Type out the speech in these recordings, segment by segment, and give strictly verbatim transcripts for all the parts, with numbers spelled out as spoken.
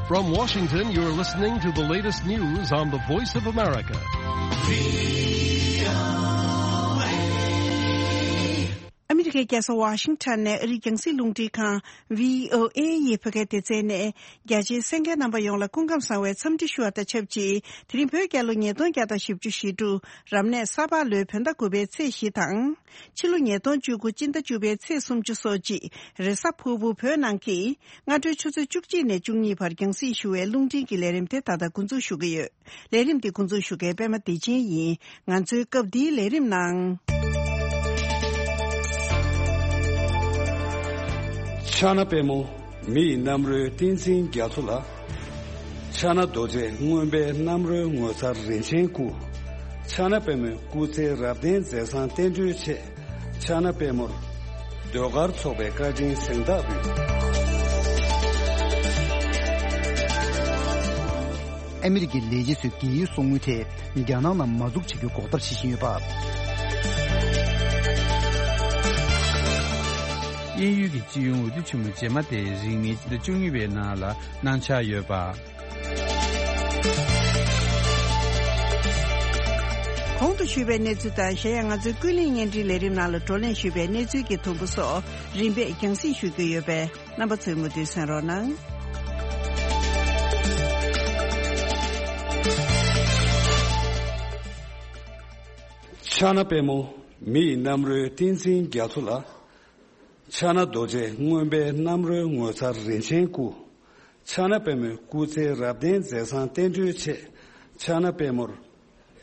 From Washington, you're listening to the latest news on the Voice of America. ཨ་མི་རི་ཀའི་རྒྱལ་ས་ཝ་ཤིང་ཊོན་ནས་ཨ་རིའི་རྒྱང་སྲིང་རླུང་འཕྲིན་ཁང་བྷི་ཨོ་ཨེ་ཡི་བོད་སྐད་སྡེ་ཚན་ནས། རྒྱ་ཆེའི་གསན་མཁན་རྣམ་པ་ཡོངས་ལ་སྐུ་ཁམས་བཟང་བའི་འཚམས་འདྲི་ཞུ་བ་དང་ཆབས་ཅིག་དེ་རིང་བོད་རྒྱལ་ལོ་ཉིས་སྟོང་བརྒྱ་དང་བཞི་བཅུ་ཞེ་དྲུག་རབ་གནས་ས་ཕག་ལོའི་བོད་ཟླ་དགུ་པའི་ཚེས་བཞི་དང་། ཕྱི་ལོ་ཉིས་སྟོང་བཅུ་དགུ་སྤྱི་ཟླ་བཅུ་པའི་ཚེས་སུམ་ཅུ་སོ་གཅིག་རེས་གཟའ་ཕུར་བུ་བོད་ནང་གི་སྔ་དྲོའི་ཆུ་ཚོད་བཅུ་གཅིག་ནས་བཅུ་གཉིས་བར་རྒྱང་སྲིང་ཞུ་བའི་རླུང་འཕྲིན་གྱི་ལས་རིམ་དེ་ད་ལྟ་འགོ་འཛུགས་ཞུ་གི་ཡོད། ལས་རིམ་འདི་འགོ་འཛུགས་ཞུ་མཁན་པད་མ་བདེ་ཆེན་ཡིན། ང་ཚོའི་སྐབས་འདིའི་ལས་རིམ་ནང་། ཕྱག་ན་པདྨོ། མི་ཡི་རྣམ་རོལ་ཏིང་འཛིན་རྒྱ་མཚོ་ལ། ཕྱག་ན་རྡོ་རྗེ་མངོན་པའི་རྣམ་རོལ་ངོ་མཚར་རིན་ཆེན་སྐུ། ཕྱག་ན་པདྨོའི་སྐུ་ཚེ་རབ་བརྟན་མཛད་བཟང་བསྟན་འགྲོའི་ཆེད། ཕྱག་ན་པདྨོར་ཟློས་གར་ཚོགས་པའི་བཀའ་དྲིན་གཟེངས་རྟགས་འབུལ། ཨ་མི་རི་ཀའི་ལས་བྱེད་ཚོས་རྒས་ཡོལ་གསོག་དངུལ་དེ་རྒྱ་ནག་ནང་མ་འཛུགས་བྱེད་རྒྱུའི་འགོག་ཐབས་བྱེད་བཞིན་ཡོད་པ། དབྱིན་ཡུལ་གྱི་སྤྱི་ཡོངས་འོས་བསྡུ་ཆེན་མོ་རྗེས་མ་དེ་རིང་ནི་ཕྱི་ཟླ་བཅུ་གཉིས་པའི་ནང་ལ་གནང་འཆར་ཡོད་པ། གོང་དུ་ཞུས་པའི་གནས་ཚུལ་དང་། གཞན་ཡང་ང་ཚོའི་ཀུན་གླེང་བརྙན་འཕྲིན་ལས་རིམ་ནང་ལ་བགྲོ་གླེང་ཞུས་པའི་གནས་ཚུལ་གྱི་དུམ་བུ་སོགས་རིམ་པས་རྒྱང་སྲིང་ཞུ་རྒྱུ་ཡོད་པས། རྣམ་པ་ཚོས་མུ་མཐུད་གསན་རོགས་གནང་། ཕྱག་ན་པདྨོ། མི་ཡི་རྣམ་རོལ་ཏིང་འཛིན་རྒྱ་མཚོ་ལ། ཕྱག་ན་རྡོ་རྗེ་མངོན་པའི་རྣམ་རོལ་ངོ་མཚར་རིན་ཆེན་སྐུ། ཕྱག་ན་པདྨོའི་སྐུ་ཚེ་རབ་བརྟན་མཛད་བཟང་བསྟན་འགྲོའི་ཆེད། ཕྱག་ན་པདྨོར་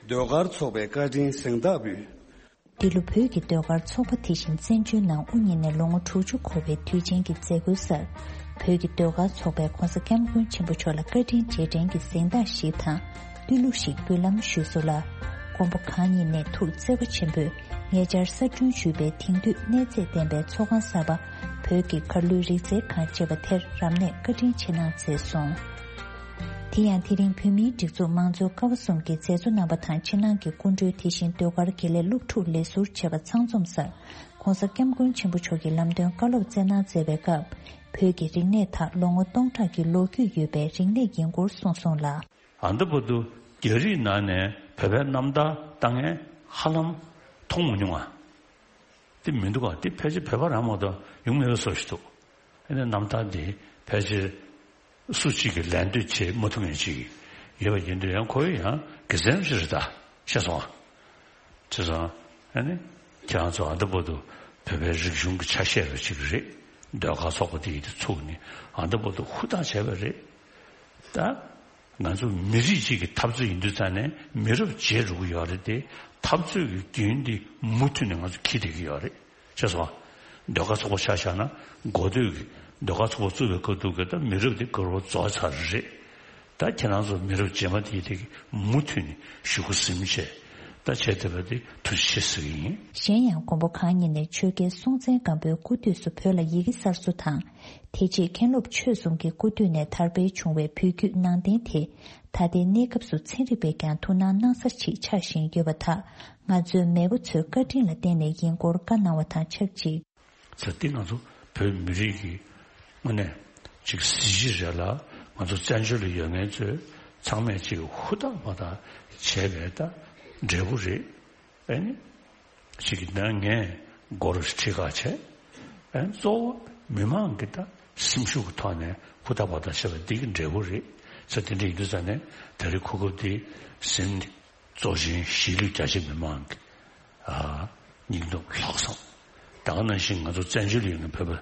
ཟློས་གར་ཚོགས་པའི་བཀའ་དྲིན་གཟེངས་རྟགས་འབུལ། འདི་ལོ་བོད་ཀྱི་ཟློས་གར་ཚོགས་པ་དེ་བཞིན་བཙན་བྱོལ་ནང་དབུ་བརྙེས་ནས་ལོ་ངོ་དྲུག་ཅུ་འཁོར་བའི་དུས་ཆེན་གྱི་མཛད་སྒོའི་སར། བོད་ཀྱི་ཟློས་གར་ཚོགས་པས་༧གོང་ས་༧སྐྱབས་མགོན་ཆེན་པོ་མཆོག་ལ་བཀའ་དྲིན་རྗེས་དྲན་གྱི་གཟེངས་རྟགས་ཤིག་དང་། བསྟོད་གླུ་ཞིག་འབུལ་ལམ་ཞུས་སོང་ལ། མགོན་པོ་གང་ཉིད་ནས་ཐུགས་བརྩེ་བ་ཆེན་པོས་ཉེ་ཆར་གསར་སྐྲུན་ཞུས་པའི་དེང་དུས་གནས་ཚད་ལྡན་པའི་ཚོགས་ཁང་གསར་པ། བོད་ཀྱི་གར་གླུའི་རིག་རྩལ་ཁང་ཅེས་པ་དེར་རབ་གནས་བཀའ་དྲིན་ཆེ་གནང་མཛད་སོང་། དེ་ཡང་དེ་རིང་བོད་མིའི་སྒྲིག་འཛུགས་མང་གཙོའི་ཀ་བ་གསུམ་གྱི་མཛད་གཙོ་རྣམ་པ་དང་ཕྱི་ནང་གི་སྐུ་མགྲོན། དེ་བཞིན་ཟློས་གར་དགེ་ལས་སློབ་ཕྲུག་ལས་ཟུར་བཅས་པ་ཚང་འཛོམས་སར། ༧གོང་ས་༧སྐྱབས་མགོན་ཆེན་པོ་མཆོག་གིས་ལམ་སྟོན་བཀའ་སློབ་སྩལ་གནང་མཛད་པའི་སྐབས། བོད་ཀྱི་རིག་གནས་དག་ལོ་ངོ་སྟོང་ཕྲག་གི་ལོ་རྒྱུས་ཡོད་པའི་རིག་གནས་ཡིན་སྐོར་གསུངས་སོང་ལ། ཨ་འདི་བར་དུ་རྒྱ་རིགས་ནང་ནས་བོད་པའི་རྣམ་ཐར་ལྟ་མཁན་ཧ་ལམ་མཐོང་མ་མྱོང་ང་། དེ་མི་འདུག་ག་དེ་ཕལ་ཆེར་བོད་པ་རང་མ་གཏོགས་ཡོང་མེད་པའི་བཟོ་ཞིག་འདུག་ཨ་ནི་རྣམ་ཐར་འདི་ཕལ་ཆེར་སུ་གཅིག་གིས་ལད་ཟློས་བྱེད་མ་ཐུབ་མཁན་ཅིག་ཡོད་པ་ཡིན་དུས། ཡང་ཁོ་ཡང་དགེ་མཚན་ཞིག་རེད་ད། ཤེས་སོང་ཨ། བྱས་ཙང་ཨ་ནི་ཁྱེད་རང་ཚོ་ཨ་འདི་བར་དུ་བོད་པའི་རིག་གཞུང་གི་ཆ་ཤས་རེ་ཅིག་རེད། ཟློས་གར་ཚོགས་པ་འདི་ཡིས་དེ་ཚུགས་ནས་ཨ་འདི་བར་དུ་ཧུར་ཐག་བྱས་པ་རེད་ད། ང་ཚོ་མི་རིགས་གཅིག་གི་འཐབ་རྩོད་ཡིན་དུས་ཙང་ནས་མི་རབས་བརྗེ་འགྲོ་གི་ཡོད་རེད་དེ། འཐབ་རྩོད་ཀྱི་རྒྱུན་འདི་མུ་མཐུད་ནས་ང་ཚོ་འཁྱེར་བསྡད་ཀྱི་ཡོད་རེད། ཤེས་སོང་ཨ། ཟློས་གར་ཚོགས་པ་ཆ་བཞག་ན་འགོ་སྟོད་ཀྱི་ཟློས་གར་ཚོགས་པ་བཙུགས་པའི་སྐབས་དུས་ཀྱི་ད་མི་རབས་འདི་ག་རོ་རྫོགས་ཚར་རེད། ད་ཁྱེད་རང་ཚོ་མི་རབས་རྗེས་མ་དེ་དེ་གི་མུ་མཐུད་ནས་གཞུག་གུ་ཟིན་བྱས་ད་བྱས་བསྡད་པ་དེ་ཐུགས་རྗེ་ཆེ་ཟེར་གྱི་ཡིན། གཞན་ཡང་མགོན་པོ་གང་ཉིད་ནས་ཆོས་རྒྱལ་སྲོང་བཙན་སྒམ་པོའི་སྐུ་དུས་སུ་བོད་ལ་ཡི་གེ་གསར་བཟོ་དང་། དེ་རྗེས་མཁན་སློབ་ཆོས་གསུམ་གྱི་སྐུ་དུས་ནས་དར་སྤེལ་བྱུང་བའི་བོད་བརྒྱུད་ནང་བསྟན་དེ། ད་ལྟའི་གནས་སྐབས་སུ་ཚན་རིག་པས་ཀྱང་ཐུགས་སྣང་གནང་ས་ཞིག་ཆགས་བཞིན་ཡོད་པ་དག་ང་ཚོའི་མེས་པོ་ཚོའི་བཀའ་དྲིན་ལ་བརྟེན་ནས་ཡིན་སྐོར་བཀའ་གནང་བ་དང་ཆབས་ཅིག་ཚེ་འདི་ང་ཚོ་བོད་མི་རིགས་ཀྱི་དངོས་གནས་ཅིག་གཟི་བརྗིད་རེད་ལ། ང་ཚོ་བཙན་བྱོལ་ལ་ཡོད་མཁན་ཚོས་ཚང་མས་ཅིག་ཧུར་ཐག་པ་ཐག་བྱས་པའི་ད་འབྲས་བུ་རེད། ཨ་ནི་ཅིག་གི་ནང་ངས་སྒོར་ཁྲི་ཁ་བྱས། ཨ་ནི་གཙོ་བོ་མི་མང་གི་ད་སེམས་ཤུགས་ཀྱི་ཐོག་ནས་ཧུར་ཐག་པ་ཐག་བྱས་པ་འདི་གི་འབྲས་བུ་རེད། ཚེ་འདི་འདྲ་ཡིན་དུས་ཙང་ནས་ད་རེས་གོ་སྐབས་འདི་ཟིན་ནས། གཙོ་ཆེན་གཞིས་ལུས་རྒྱ་ཆེ་མི་མང་གི་ཨ་སྙིང་སྟོབས་ལྷག་བསམ། ད་ག་ནང་བཞིན་ང་ཚོ་བཙན་བྱོལ་ཡོད་མཁན་བོད་པ་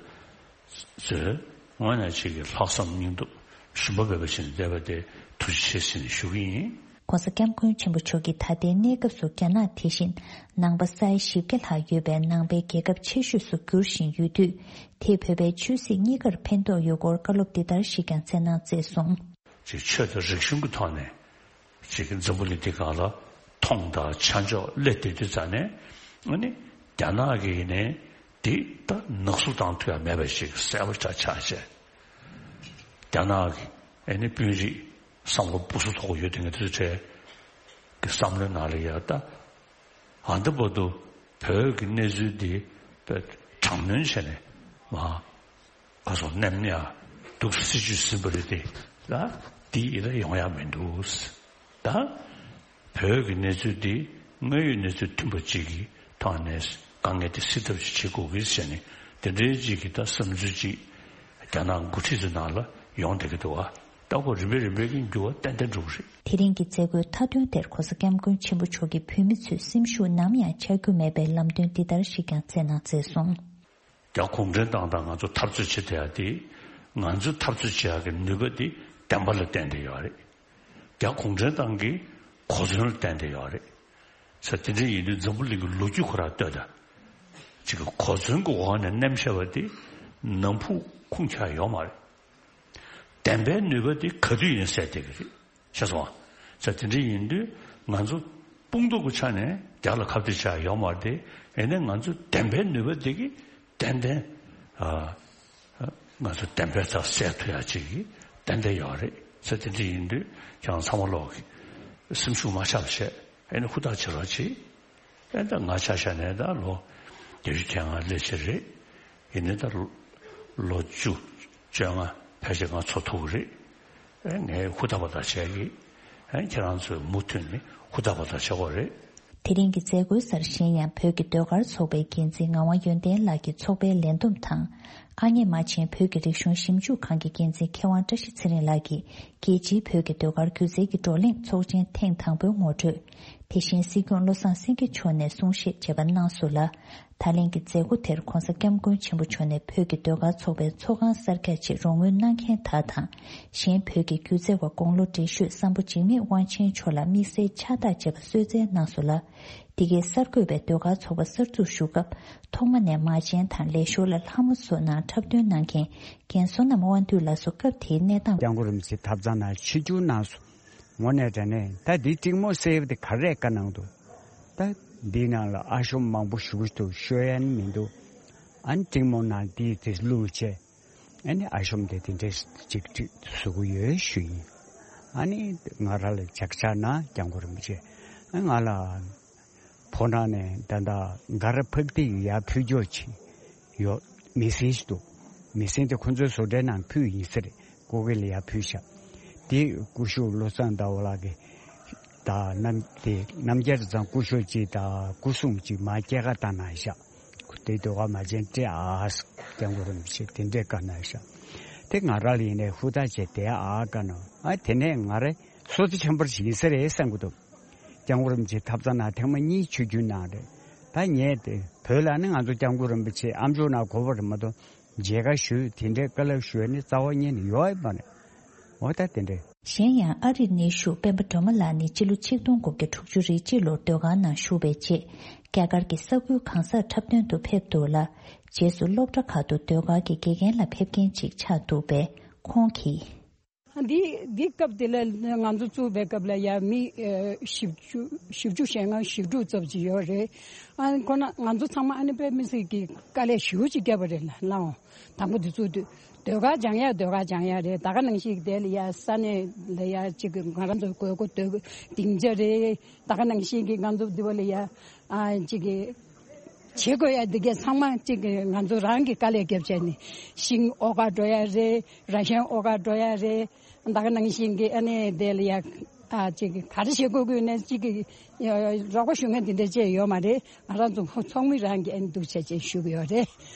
ཚོས་དངོས་གནས་ཅིག་གི་ལྷག་བསམ་སྙིང་སྟོབས་ཞུམ་པ་མེད་པ་བྱས་ནས་བསྡད་པ་དེ་ཐུགས་རྗེ་ཆེ་ཟེར་ནས་ཞུ་གི་ཡིན། ༸གོང་ས་༸སྐྱབས་མགོན་ཆེན་པོ་མཆོག་གིས་ད་ལྟའི་གནས་སྐབས་སུ་རྒྱ་ནག་དེ་བཞིན་ནང་པ་ས་ཡ་བཞི་བརྒྱ་ལྷག་ཡོད་པའི་ནང་པའི་རྒྱལ་ཁབ་ཆེ་ཤོས་སུ་འགྱུར་བཞིན་ཡོད་དུས། དེས་བོད་པའི་ཆོས་སྲིད་གཉིས་ཀར་ཕན་ཐོགས་ཡོད་སྐོར་བཀའ་སློབ་འདི་ལྟར་ཞིག་ཀྱང་སྩལ་གནང་མཛད་སོང་། ཅིག་ཆོས་དང་རིག་གཞུང་གི་ཐོག་ནས་ཅིག་འཛམ་བུ་གླིང་འདི་སྒང་ལ་མཐོང་དང་ཆ་འཇོག་སླེབས་བསྡད་དུས་ཙང་ནས། ཨ་ནི་རྒྱ་ནག་གིས་ནི་འདི་ད་ནག་བསུབ་བཏང་ཐུབ་ཡ་མེད་པ་ཞིག་གསལ་པོ་ཆགས་ཆགས་བྱས། རྒྱ་ནག་གི་ཨ་ནི་དཔོན་རིགས་བསམ་བློ་སྤུ་སུ་ཐོག་ཡོད་དེ་ངས་དུས་ཚོད་གི་བསམ་བློའི་ནང་ལ་ཡ་ད། ཨ་འདི་བར་དུ་བོད་ཀྱི་གནས་ཚུལ་འདི་དཔེ་དྲག་གནོན་བྱས་ནས་མ་ག་སོང་མནན་ཡ་འདུག་སྲིད་ཇུས་ཟིན་པ་རེད་དེ། ལ་དེ་ཡིན་ན་ཡོང་ཡ་མི་འདུག་ད་བོད་ཀྱི་གནས་ཚུལ་འདི་དངོས་ཡོད་གནས་ཚུལ་མཐུན་པ་ཅིག་གི་ཐོག་ནས་དཀའ་ངལ་དེ་སེལ་ཐབས་ཤིག་བྱེད་དགོས་ཀྱི་ཟེར་ནས་དེ་འདྲའི་ཅིག་གི་ད་བསམ་ཚུལ་ཅིག་རྒྱ་ནག་འགོ་ཁྲིད་ཚོའི་ནང་ལ་ཡོང་བསྡད་ཀྱི་འདུག་བ། ལྟ་བུ་རིམ་པས་རིམ་པས་ཀྱི་འགྱུར་བ་ཏན་ཏན་འགྲོ་གི་རེད། དེ་རིང་གི་མཛད་སྒོའི་མཐའ་དོན་དེར་༸གོང་ས་༸སྐྱབས་མགོན་ཆེན་པོ་མཆོག་གིས་བོད་མི་ཚོས་སེམས་ཤུགས་ནམ་ཡང་ཆག་རྒྱུ་མེད་པའི་ལམ་སྟོན་འདི་ལྟར་ཞིག་ཀྱང་སྩལ་གནང་མཛད་སོང་། རྒྱ་གུང་ཁྲན་ཏང་དང་ང་ཚོ་འཐབ་རྩོད་བྱེད་བསྡད་ཡ་དེ། ང་ཚོ་འཐབ་རྩོད་བྱེད་ཡ་གི་ནུས་པ་དེ་བདེན་པ་ལ་བརྟེན་ཏེ་ཡོད་རེད། རྒྱ་གུང་ཁྲན་ཏང་གི་གོ་མཚོན་ལ་བརྟེན་ཏེ་ཡོད་རེད། ས་དེ་འདྲ་ཡིན་དུས་འཛམ་བུ་གླིང་གི་ལོ་རྒྱུས་ཁོ་རང་ལྟོས་དང་། ཅིག་གི་གོ་མཚོན་གྱི་འོག་ནས་མནན་བྱས་པ་དེ་ནམ་ཕུགས་ཁུངས་ཆགས་ཡོད་མ་རེད། བདེན་པའི་ནུས་པ་དེ་ག་དུས་ཡིན་ཟེར་བསྡད་ཀྱི་རེད། ཤེས་སོང་ཨ། ས་དེ་འདྲ་ཡིན་དུས་ང་ཚོ་དཔུང་སྡེ་གི་ཆ་ནས་རྒྱ་ལ་ཁ་གཏད་བྱ་ཡོད་མ་རེད་དེ། ཡིན་ནའི་ང་ཚོ་བདེན་པའི་ནུས་པ་དེ་གི་ཏན་ཏན་ཨ། ང་ཚོ་བདེན་པའི་རྩ་གསལ་ཐུབ་ཡ་ཅིག་གི་ཏན་ཏན་ཡོད་རེད། ས་དེ་འདྲ་ཡིན་དུས་ཁྱེད་རང་ཚང་མ་ལོག་གི་སེམས་ཤུགས་མ་ཆག་བྱས་ཨེ་ནི་ཧུར་ཐག་བྱེད་རོགས་བྱེད། ཨེ་ད་ང་ཆ་བཞག་ནས་ད་ལོ་བརྒྱད་ཅུ་གྱ་ལྔ་སླེབས་ཕྱིན་རེད། ཡིན་ནའི་ད་ལོ་བཅུ་བཅོ་ལྔ་ཕལ་ཆེར་ང་འཚོ་ཐུབ་ཀྱི་རེད། ཨེ་ངས་ཧུར་ཐག་པ་དང་བྱས་ཀྱི། ཨེ་ཁྱེད་རང་ཚོས་མུ་མཐུད་ནས་ཧུར་ཐག་པ་དང་བྱེད་དགོས་རེད། དེ་རིང་གི་མཛད་སྒོའི་སར་གཞན་ཡང་བོད་ཀྱི་ཟློས་གར་ཚོགས་པའི་འགན་འཛིན་ངག་དབང་ཡོན་ཏན་ལགས་ཀྱིས་ཚོགས་པའི་ལས་བསྡོམས་དང་། ཨ་མྱེས་རྨ་ཆེན་བོད་ཀྱི་རིག་གཞུང་ཞིབ་འཇུག་ཁང་གི་འགན་འཛིན་མཁས་དབང་བཀྲ་ཤིས་ཚེ་རིང་ལགས་ཀྱིས་རྒྱལ་སྤྱིའི་བོད་ཀྱི་ཟློས་གར་སྒྱུ་རྩལ་གྱི་བགྲོ་གླེང་ཚོགས་ཆེན་ཐེངས་དང་པོའི་ངོ་སྤྲོད། དེ་བཞིན་སྲིད་སྐྱོང་བློ་བཟང་སེང་གེ་མཆོག་ནས་གསུང་བཤད་བྱས་པ་གནང་སོང་ལ། ད་ལན་གྱི་མཛད་སྒོ་དེར་༸གོང་ས་༸སྐྱབས་མགོན་ཆེན་པོ་མཆོག་ནས་བོད་ཀྱི་ཟློས་གར་ཚོགས་པའི་ཚོགས་ཁང་གསར་རྒྱག་ཆེད་རོགས་དངུལ་གནང་མཁན་དག་དང་། གཞན་བོད་ཀྱི་སྒྱུ་རྩལ་བ་དགུང་ལོ་བགྲེས་ཤོས་བསམ་ཕོ་འཇིགས་མེད་དབང་ཆེན་མཆོག་ལ་དམིགས་བསལ་ཕྱག་རྟགས་བཅས་པ་གསོལ་སྩལ་གནང་སོང་ལ། འདི་གའི་གསར་འགོད་པས་ཟློས་གར་ཚོགས་པ་གསར་འཛུགས་ཞུ་སྐབས་ཐོག་མ་ནས་མ་བྱན་དང་ལས་ཞོར་ལ་ལྷ་མོ་བཟོ་གནང་འཁྲབ་སྟོན་གནང་མཁན་རྒན་བསོད་ནམས་དབང་འདུས་ལགས་སུ་སྐབས་དེའི་གནས་སྟངས། སྐྱབས་མགོན་རིན་པོ་ཆེ་ཐབ་ཚང་ནང་ཆིབས་བསྒྱུར་གནང་སོང་། དངོས་གནས་དྲང་གནས་ད་འདི་ཀྲིང་མོ་ཟེར་བ་དེ་ག་རེ་བཀའ་གནང་འདུག་ད་འདི་ནང་ལ་ཨ་ཤོམ་མང་པོ་ཞུ་གི་འདུག་ཤོད་ཡ་ནི་མི་འདུག་ཨ་ནི་ཀྲིང་མོ་ནང་འདི་དེ་བླུགས་བྱས། ཨ་ནི་ཨ་ཤོམ་དེ་དེ་འདྲས་ཅིག་ཅིག་བཟོ་གི་ཡོད་ཞུ་ཡིན། ཨ་ནི་ང་རང་ལ་ཅག་ཅག་ན་སྐྱབས་མགོན་རིན་པོ་ཆེ་ཨ་ང་ལ་ཕོ་བྲང་ནས་ད་ལྟ་ག་ར་ཕག་ཏི་ཡར་ཕུལ་རྒྱུ་ཅིག་ཡོད། མི་སེར་ཞིག་འདུག་མི་སེར་དེ་ཁོ་ཚོའི་བཟོ་གྲྭའི་ནང་ཕུལ་ཡིན་ས་རེད། སྐུ་སྒེར་ལ་ཡར་ཕུལ་ཤག་དེ་སྐུ་ཞབས་བློ་བཟང་ཟླ་བ་ལགས་ཀྱིས་ད་རྣམ་དེ་རྣམ་རྒྱལ་ཚང་སྐུ་ཞབས་ཅིག་དང་སྐུ་སྲུང་ཅིག་མར་སྐྱེལ་ཀ་བཏང་གནང་ཤག་དེ་ཟློས་གར་མ་བྱན་སྤྲད་ཨ། སྐྱབས་མགོན་རིན་པོ་ཆེ་དེ་འདྲས་བཀའ་གནང་ཤག་དེ་ང་རང་ལ་ཡིན་ནའི་ཧུར་ཐག་བྱས་དེ་ཨ་བཀའ་གནང་ཨ། དེ་ནས་ང་རེ་སོ་ཏི་ཆེན་པོར་ཞིག་ཡིན་ས་རེད་བསམ་གི་འདུག་སྐྱབས་མགོན་རིན་པོ་ཆེ་ཐབ་ཚང་ནང་ཐེངས་མ་གཉིས་ཆིབས་བསྒྱུར་གནང་རེད། ད་ངས་དེ་བོད་ལ་ནི་ང་ཚོ་སྐྱབས་མགོན་རིན་པོ་ཆེ་ཨ་མཆོག་ནང་གོ་བ་རེད་མ་གཏོགས་མཇལ་ཁ་ཞུས་དེ་འདྲའི་བཀའ་སློབ་ཞུས་ནི་རྩ་བ་ཉིད་ནས་ཡོད་མ་རེད། འོ་ད་དེ་འདྲས། གཞན་ཡང་ཨ་རིར་གནས་བཞུགས་སྤེན་པ་སྒྲོལ་མ་ལགས་ནི་སྤྱི་ལོ་ཆིག་སྟོང་དགུ་བརྒྱ་དྲུག་ཅུ་རེ་གཅིག་ལོར་ཟློས་གར་ནང་ཞུགས་པའི་རྗེས་རྒྱ་གར་གྱི་ས་ཁུལ་གང་སར་འཁྲབ་སྟོན་དུ་ཕེབས་འདུག་ལ། རྗེས་སུ་སློབ་གྲྭ་ཁག་ཏུ་ཟློས་གར་གྱི་དགེ་རྒན་ལ་ཕེབས་མཁན་ཅིག་ཆགས་འདུག་པས་ཁོང་གིས། འདི་འདི་སྐབས་དེ་ལ་ང་ཚོ་བཙུགས་པའི་སྐབས་ལ་ཡ་མི་ཨ་བཞི་བཅུ་བཞི་བཅུ་ཞེ་ལྔ་བཞི་དྲུག་ཙམ་ཅིག་ཡོད་རེད། ཨ་ཁོ་ན་ང་ཚོ་ཚང་མ་ཨ་ནི་དཔེ་མི་སྲིད་ཀྱི་དཀའ་ལས་ཞེ་པོ་ཅིག་བརྒྱབ་པ་རེད་ལ་ལའོ། དང་པོ་དེ་ཚོ་དུས་ཟློས་གར་སྦྱང་ཡ་ཟློས་གར་སྦྱང་ཡ་རེད། ད་ག་ནང་བཞིན་དེ་ལ་ཡ་ས་གནས་ལ་ཡ་གཅིག་གི་ང་རང་ཚོ་དགོས་མཁོ་དོ་སྡིངས་ཆ་རེད། ད་ག་ནང་བཞིན་གྱི་ང་ཚོ་འདི་བ་ལ་ཡ་ཨ་གཅིག་གི་བྱེད་དགོས་ཡ་འདི་གས་ཚང་མ་གཅིག་གི་ང་ཚོ་རང་གི་དཀའ་ལས་བརྒྱབ་བྱས་ནས་ཤིང་ཨོ་ག་འགྲོ་ཡ་རེད། ར་ཤན་ཨོ་ག་འགྲོ་ཡ་རེད། ད་ག་ནང་བཞིན་གྱི་ཨ་ནི་དེ་ལ་ཡ་ཨ་གཅིག་གི་ག་རེ་བྱེད་དགོས་དགོས་ནས་གཅིག་གི་རོགས་པ་ཞུ་མཁན་འདི་འདྲ་བཅས་ཡོད་མ་རེད། ང་རང་ཚོ་ཚོགས་མི་རང་གི་ཨ་ནི་འདུག་བྱས་བྱས་ཞུ་གི་ཡོད་རེད།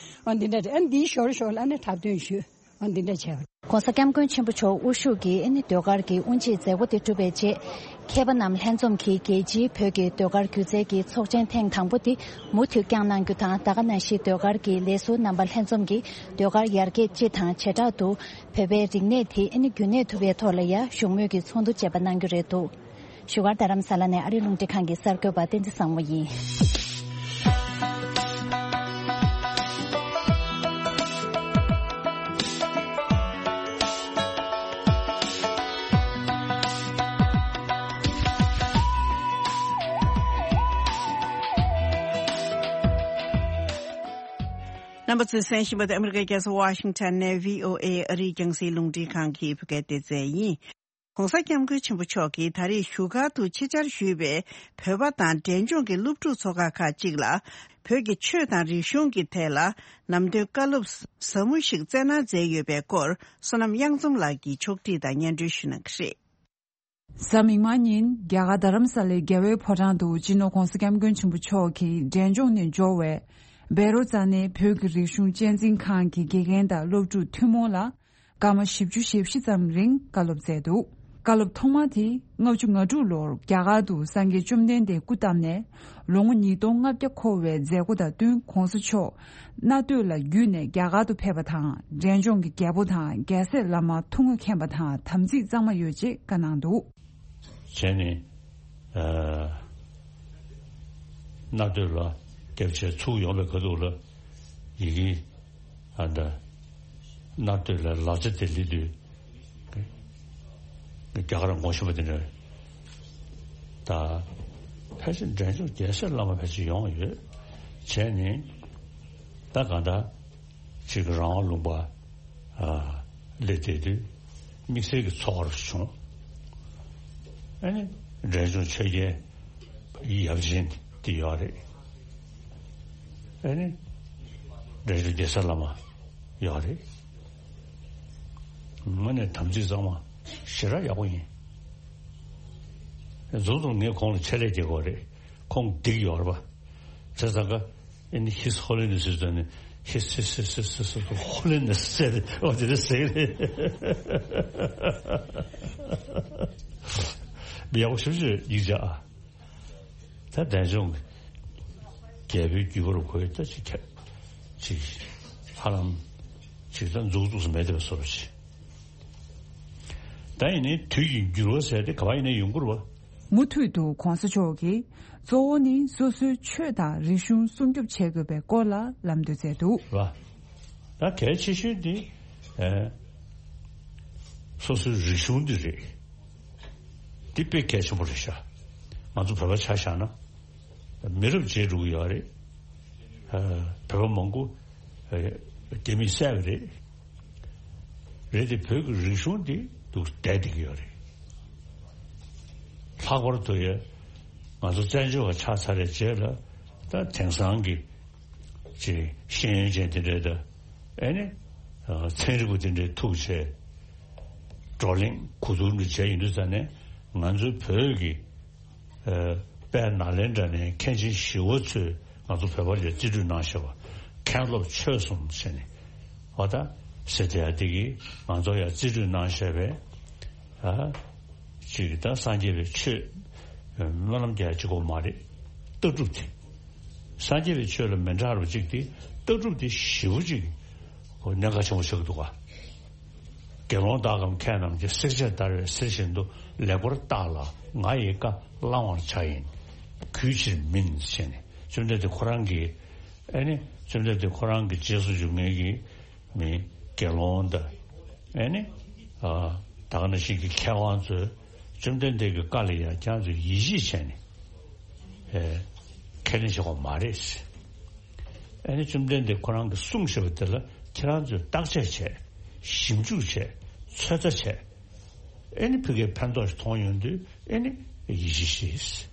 ཨ་འདི་འདྲ་རེད། ཨ་འདིའི་ཞོར་ཞོར་ལ་ཨ་ནི་འཁྲབ་སྟོན་ཞུས། ཨ་འདི་འདྲ་བྱས། ༸གོང་ས་༸སྐྱབས་མགོན་ཆེན་པོ་མཆོག་དབུ་བཞུགས་ཀྱིས་ཨ་ནི་ཟློས་གར་གྱི་དབུ་འབྱེད་མཛད་སྒོ་དེ་གྲུབ་པའི་རྗེས། མཁས་པ་རྣམས་ལྷན་འཛོམས་ཀྱིས་རྒྱལ་སྤྱིའི་བོད་ཀྱི་ཟློས་གར་སྒྱུ་རྩལ་གྱི་ཚོགས་ཆེན་ཐེངས་དང་པོ་དེ་མུ་མཐུད་བསྐྱངས་གནང་རྒྱུ་དང་། ད་ག་ནང་བཞིན་ཟློས་གར་གྱི་ལས་ཟུར་རྣམ་པ་ལྷན་འཛོམས་ཀྱིས་ཟློས་གར་ཡར་རྒྱས་སྤྱི་དང་བྱེ་བྲག་ཏུ་བོད་པའི་རིག་གནས་དེ་ཨ་ནི་རྒྱུན་གནས་ཐུབ་པའི་ཐོག་ལ་ཡ་བཞུགས་མོལ་གྱི་ཚོགས་འདུ་བཅས་པ་གནང་རྒྱུ་རེད་འདུག་བཞུགས་སྒར་རྡ་རམ་ས་ལ་ནས་ཨ་རི་རླུང་འཕྲིན་ཁང་གི་གསར་འགོད་པ་བསྟན་འཛིན་བཟང་མོ་ཡིན། རྣམ་པ་ཚོས་གསན་བཞིན་པ་དེ་ཨ་མི་རི་ཀའི་རྒྱལ་ས་ཝ་ཤིང་ཊོན་ནས་བྷི་ཨོ་ཨེ་ཨ་རིའི་རྒྱང་སྲིང་རླུང་འཕྲིན་ཁང་གི་བོད་སྐད་སྡེ་ཚན་ཡིན། ༸གོང་ས་༸སྐྱབས་མགོན་ཆེན་པོ་མཆོག་གིས་ད་རེས་བཞུགས་སྒར་དུ་ཆེད་བཅར་ཞུས་པའི་བོད་པ་དང་འབྲས་ལྗོངས་ཀྱི་སློབ་ཕྲུག་ཚོགས་ཁག་ཁག་ཅིག་ལ། བོད་ཀྱི་ཆོས་དང་རིག་གཞུང་གི་ཐད་ལ་ལམ་སྟོན་བཀའ་སློབ་ཟབ་མོ་ཞིག་སྩལ་གནང་མཛད་ཡོད་པའི་སྐོར། བསོད་ནམས་གཡང་འཛོམས་ལགས་ཀྱིས་ཕྱོགས་བསྒྲིགས་དང་སྙན་སྒྲོན་ཞུ་གནང་གི་རེད། གཟའ་མིག་དམར་ཉིན་རྒྱ་གར་རྡ་རམ་ས་ལའི་རྒྱལ་བའི་ཕོ་བྲང་དུ་སྤྱི་ནོར་༸གོང་ས་༸སྐྱབས་མགོན་ཆེན་པོ་མཆོག་གིས་འབྲས་ལྗོངས་ནས་འབྱོར་བའི་བཻ་རོ་ཙ་ནའི་བོད་ཀྱི་རིག་གཞུང་གཅེས་འཛིན་ཁང་གི་དགེ་རྒན་དང་སློབ་ཕྲུག་ཐུན་མོང་ལ་སྐར་མ་བཞི་བཅུ་ཞེ་བཞི་ཙམ་རིང་བཀའ་སློབ་སྩལ་འདུག་བཀའ་སློབ་ཐོག་མ་དེ་ལྔ་བཅུ་ང་དྲུག་ལོར་རྒྱ་གར་དུ་སངས་རྒྱས་བཅོམ་ལྡན་འདས་སྐུ་བལྟམས་ནས་ལོ་ངོ་ཉིས་སྟོང་ལྔ་བརྒྱ་འཁོར་བའི་མཛད་སྒོ་དང་བསྟུན། ༸གོང་ས་མཆོག་གནའ་སྟོད་ལ་བརྒྱུད་ནས་རྒྱ་གར་དུ་ཕེབས་པ་དང་། འབྲས་ལྗོངས་ཀྱི་རྒྱལ་པོ་དང་རྒྱལ་སྲས་བླ་མ་ཐུགས་མངའ་མཁྱེན་པ་དང་དམ་ཚིག་གཙང་མ་ཡོད་ཅེས་བཀའ་གནང་འདུག་བྱས་ནས། ཨ། གནའ་སྟོད་ལ་སྐྱབས་ཆེན་ཚུར་ཡོང་བའི་ཁ་ཐུག་ལ་ཡི་གེ། ཨ། ད་གནའ་སྟོད་ལ་ལ་རྩེ་དེ་སླེབས་དུས་རྒྱ་གར་ངོ་ཤེས་པ་དེ་འདྲ། ད་ཕལ་ཆེར་འབྲས་ལྗོངས་རྒྱལ་སྲས་བླ་མ་ཕལ་ཆེར་ཡོང་ཡོད། བྱས་ནས་ད་གང་ལྟར་ཅིག་རང་དབང་ལུང་པ། ཨ། སླེབས་བསྡད་དུས་དམིགས་བསལ་གྱི་ཚོར་བ་བྱུང་། ཨ་ནི་འབྲས་ལྗོངས་ཆོས་རྒྱལ་ཡབ་ཆེན་དེ་ཡོད་རེད། ཨ་ནི་འབྲས་ལྗོངས་རྒྱལ་སྲས་བླ་མ་ཡོད་རེད། དངོས་གནས་དམ་ཚིག་གཙང་མ་ཞེ་དྲག་ཡག་པོ་ཡིན། རྫོང་དུ་ངས་ཁོང་ལ་ཆེད་ལས་བྱེད་དགོས་རེད། ཁོང་སྡིག་ཡོད་རེད་པ། བྱས་ཙང་ཀ་ཨ་ནི་His Holiness ཟེར་ནས་His His His His His Holiness ཟེར་ནས་འོ་དེ་འདྲ་ཟེར་གི་རེད། མི་ཡག་པོ་ཞེ་པོ་ཅིག་ཡིན་ཅག་ཨ། ད་འབྲས་ལྗོངས་རྒྱལ་པོའི་རྒྱུད་པ་རུ་ཁོའི་ད་ཅིག་ཁྱབ་ཅིག་ཧ་ལམ་ཅིག་ད་འཛུགས་འཛུགས་སུ་མེད་བསྡད་པ་བཟོ་འདྲ་ཅིག་ད་ཡིན་ནའི་དུས་ཀྱི་འགྱུར་བ་ཟེར་དེ་ག་པར་ཡིན་ནའི་ཡོང་གི་རེད་པ། མུ་མཐུད་དུ་༸གོང་ས་མཆོག་གིས་གཙོ་བོ་ནི་སོ་སོའི་ཆོས་དང་རིག་གཞུང་སྲུང་སྐྱོབ་བྱེད་དགོས་པའི་སྐོར་ལ་ལམ་སྟོན་མཛད་འདུག་རེད་པ། ད་གལ་ཆེ་ཤོས་དེ། ཨ། སོ་སོའི་རིག་གཞུང་འདི་རེད། འདི་དཔེ་གལ་ཆེན་པོ་རེད་ཤག་ང་ཚོ་བོད་པ་ཆ་བཞག་ན། མི་རབས་བརྗེ་འགྲོ་གི་ཡོད་རེད། ཨ། བོད་པ་མང་པོ། ཨ། རྒྱ་མིས་བསད་པ་རེད། རེད་དེ་བོད་ཀྱི་རིག་གཞུང་འདི་འདུག་བསྡད་བསྡད་ཀྱི་ཡོད་རེད། ལྷག་པར་དུ་ཡ་ང་ཚོ་བཙན་བྱོལ་བ་ཆགས་ཚར་བའི་རྗེས་ལ་ད་དེང་སང་གི་ཅིག་ཤེས་ཡོན་ཅན་དེ་འདྲས་དང་ཨེ་ནི་ཚན་རིག་པ་དེ་འདྲས་ཐུག་བྱས་བགྲོ་གླེང་གོ་བསྡུར་འདྲ་བྱས་ཡོང་དུས་ཙ་ནས་ང་ཚོའི་བོད་ཀྱི་ཨ། དཔལ་ནཱ་ལེནྡྲ་ནས་མཁན་ཆེན་ཞི་བ་འཚོས་ང་ཚོ་བོད་པར་ཡང་རྩིས་སྤྲོད་གནང་བཞག་པ། མཁན་སློབ་ཆོས་གསུམ་ཟེར་ནས་འོ་ད་ཟེར་དེ་ཡ་དེ་གིས་ང་ཚོར་ཡང་རྩིས་སྤྲོད་གནང་བཞག་པའི། ཨ། ཅིག་ད་སངས་རྒྱས་པའི་ཆོས་སྨོན་ལམ་རྒྱག་གཅིག་པོ་མ་རེད། ལྟ་གྲུབ་དེ། སངས་རྒྱས་པའི་ཆོས་ལ་མི་འདྲ་བ་ཅིག་དེ་ལྟ་གྲུབ་དེ་ཞེ་པོ་ཅིག་གནད་འགག་ཆེན་པོ་ཆགས་ཀྱི་འདུག་ག་དགེ་སློང་དག་གམ་མཁས་རྣམས་ཀྱིས། བསྲེགས་བཅད་བརྡར་བའི་གསེར་བཞིན་དུ། ལེགས་པར་བརྟགས་ལ་ང་ཡི་བཀའ་བླང་བར་བྱ་ཡིན། གུས་ཕྱིར་མིན་ཟེར་ནས་བཅོམ་ལྡན་འདས་ཁོ་རང་གིས་ཨེ་ནི་བཅོམ་ལྡན་འདས་ཁོ་རང་གི་རྗེས་སུ་འཇུག་མཁན་གྱི་མི་དགེ་སློང་དང་ཨེ་ནི་ཨ་ད་ག་ནང་བཞིན་གྱི་མཁས་དབང་ཚོས་བཅོམ་ལྡན་འདས་ཀྱི་བཀའ་ལ་ཡང་ཁྱེད་ཚོས་ཡིད་ཆེས་བྱས་ནས་ཨེ་ཁས་ལེན་བྱེད་དགོས་མ་རེད། ཨེ་ནི་བཅོམ་ལྡན་འདས་ཁོ་རང་གིས་གསུངས་བཞག་པ་དེ་ལ་ཁྱེད་རང་ཚོས་བརྟག་དཔྱད་བྱས། ཞིབ་འཇུག་བྱས། ཚོད་ལྟ་བྱས། ཨེ་ནི་ཕ་གིར་ཕན་ཐོགས་ཤིག་མཐོང་ཡོང་དུས་ཨེ་ནི་ཡིད་ཆེས་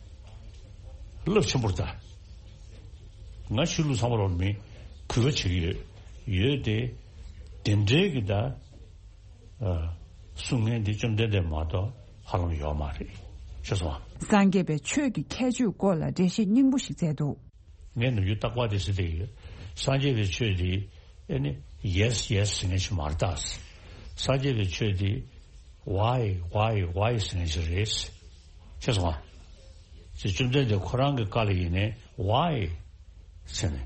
བྱེད། རླབས་ཆེན་པོར་ལྟ། ང་ཆོས་ལུགས་ཚང་མ་ལ་མི་གུས་པ་བྱེད་ཀྱི་ཡོད། ཡོད་དེ། དེ་འདྲའི་གི་ད་ཨ་གསུང་མཁན་འདི་བཅོམ་ལྡན་འདས་མ་གཏོགས་ཧ་ལམ་ཡོད་མ་རེད། ཤེས་སོང་ཨ། སངས་རྒྱས་པའི་ཆོས་ཀྱི་ཁྱད་ཆོས་སྐོར་ལ་འགྲེལ་བཤད་སྙིང་པོ་ཞིག་མཛད་འདུག་ངས་ནམ་རྒྱུན་རྟག་པར་དེ་ཟེར་བསྡད་ཀྱི་ཡོད། སངས་རྒྱས་པའི་ཆོས་འདི་ཨེ་ནི་ཡེས་ཡེས་ཟེར་མཁན་ཞིག་མ་རེད་ད། སངས་རྒྱས་པའི་ཆོས་འདི་ཝའི་ཝའི་ཝའི་ཟེར་མཁན་ཞིག་རེད། ཤེས་སོང་ཨ། ཅེས་བཅོམ་ལྡན་འདས་ཁོ་རང་གི་བཀའ་ལ་ཡིན་ནའི་ཝའི་ཟེར་ནས་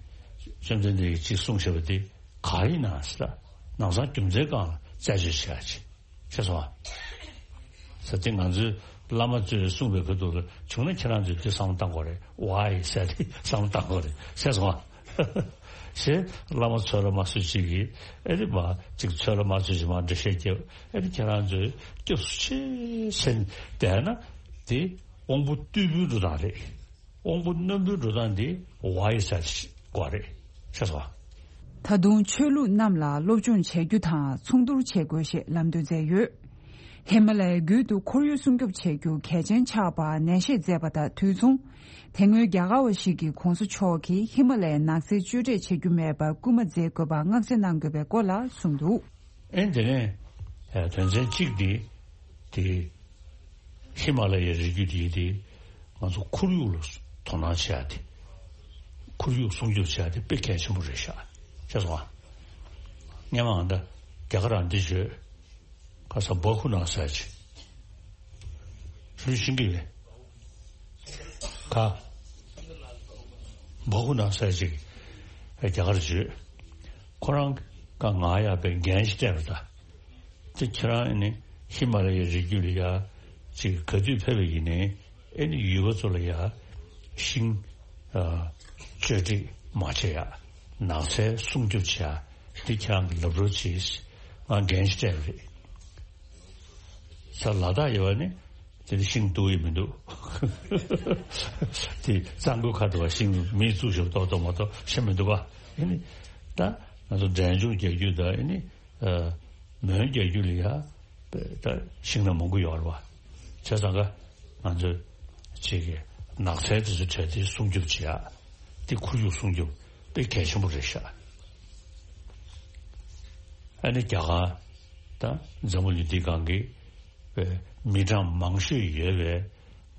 བཅོམ་ལྡན་འདས་ཀྱིས་ཅིག་གསུངས་བཞག་པ་དེ་ག་ཡིན་ན་ཟེར་ལ་ལམ་སང་རྒྱུ་མཚན་སྒང་ལ་རྩད་གཅོད་བྱེད་ཡ་ཅིག་ཤེས་སོང་ཨ། ཟེར་དེ་ང་ཚོའི་བླ་མ་ཚོས་གསུངས་པའི་ཁ་ཐུག་ལ་བྱུང་ན་ཁྱེད་རང་ཚོས་དེ་བསམ་བློ་བཏང་དགོས་རེད། ཝའི་ཟེར་དེ་བསམ་བློ་བཏང་དགོས་རེད། ཤེས་སོང་ཨ། ཞེས་བླ་མ་ཚོ་ལ་མ་སུ་གཅིག་གིས་ཨེ་རེད་མ་གཅིག་ཚོ་ལ་མ་སུ་གཅིག་མ་འགྲེལ་བཤད་རྒྱབ་ཨེ་རེད་ཁྱེད་རང་ཚོས་སྐྱབས་སུ་མཆི་ཟེར་བསྡད་ན་དེ་དབང་པོ་རྟུལ་པོའི་འགྲོ་སྟངས་རེད། དབང་པོ་རྣོན་པོའི་འགྲོ་སྟངས་འདི་ཝའི་ཟེར་དགོས་རེད། ཤེས་སོང་། ད་དུང་ཆོས་ལུགས་རྣམས་ལ་སློབ་སྦྱོང་བྱེད་རྒྱུ་དང་མཚུངས་བསྡུར་བྱེད་དགོས་ཞེས་ལམ་སྟོན་མཛད་ཡོད། ཧི་མ་ལ་ཡའི་རྒྱུད་དུ་ཁོར་ཡུག་སྲུང་སྐྱོབ་བྱེད་རྒྱུ་གལ་ཆེན་ཆགས་པར་ནན་བཤད་མཛད་པ་དང་དུས་མཚུངས། དེ་སྔོན་རྒྱ་གར་བ་ཞིག་གིས་༸གོང་ས་མཆོག་གིས་ཧི་མ་ལ་ཡའི་ནགས་ཚལ་གཅོད་འབྲེག་བྱེད་རྒྱུ་མེད་པར་སྐུལ་མ་མཛད་དགོས་པར་མངགས་གསལ་གནང་དགོས་པའི་སྐོར་ལ་གསུངས་འདུག། ཨེ་དེ་ནས་དོན་ཚན་གཅིག་འདི་དེ་ཧི་མ་ལ་ཡའི་རི་རྒྱུད་འདི་དེ་ང་ཚོ་ཁོར་ཡུག་ལ་དོ་སྣང་བྱེད་ཡ་དེ་ཁོར་ཡུག་སྲུང་སྐྱོབ་བྱེད་ཡ་དེ་དཔེ་གལ་ཆེན་པོ་རེད་ཤག་ཤེས་སོང་ཨ། སྔོན་མ་ང་ད་རྒྱ་གར་རང་འདི་བརྗོད། ཁ་ས་བ་ཁུ་ནང་ས་ཅིག་ཧྲུལ་ཤིང་གི་ལས་ཁ་བ་ཁུ་ནང་ས་ཅིག་རྒྱ་གར་བརྗོད། ཁོ་རང་ག་ང་ཡག་པའི་འགན་ཞིག་སྤྲད་པ་ད། དེ་ཁྱེད་རང་ཨེ་ནི་ཧི་མ་ལ་ཡའི་རི་རྒྱུད་ལ་ཡ་ཅིག་ག་དུས་ཕེབས་པ་ཡིན་ནའི་ཨེ་ནི་ཡུལ་པ་ཚོ་ལ་ཡ་ཤིང་ཨ་གཅོད་འབྲེག་མ་བྱེད་ཡ། ནགས་ཚལ་སྲུང་སྐྱོབ་བྱེད་ཡ། འདི་ཁྱེད་རང་གི་ལབ་རོགས་གྱིས། ང་འགན་ཞིག་སྤྲད་པ་རེད། ས་ལ་དྭགས་ཡོད་པ་ནི་དེ་ནི་ཤིང་འདུག་ཡི་མི་འདུག། དེ་གཙང་པོའི་ཁ་དུ་བ་ཤིང་མིས་བཙུགས་ཤོག་ཏོག་ཏོག་མ་གཏོགས་ཤིང་མི་འདུག་པ། ཨེ་ནི་ད་ང་ཚོ་འབྲས་ལྗོངས་རྒྱལ་རྒྱུད་ད་ཨེ་ནི། མོན་རྒྱལ་རྒྱུད་ལ་ཡ་ད་ཤིང་ནགས་མང་པོ་ཡོད་རེད་བ། བྱས་ཙང་ཀ་ང་ཚོས་ཅིག་གི་ནགས་ཚལ་དེ་ཚོ་བྲལ་ཏེ་སྲུང་སྐྱོབ་བྱེད་ཡ། དེ་ཁོར་ཡུག་སྲུང་སྐྱོབ་དཔེ་གལ་ཆེན་པོ་རེད་ཤག། ཨ་ནི་རྒྱ་གར་ད་འཛམ་བུ་གླིང་འདི་སྒང་གི་མི་གྲངས་མང་ཤོས་ཡོད་པའི་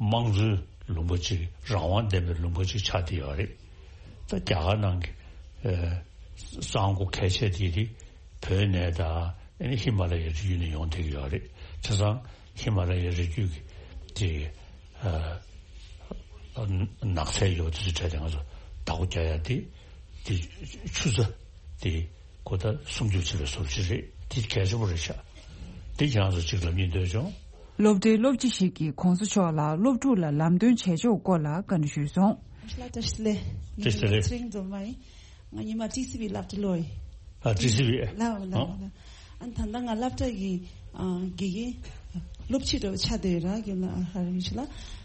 དམངས་གཙོའི་ལུང་པ་ཅིག་རང་དབང་ལྡན་པའི་ལུང་པ་ཅིག་ཆགས་བསྡད་ཡོད་རེད། ད་རྒྱ་གར་ནང་གི་ཨེ་གཙང་པོ་གལ་ཆེ་དེ་དེ་བོད་ནས་དང་ཨེ་ནི་ཧི་མ་ལ་ཡའི་རི་རྒྱུད་ནས་ཡོང་བསྡད་ཀྱི་ཡོད་རེད། བྱས་ཙང་ཧི་མ་ལ་ཡའི་རི་རྒྱུད་ཀྱི་དེ་ཨ་ནགས་ཚལ་ཡོད་དེ་ཚོ་བྲལ་ཏེ་ང་ཚོ་བདག་པོ་རྒྱག་ཡ་དེ་དེ་ཆུ་རྩྭ་དེ། ཁོ་ད་སྲུང་སྐྱོབ་བྱེད་པའི་བཟོ་བཅོས་རེད། དེ་གལ་ཆེན་པོ་རེད་ཤག། དེ་ཁྱེད་རང་ཚོ་གཅིག་ལབ་སྙིང་འདོད་བྱུང་། སློབ་གྲྭའི་སློབ་སྤྱི་ཞིག་གིས་༸གོང་ས་མཆོག་ལ་སློབ་ཕྲུག་ལ་ལམ་སྟོན་བྱེད་ཕྱོགས་སྐོར་ལ་བཀའ་འདྲི་ཞུས་སོང་། བཀྲ་ཤིས་བདེ་ལེགས། བཀྲ་ཤིས་བདེ་ལེགས། ང་ཚེ་རིང་སྒྲོལ་མ་ཡིན། ང་ཉི་མ་ཊི་སི་ཝི་སློབ་གྲྭ་སློབ་ཡིན། ཨ་ཊི་སི་ཝི། ལགས་ལགས་ལགས། ཨ་ད་ལྟ་ང་སློབ་གྲྭ་གི་ཨ་དགེ་རྒན་སློབ་སྤྱི་འདྲ་བོ་ཆགས་བསྡད་ཡོད་ར་གི་ལ་ཧ་ར་ཡུ་ཆི་ལ།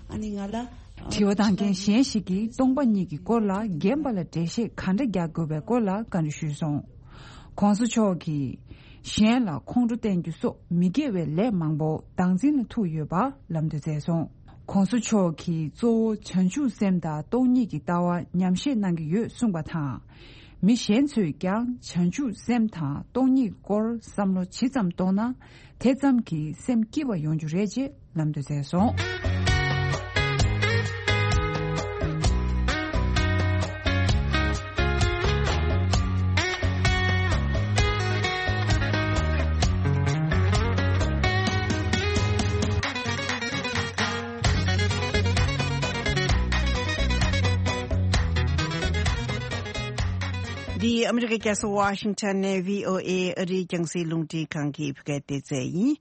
ཨ་ནི་ང་ལ་ཨ་དྲི་བ་བཏང་མཁན་གཞན་ཞིག་གིས་སྟོང་པ་ཉིད་ཀྱི་སྐོར་ལ་རྒན་པ་ལ་འགྲེལ་བཤད་ག་འདྲ་རྒྱག་དགོས་པའི་སྐོར་ལ་བཀའ་འདྲི་ཞུས་སོང་། ༸གོང་ས་མཆོག་གིས་གཞན་ལ་ཁོང་ཁྲོ་བསྟན་རྒྱུ་སོགས་མི་དགེ་བའི་ལས་མང་པོ་བདག་འཛིན་ལ་ཐུག་ཡོད་པ་ལམ་སྟོན་མཛད་སོང་། ༸གོང་ས་མཆོག་གིས་གཙོ་བོ་བྱང་ཆུབ་སེམས་དང་སྟོང་ཉིད་ཀྱི་ལྟ་བ་ཉམས་བཞེས་གནང་གི་ཡོད་གསུངས་པ་དང་། མི་གཞན་ཚོས་ཀྱང་བྱང་ཆུབ་སེམས་དང་སྟོང་ཉིད་སྐོར་བསམ་བློ་ཇི་ཙམ་གཏོང་ན། དེ་ཙམ་གྱིས་སེམས་སྐྱིད་པ་ཡོང་རྒྱུ་རེད་ཅེས་ལམ་སྟོན་མཛད་སོང་། འདི་ཨ་མི་རི་ཀའི་རྒྱལ་ས་ཝ་ཤིང་ཊོན་ནས་བྷི་ཨོ་ཨེ་ཨ་རིའི་རྒྱང་སྲིང་རླུང་འཕྲིན་ཁང་གི་བོད་སྐད་སྡེ་ཚན་ཡིན།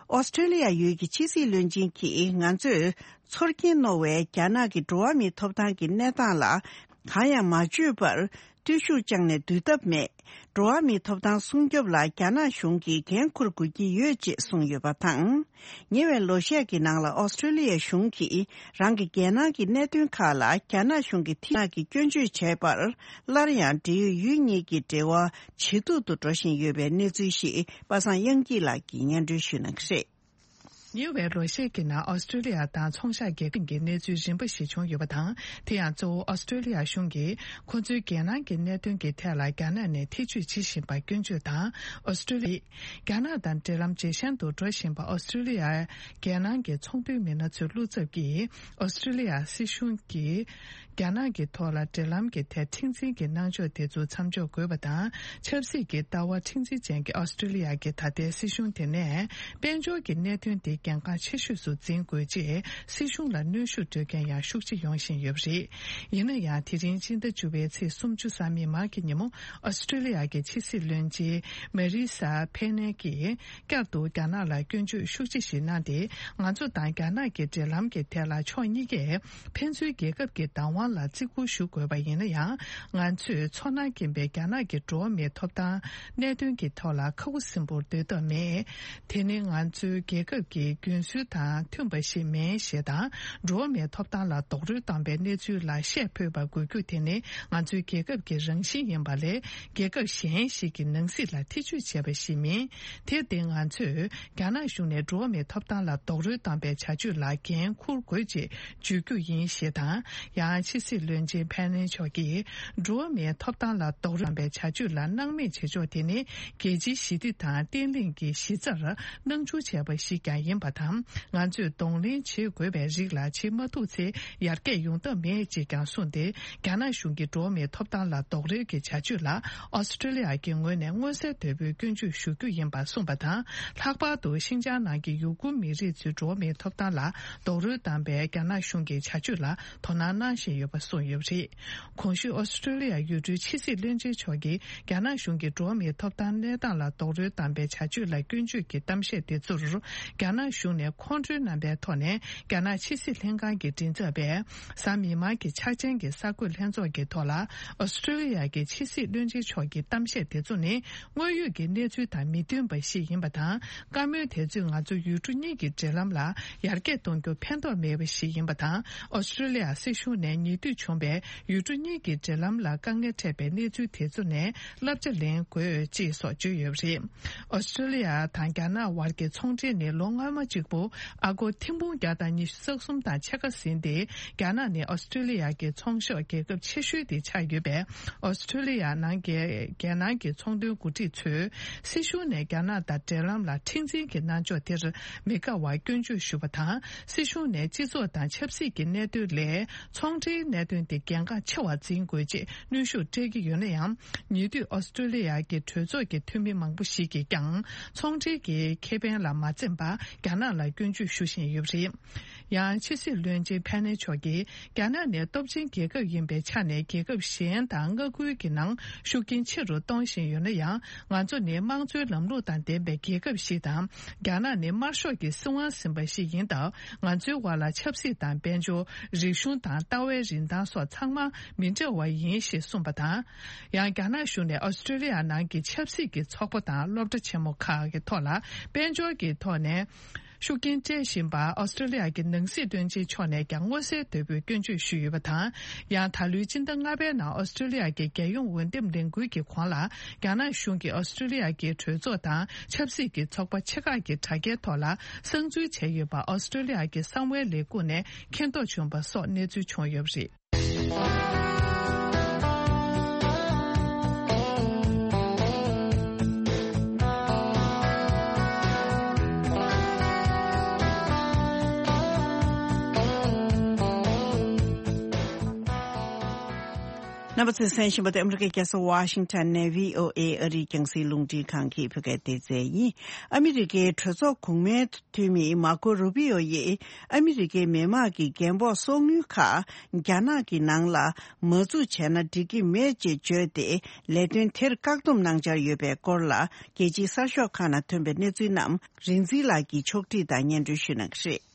ཨོ་སི་ཀྲེ་ལི་ཡ་ཡུལ་གྱི་ཕྱི་སྲིད་བློན་ཆེན་གྱིས་ང་ཚོས་ཚོར་སྐྱེན་རྣོ་བའི་རྒྱ་ནག་གི་འགྲོ་བ་མིའི་ཐོབ་ཐང་གི་གནས་སྟངས་ལ་གང་ཡང་མ་བརྗོད་པར་བརྟུལ་ཞུགས་བཅངས་ནས་སྡུད་ཐབས་མེད། འགྲོ་བ་མིའི་ཐོབ་ཐང་སྲུང་སྐྱོབ་ལ་རྒྱ་ནག་གཞུང་གིས་འགན་འཁུར་དགོས་ཀྱི་ཡོད་ཅེས་གསུངས་ཡོད་པ་དང་། ཉེ་བའི་ལོ་ཤས་ཀྱི་ནང་ལ་ཨོ་སི་ཀྲེ་ལི་ཡ་གཞུང་གིས་རང་གི་རྒྱལ་ནང་གི་གནད་དོན་ཁག་ལ་རྒྱ་ནག་གཞུང་གི་ཐད་ཀྱི་སྐྱོན་བརྗོད་བྱས་པར་སླར་ཡང་འབྲེལ་ཡོད་ཡུལ་གཉིས་ཀྱི་འབྲེལ་བ་ཇེ་སྡུག་ཏུ་འགྲོ་བཞིན་ཡོད་པའི་གནས་ཚུལ་ཞིག་པ་སངས་དབྱངས་སྐྱིད་ལགས་ཀྱིས་སྙན་སྒྲོན་ཞུ་གནང་གི་རེད། ཉེ་བའི་ལོ་ཤས་ཀྱི་ནང་ཨོ་སི་ཀྲེ་ལི་ཡ་དང་ཚོང་ཤག་རྒྱལ་ཁབ་ཀྱི་གནས་ཚུལ་རིམ་པ་ཞིག་བྱུང་ཡོད་པ་དང་། དེ་ཡང་གཙོ་བོ་ཨོ་སི་ཀྲེ་ལི་ཡ་གཞུང་གིས་ཁོ་ཚོའི་རྒྱལ་ནང་གི་གནད་དོན་གྱི་ཐད་ལ་རྒྱ་ནག་ནས་ཐེ་བྱུས་བྱེད་བཞིན་པར་སྐྱོན་བརྗོད་དང་། ཨོ་སི་ཀྲེ་ལི་ཡས་རྒྱ་ནག་དང་འབྲེལ་ལམ་ཇེ་ཞན་དུ་འགྲོ་བཞིན་པ་ཨོ་སི་ཀྲེ་ལི་ཡ་རྒྱལ་ནང་གི་ཚོང་དོན་མི་སྣ་ཚོའི་བློ་འཚབ་ཀྱིས་ཨོ་སི་ཀྲེ་ལི་ཡ་སྲིད་གཞུང་གིས་རྒྱ་ནག་གི་ཐོག་ལ་འབྲེལ་ལམ་གྱི་ཐད་མཁྲེགས་འཛིན་གྱི་གནང་ཕྱོགས་དེ་ཚོ་མཚམས་འཇོག་དགོས་པ་དང་། ཆབ་སྲིད་ཀྱི་ལྟ་བ་མཁྲེགས་འཛིན་ཅན་གྱི་ཨོ་སི་ཀྲེ་ལི་ཡ་གི་ད་ལྟའི་སྲིད་གཞུང་དེ་ནས་དཔལ་འབྱོར་གྱི་གནད་དོན་དེ་གལ་འགངས་ཆེ་ཤོས་སུ་འཛིན་དགོས་ཅེས་སྲིད་གཞུང་ལ་གནོན་ཤུགས་སྤྲོད་མཁན་ཡང་ཤུགས་ཆེ་ཡོང་བཞིན་ཡོད་པ་རེད། ཡིན་ན་ཡང་དེ་རིང་སྤྱི་ཟླ་བཅུ་པའི་ཚེས་སུམ་ཅུ་གཟའ་མིག་དམར་གྱི་ཉིན་མོ་ཨོ་སི་ཀྲེ་ལི་ཡ་གི་ཕྱི་སྲིད་བློན་ཆེན་མེ་རི་ས་ཕེ་ནེ་གིས་བསྐྱར་དུ་རྒྱ་ནག་ལ་སྐྱོན་བརྗོད་ཤུགས་ཆེ་ཞིག་གནང་སྟེ། ང་ཚོ་དང་རྒྱ་ནག་གི་འབྲེལ་ལམ་གྱི་ཐད་ལ་ཕྱོགས་གཉིས་ཀས་ཕན་ཚུན་རྒྱལ་ཁབ་ཀྱི་བདག་དབང་ལ་བརྩི་བཀུར་ཞུ་དགོས་པ་ཡིན་ན་ཡང་། ང་ཚོས་ཚོར་སྣང་སྐྱེན་པའི་རྒྱ་ནག་གི་འགྲོ་བ་མིའི་ཐོབ་ཐང་གནད་དོན་གྱི་ཐོག་ལ་ཁ་ཁུ་སིམ་པོར་སྡོད་ཐབས་མེད། དེ་ནི་ང་ཚོའི་རྒྱལ་ཁབ་ཀྱི་ ཀྱི་རྒྱུན་སྲོལ་དང་མཐུན་པ་ཞིག་མིན་ཞེས་དང་། འགྲོ་བ་མིའི་ཐོབ་ཐང་ལ་རྡོག་རོལ་བཏང་པའི་གནས་ཚུལ་ལ་བཤད་ཕོད་པ་དགོས་རྒྱུ་དེ་ནི་ང་ཚོའི་རྒྱལ་ཁབ་ཀྱི་རང་བཞིན་ཡིན་པ་ལས། རྒྱལ་ཁབ་གཞན་ཞིག་གི་ནང་སྲིད་ལ་ཐེ་བྱུས་བྱས་པ་ཞིག་མིན། དེར་བརྟེན་ང་ཚོས་རྒྱ་ནག་གཞུང་ནས་འགྲོ་བ་མིའི་ཐོབ་ཐང་ལ་རྡོག་རོལ་བཏང་པའི་བྱ་སྤྱོད་ལ་འགན་འཁུར་དགོས་ཅེས་བརྗོད་རྒྱུ་ཡིན་ཞེས་དང་། ཡང་ཕྱི་སྲིད་བློན་ཆེན་ཕེ་ནེ་མཆོག་གིས། འགྲོ་བ་མིའི་ཐོབ་ཐང་ལ་རྡོག་རོལ་བཏང་པའི་བྱ་སྤྱོད་ལ་སྣང་མེད་བྱེད་ཕྱོགས་དེ་ནི། རྒྱལ་སྤྱིའི་ཞི་བདེ་དང་བརྟན་ལྷིང་གི་གཞི་རྩར་སྣང་ཆུང་བྱས་པ་ཞིག་ཀྱང་ཡིན་པ་དང་། ང་ཚོས་གདོང་ལེན་བྱེད་དགོས་པའི་རིགས་ལ་བྱེད་མ་ཐུབ་ཚེ་ཡར་རྒྱས་ཡོང་ཐབས་མེད་ཅེས་ཀྱང་གསུངས་ཏེ། རྒྱ་ནག་གཞུང་གི་འགྲོ་བ་མིའི་ཐོབ་ཐང་ལ་རྡོག་རོལ་གྱི་བྱ་སྤྱོད་ལ་ཨོ་སི་ཀྲི་ལི་ཡ་གི་ངོས་ནས་མངོན་གསལ་དོད་པོས་སྐྱོན་བརྗོད་ཞུ་རྒྱུ་ཡིན་པ་གསུངས་པ་དང་། ལྷག་པར་དུ་ཤིན་ཅང་ནང་གི་ཡུ་གུར་མི་རིགས་ཚོའི་འགྲོ་བ་མིའི་ཐོབ་ཐང་ལ་རྡོག་རོལ་བཏང་པའི་རྒྱ་ནག་གཞུང་གི་བྱ་སྤྱོད་ལ་དོ་སྣང་གནང་བཞིན་ཡོད་པ་གསུངས་ཡོད་པ་རེད། གོང་ཞུས་ཨོ་སི་ཀྲི་ལི་ཡ་ཡུལ་གྲུའི་ཕྱི་སྲིད་བློན་ཆེན་མཆོག་གིས། རྒྱ་ནག་གཞུང་གིས་འགྲོ་བ་མིའི་ཐོབ་ཐང་གནས་སྟངས་ལ་རྡོག་རོལ་བཏང་པའི་བྱ་སྤྱོད་ལ་སྐྱོན་བརྗོད་ཀྱི་གཏམ་བཤད་དེ་ཚོར། རྒྱ་ནག་གཞུང་ནས་ཁོང་ཁྲོའི་རྣམ་པའི་ཐོག་ནས། རྒྱ་ནག་ཕྱི་སྲིད་ལྷན་ཁང་གི་མགྲིན་ཚབ་པས། གཟའ་མིག་དམར་གྱི་འཆར་ཅན་གྱི་གསར་འགོད་ལྷན་ཚོགས་ཀྱི་ཐོག་ལ། ཨོ་སི་ཀྲི་ལི་ཡ་གི་ཕྱི་སྲིད་བློན་ཆེན་མཆོག་གི་གཏམ་བཤད་དེ་ཚོ་ནི། དངོས་ཡོད་ཀྱི་གནས་ཚུལ་དང་མི་མཐུན་པ་ཞིག་ཡིན་པ་དང་། བཀའ་མོལ་དེ་ཚོས་ང་ཚོ་ཡུལ་གྲུ་གཉིས་ཀྱི་འབྲེལ་ལམ་ལ་ཡར་རྒྱས་གཏོང་རྒྱུར་ཕན་ཐོགས་མེད་པ་ཞིག་ཡིན་པ་དང་། ཨོ་སི་ཀྲི་ལི་ཡ་སྲིད་གཞུང་ནས་ཉེ་དུས་བྱུང་བའི་ཡུལ་གྲུ་གཉིས་ཀྱི་འབྲེལ་ལམ་ལ་དཀའ་ངལ་འཕྲད་པའི་གནས་ཚུལ་དེ་ཚོ་ནས་བསླབ་བྱ་ལེན་དགོས་ཅེས་སོགས་བརྗོད་ཡོད་པ་རེད། ཨོ་སི་ཀྲི་ལི་ཡ་དང་རྒྱ་ནག་དབར་གྱི་ཚོང་འབྲེལ་ནི་ལོ་སྔ་མ་གཅིག་པུ་ཨ་སྒོར་ཐེར་འབུམ་བརྒྱ་དང་ཉི་ཤུ་རྩ་གསུམ་དང་ཕྱེད་ཀ་ཟིན་ཏེ། རྒྱ་ནག་ནི་ཨོ་སི་ཀྲི་ལི་ཡ་གི་ཚོང་ཤོག་རྒྱལ་ཁབ་ཆེ་ཤོས་དེ་ཆགས་ཡོད་པས། ཨོ་སི་ཀྲི་ལི་ཡ་ནང་གི་རྒྱལ་ནང་གི་ཚོང་དོན་འགོ་ཁྲིད་ཚོས། སྲིད་གཞུང་ནས་རྒྱ་ནག་དང་འབྲེལ་ལམ་ལ་མཁྲེགས་འཛིན་གྱི་གནང་ཕྱོགས་དེར་མི་དགའ་བར་སྐྱོན་བརྗོད་ཞུ་བ་དང་། སྲིད་གཞུང་ནས་སྤྱི་ཚོགས་དང་ཆབ་སྲིད་ཀྱི་གནད་དོན་ལས། ཚོང་འབྲེལ་གནད་དོན་དེ་གལ་འགངས་ཆེ་བར་འཛིན་དགོས་ཅེས་གནོན་ཤུགས་སྤྲད་ཀྱི་ཡོད་ན་ཡང་། ཉེ་དུས་ཨོ་སི་ཀྲི་ལི་ཡ་གི་གྲོས་ཚོགས་ཀྱི་འཐུས་མི་མང་པོ་ཞིག་གིས་ཀྱང་། ཚོང་འབྲེལ་གྱི་ཁེ་ཕན་ལ་མ་འཛེམས་པར་རྒྱ་ནག་ལ་སྐྱོན་བརྗོད་ཞུ་བཞིན་ཡོད་པ་རེད། ཡང་ཕྱི་སྲིད་བློན་ཆེན་ཕེ་ནེ་མཆོག་གིས། རྒྱ་ནག་ནི་སྟོབས་ཆེན་རྒྱལ་ཁབ་ཡིན་པའི་ཆ་ནས། རྒྱལ་ཁབ་གཞན་དང་མངའ་ཁུལ་གྱི་ནང་ཤུགས་རྐྱེན་ཆེ་རུ་གཏོང་བཞིན་ཡོད་ན་ཡང་། ང་ཚོ་ནི་དམངས་གཙོའི་ལམ་ལུགས་དང་ལྡན་པའི་རྒྱལ་ཁབ་ཞིག་དང་། རྒྱ་ནག་ནི་དམར་ཤོག་གི་སྲིད་དབང་ཟིན་པ་ཞིག་ཡིན་སྟབས། ང་ཚོའི་དབར་ལ་ཆབ་སྲིད་དང་། དཔལ་འབྱོར། རིག་གཞུང་དང་། ལྟ་བའི་རིན་ཐང་སོགས་ཚང་མ་མི་འདྲ་བ་ཡིན་ཞེས་གསུངས་པ་དང་། ཡང་རྒྱ་ནག་གཞུང་ནས་ཨོ་སི་ཀྲི་ལི་ཡ་ནང་གི་ཆབ་སྲིད་ཀྱི་ཚོགས་པ་དང་སློབ་གྲྭ་ཆེན་མོ་ཁག་གི་ཐོག་ལ། དཔལ་འབྱོར་གྱི་ཐོག་ནས། ཤུགས་རྐྱེན་སྤྲད་བཞིན་པར་ཨོ་སི་ཀྲི་ལི་ཡ་གི་ནང་སྲིད་བློན་ཆེན་མཆོག་ནས་ཀྱང་མངོན་གསལ་དོད་པོས་སྐྱོན་བརྗོད་ཞུས་ཡོད་པ་དང་། ཡང་ད་ལོའི་སྤྱི་ཟླ་ལྔ་པའི་ནང་ཨོ་སི་ཀྲི་ལི་ཡ་གི་རྒྱལ་ཡོངས་འོས་འདེམས་ལས་འགུལ་གྱི་གོང་ལ། རྒྱ་ནག་གཞུང་གིས་ཨོ་སི་ཀྲི་ལི་ཡ་གི་གྲོས་ཚོགས་དང་ཆབ་སྲིད་ཀྱི་ཚོགས་པ་ཆེ་ཁག་གི་དྲ་རྒྱའི་ཐོག་ལ་གསང་འཛུལ་བྱས་ཡོད་པ་ཨོ་སི་ཀྲི་ལི་ཡ་གི་གསང་བའི་ལས་ཁུངས་ནས་མཁྱེན་རྟོགས་བྱུང་བ་སོགས་གནས་ཚུལ་བྱུང་ཡོད་པ་རེད། རྣམ་པ་ཚོས་གསན་བཞིན་པ་དེ་ཨ་མི་རི་ཀའི་རྒྱལ་ས་ཝ་ཤིང་ཊོན་ནས་བྷི་ཨོ་ཨེ་ཨ་རིའི་རྒྱང་སྲིང་རླུང་འཕྲིན་ཁང་གི་བོད་སྐད་སྡེ་ཚན་ཡིན། ཨ་མི་རི་ཀའི་གྲོས་ཚོགས་གོང་མའི་འཐུས་མི་མར་ཀོ་རུ་བྷི་ཨོ་ཡིས་ཨ་མི་རི་ཀའི་མི་དམངས་ཀྱི་རྒན་ཕོགས་གསོག་དངུལ་ཁག་རྒྱ་ནག་གི་ནང་ལ་མ་འཛུགས་བྱས་ན་འགྲིག་གི་མེད་ཅེས་བརྗོད་དེ། ལས་དོན་དེར་བཀག་སྡོམ་གནང་འཆར་ཡོད་པའི་སྐོར་ལ། རྒྱལ་སྤྱིའི་གསར་ཤོག་ཁག་ནང་ཐོན་པའི་གནས་ཚུལ་རྣམས་རིག་འཛིན་ལགས་ཀྱིས་ཕྱོགས་སྒྲིག་དང་སྙན་སྒྲོན་ཞུ་གནང་གི་རེད།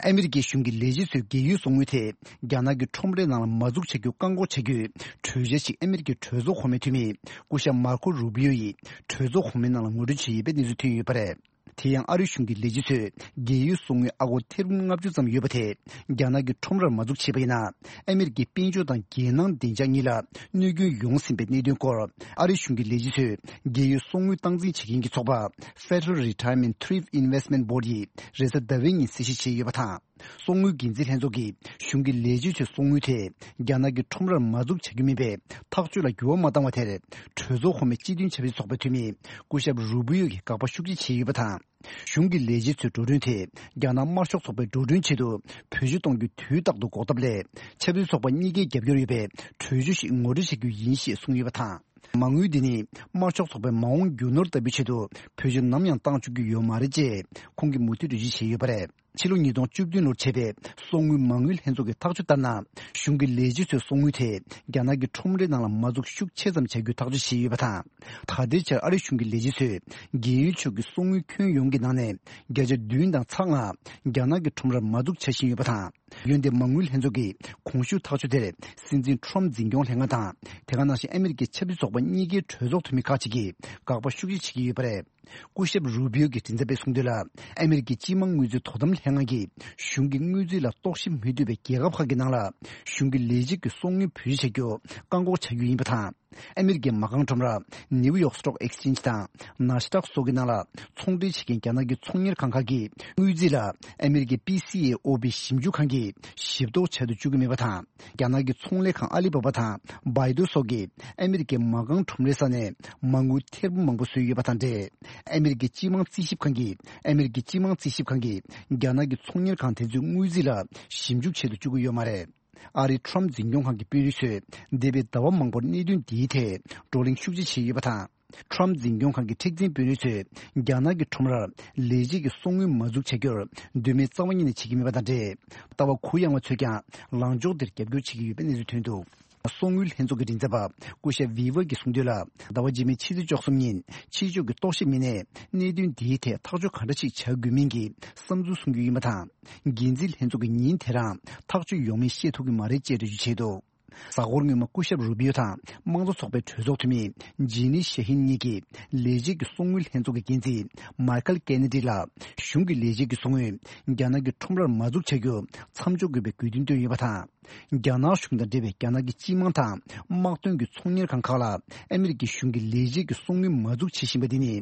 ཨ་མི་རི་ཀའི་གཞུང་གི་ལས་བྱེད་ཚོས་རྒས་ཡོལ་གསོག་དངུལ་དེ་རྒྱ་ནག་གི་ཁྲོམ་རའི་ནང་ལ་མ་འཛུགས་བྱ་རྒྱུ་བཀག་འགོག་བྱ་རྒྱུའི་གྲོས་འཆར་ཞིག་ཨ་མི་རི་ཀའི་གྲོས་ཚོགས་གོང་མའི་འཐུས་མི་སྐུ་ཞབས་མར་ཀོ་རུ་བྷི་ཡོ་ཡིས་གྲོས་ཚོགས་གོང་མའི་ནང་ལ་ངོ་སྤྲོད་བྱས་ཡོད་པའི་གནས་ཚུལ་ཐོན་ཡོད་པ་རེད། དེ་ཡང་ཨ་རིའི་གཞུང་གི་ལས་བྱེད་ཚོས་རྒས་ཡོལ་གསོག་དངུལ་ཨ་སྒོར་ཐེར་འབུམ་ལྔ་བཅུ་ཙམ་ཡོད་པ་དེ་རྒྱ་ནག་གི་ཁྲོམ་རར་མ་འཛུགས་བྱས་པ་ཡིན་ན། ཨ་མི་རི་ཀའི་དཔལ་འབྱོར་དང་རྒྱལ་ནང་བདེ་འཇགས་གཉིས་ལ་གནོད་སྐྱོན་ཡོང་སྲིད་པའི་གནད་དོན་སྐོར། ཨ་རིའི་གཞུང་གི་ལས་བྱེད་ཚོས་རྒས་ཡོལ་གསོག་དངུལ་སྟངས་འཛིན་བྱེད་མཁན་གྱི་ཚོགས་པ་Federal Retirement Thrift Investment Board ཡིས་རེས་གཟའ་ཟླ་བའི་ཉིན་གསལ་བཤད་བྱས་ཡོད་པ་དང་། གསོག་དངུལ་འགན་འཛིན་ལྷན་ཚོགས་ཀྱིས་གཞུང་གི་ལས་བྱེད་ཚོའི་གསོག་དངུལ་དེ་རྒྱ་ནག་གི་ཁྲོམ་རར་མ་འཛུགས་བྱ་རྒྱུ་མིན་པའི་ཐག་གཅོད་ལ་འགྱུར་བ་མ་བཏང་བ་དེར། གྲོས་ཚོགས་གོང་མའི་སྤྱི་མཐུན་ཆབ་སྲིད་ཚོགས་པའི་འཐུས་མི་སྐུ་ཞབས་རུ་བྷི་ཡོ་གིས་དགག་པ་ཤུགས་ཆེ་བྱས་ཡོད་པ་དང་། གཞུང་གི་ལས་བྱེད་ཚོའི་འགྲོ་གྲོན་དེ་རྒྱ་ནག་དམར་ཤོག་ཚོགས་པའི་འགྲོ་གྲོན་ཆེད་དུ་བེད་སྤྱོད་གཏོང་རྒྱུ་དུས་རྟག་ཏུ་འགོག་ཐབས་སླད། ཆབ་སྲིད་ཚོགས་པ་གཉིས་ཀའི་རྒྱབ་སྐྱོར་ཡོད་པའི་གྲོས་ཆོད་ཞིག་ངོ་སྤྲོད་བྱ་རྒྱུ་ཡིན་ཞེས་གསུངས་ཡོད་པ་དང་། མ་དངུལ་འདི་ནི་དམར་ཤོག་ཚོགས་པའི་མ་འོངས་རྒྱུ་ནོར་ལྟ་བུའི་ཆེད་དུ་བེད་སྤྱོད་ནམ་ཡང་གཏང་བཅུག་རྒྱུ་ཡོད་མ་རེད་ཅེས་ཁོང་གིས་མུ་མཐུད་འགྲེལ་བརྗོད་བྱས་ཡོད་པ་རེད། ཕྱི་ལོ་ཉིས་སྟོང་བཅུ་བདུན་ལོར་བྱས་པའི་གསོག་དངུལ་མ་དངུལ་ལྷན་ཚོགས་ཀྱི་ཐག་གཅོད་ལྟར་ན། གཞུང་གི་ལས་བྱེད་ཚོའི་གསོག་དངུལ་དེ་རྒྱ་ནག་གི་ཁྲོམ་རའི་ནང་ལ་མ་འཛུགས་ཤུགས་ཆེ་ཙམ་བྱ་རྒྱུའི་ཐག་གཅོད་བྱས་ཡོད་པ་དང་། ད་ལྟའི་ཆར་ཨ་རིའི་གཞུང་གི་ལས་བྱེད་ཚོས་རྒས་ཡོལ་ཕྱོགས་ཀྱི་གསོག་དངུལ་ཁྱོན་ཡོངས་ཀྱི་ནང་ནས་བརྒྱ་ཆ་བདུན་དང་ཚེག་ལྔ་རྒྱ་ནག་གི་ཁྲོམ་རར་མ་འཛུགས་བྱ་བཞིན་ཡོད་པ་དང་། འོན་ཏེ་མ་དངུལ་ལྷན་ཚོགས་ཀྱིས་གོང་ཞུས་ཐག་གཅོད་དེར་སྲིད་འཛིན་ཁྲོམ་འཛིན་སྐྱོང་ལྷན་ཁང་དང་། དེ་ག་ནང་བཞིན་ཨ་མི་རི་ཀའི་ཆབ་སྲིད་ཚོགས་པ་གཉིས་ཀའི་གྲོས་ཚོགས་འཐུས་མི་ཁག་ཅིག་གིས་དགག་པ་ཤུགས་ཆེ་བྱེད་ཀྱི་ཡོད་པ་རེད། སྐུ་ཞབས་རུ་བིའོ་གིས་མགྲིན་ཚབ་པས་གསུངས་དོན་ལ། ཨ་མི་རི་ཀའི་སྤྱི་དམངས་དངུལ་རྩིས་དོ་དམ་ལྷན་ཁང་གིས་གཞུང་གི་དངུལ་རྩིས་ལ་གཏོར་བཤིག་མི་ཐུབ་པའི་རྒྱལ་ཁབ་ཁག་གི་ནང་ལ་གཞུང་གི་ལས་བྱེད་ཀྱི་སོ་དངུལ་བེད་སྤྱོད་བྱ་རྒྱུ་བཀག་འགོག་བྱ་རྒྱུ་ཡིན་པ་དང་། ཨ་མི་རི་ཀའི་མ་རྐང་ཁྲོམ་ར་ནིའུ་ཡོག་སི་ཊོག་ཨེག་སི་ཅེན་ཇི་དང་ནཱ་སི་ཌག་སོགས་ཀྱི་ནང་ལ་ཚོང་འབྲེལ་བྱེད་མཁན་རྒྱ་ནག་གི་ཚོང་གཉེར་ཁང་ཁག་གིས་དངུལ་རྩིས་ལ་ཨ་མི་རི་ཀའི་པི་སི་ཨེ་ཨོ་བི་ཞིབ་འཇུག་ཁང་གིས་ཞིབ་རྟོག་བྱ་དུ་བཅུག་གི་མེད་པ་དང་། རྒྱ་ནག་གི་ཚོང་ལས་ཁང་ཨ་ལི་བྷ་བྷ་དང་བྷའི་ཏུ་སོགས་ཀྱིས་ཨ་མི་རི་ཀའི་མ་རྐང་ཁྲོམ་རའི་ས་ནས་མ་དངུལ་ཐེར་འབུམ་མང་པོ་བཟོས་ཡོད་པ་དང་འབྲེལ། ཨ་མི་རི་ཀའི་སྤྱི་དམངས་རྩིས་ཞིབ་ཁང་གིས་ཨ་མི་རི་ཀའི་སྤྱི་དམངས་རྩིས་ཞིབ་ཁང་གིས་རྒྱ་ནག་གི་ཚོང་གཉེར་ཁང་དེ་ཚོའི་དངུལ་རྩིས་ལ་ཞིབ་འཇུག་བྱེད་དུ་བཅུག་གི་ཡོད་མ་རེད། ཨ་རིའི་ཁྲོམ་འཛིན་སྐྱོང་ཁང་གི་དཔོན་རིགས་ཚོས་འདས་པའི་ཟླ་བ་མང་པོར་གནད་དོན་འདིའི་ཐད་བགྲོ་གླེང་ཤུགས་ཆེ་བྱས་ཡོད་པ་དང་། ཁྲོམ་འཛིན་སྐྱོང་ཁང་གི་མཁྲེགས་འཛིན་དཔོན་རིགས་ཚོས་རྒྱ་ནག་གི་ཁྲོམ་རར་ལས་བྱེད་ཀྱི་སོ་དངུལ་མ་འཛུགས་བྱ་རྒྱུར་མདུན་མའི་རྩ་བ་ཉིད་ནས་བྱེད་ཀྱི་མེད་པ་དང་འབྲེལ། ལྟ་བ་གུ་ཡངས་པ་ཚོས་ཀྱང་ལངས་ཕྱོགས་འདིར་རྒྱབ་སྐྱོར་བྱེད་ཀྱི་ཡོད་པའི་གནས་ཚུལ་ཐོན་འདུག། སོ་དངུལ་ལྷན་ཚོགས་ཀྱི་མགྲིན་ཚབ་པ་སྐུ་ཞབས་ཝི་ཝར་གྱིས་གསུངས་དོན་ལ། ཟླ་བ་རྗེས་མའི་ཕྱི་ཚེས་བཅུ་གསུམ་ཉིན་ཕྱི་ཕྱོགས་ཀྱི་རྟོག་ཞིབ་མི་སྣས་གནད་དོན་འདིའི་ཐད་ཐག་གཅོད་ག་འདྲ་ཞིག་བྱ་དགོས་མིན་གྱི་བསམ་ཚུལ་གསུང་རྒྱུ་ཡིན་པ་དང་། འགན་འཛིན་ལྷན་ཚོགས་ཀྱིས་ཉིན་དེ་རང་ཐག་གཅོད་ཡོང་མིན་ཤེས་ཐུབ་ཀྱི་མ་རེད་ཅེས་འགྲེལ་བརྗོད་བྱས་འདུག། གཟའ་འཁོར་སྔོན་མ་སྐུ་ཞབས་རུ་བིའོ་དང་དམངས་གཙོ་ཚོགས་པའི་གྲོས་ཚོགས་འཐུས་མི་ཇི་ནི་ཤེ་ཧིན་གཉིས་ཀྱིས་ལས་བྱེད་ཀྱི་སོ་དངུལ་ལྷན་ཚོགས་ཀྱི་འགན་འཛིན་མཱི་ཁལ་ཀེ་ནེ་ཌི་ལ་གཞུང་གི་ལས་བྱེད་ཀྱི་སོ་དངུལ་རྒྱ་ནག་གི་ཁྲོམ་རར་མ་འཛུགས་བྱ་རྒྱུ་མཚམས་འཇོག་དགོས་པའི་དགོས་འདུན་བཏོན་ཡོད་པ་དང་། རྒྱ་ནག་གཞུང་དང་འབྲེལ་བའི་རྒྱ་ནག་གི་སྤྱི་དམངས་དང་དམག་དོན་གྱི་ཚོང་གཉེར་ཁང་ཁག་ལ་ཨ་མི་རི་ཀའི་གཞུང་གི་ལས་བྱེད་ཀྱི་སོ་དངུལ་མ་འཛུགས་བྱེད་བཞིན་པ་འདི་ནི་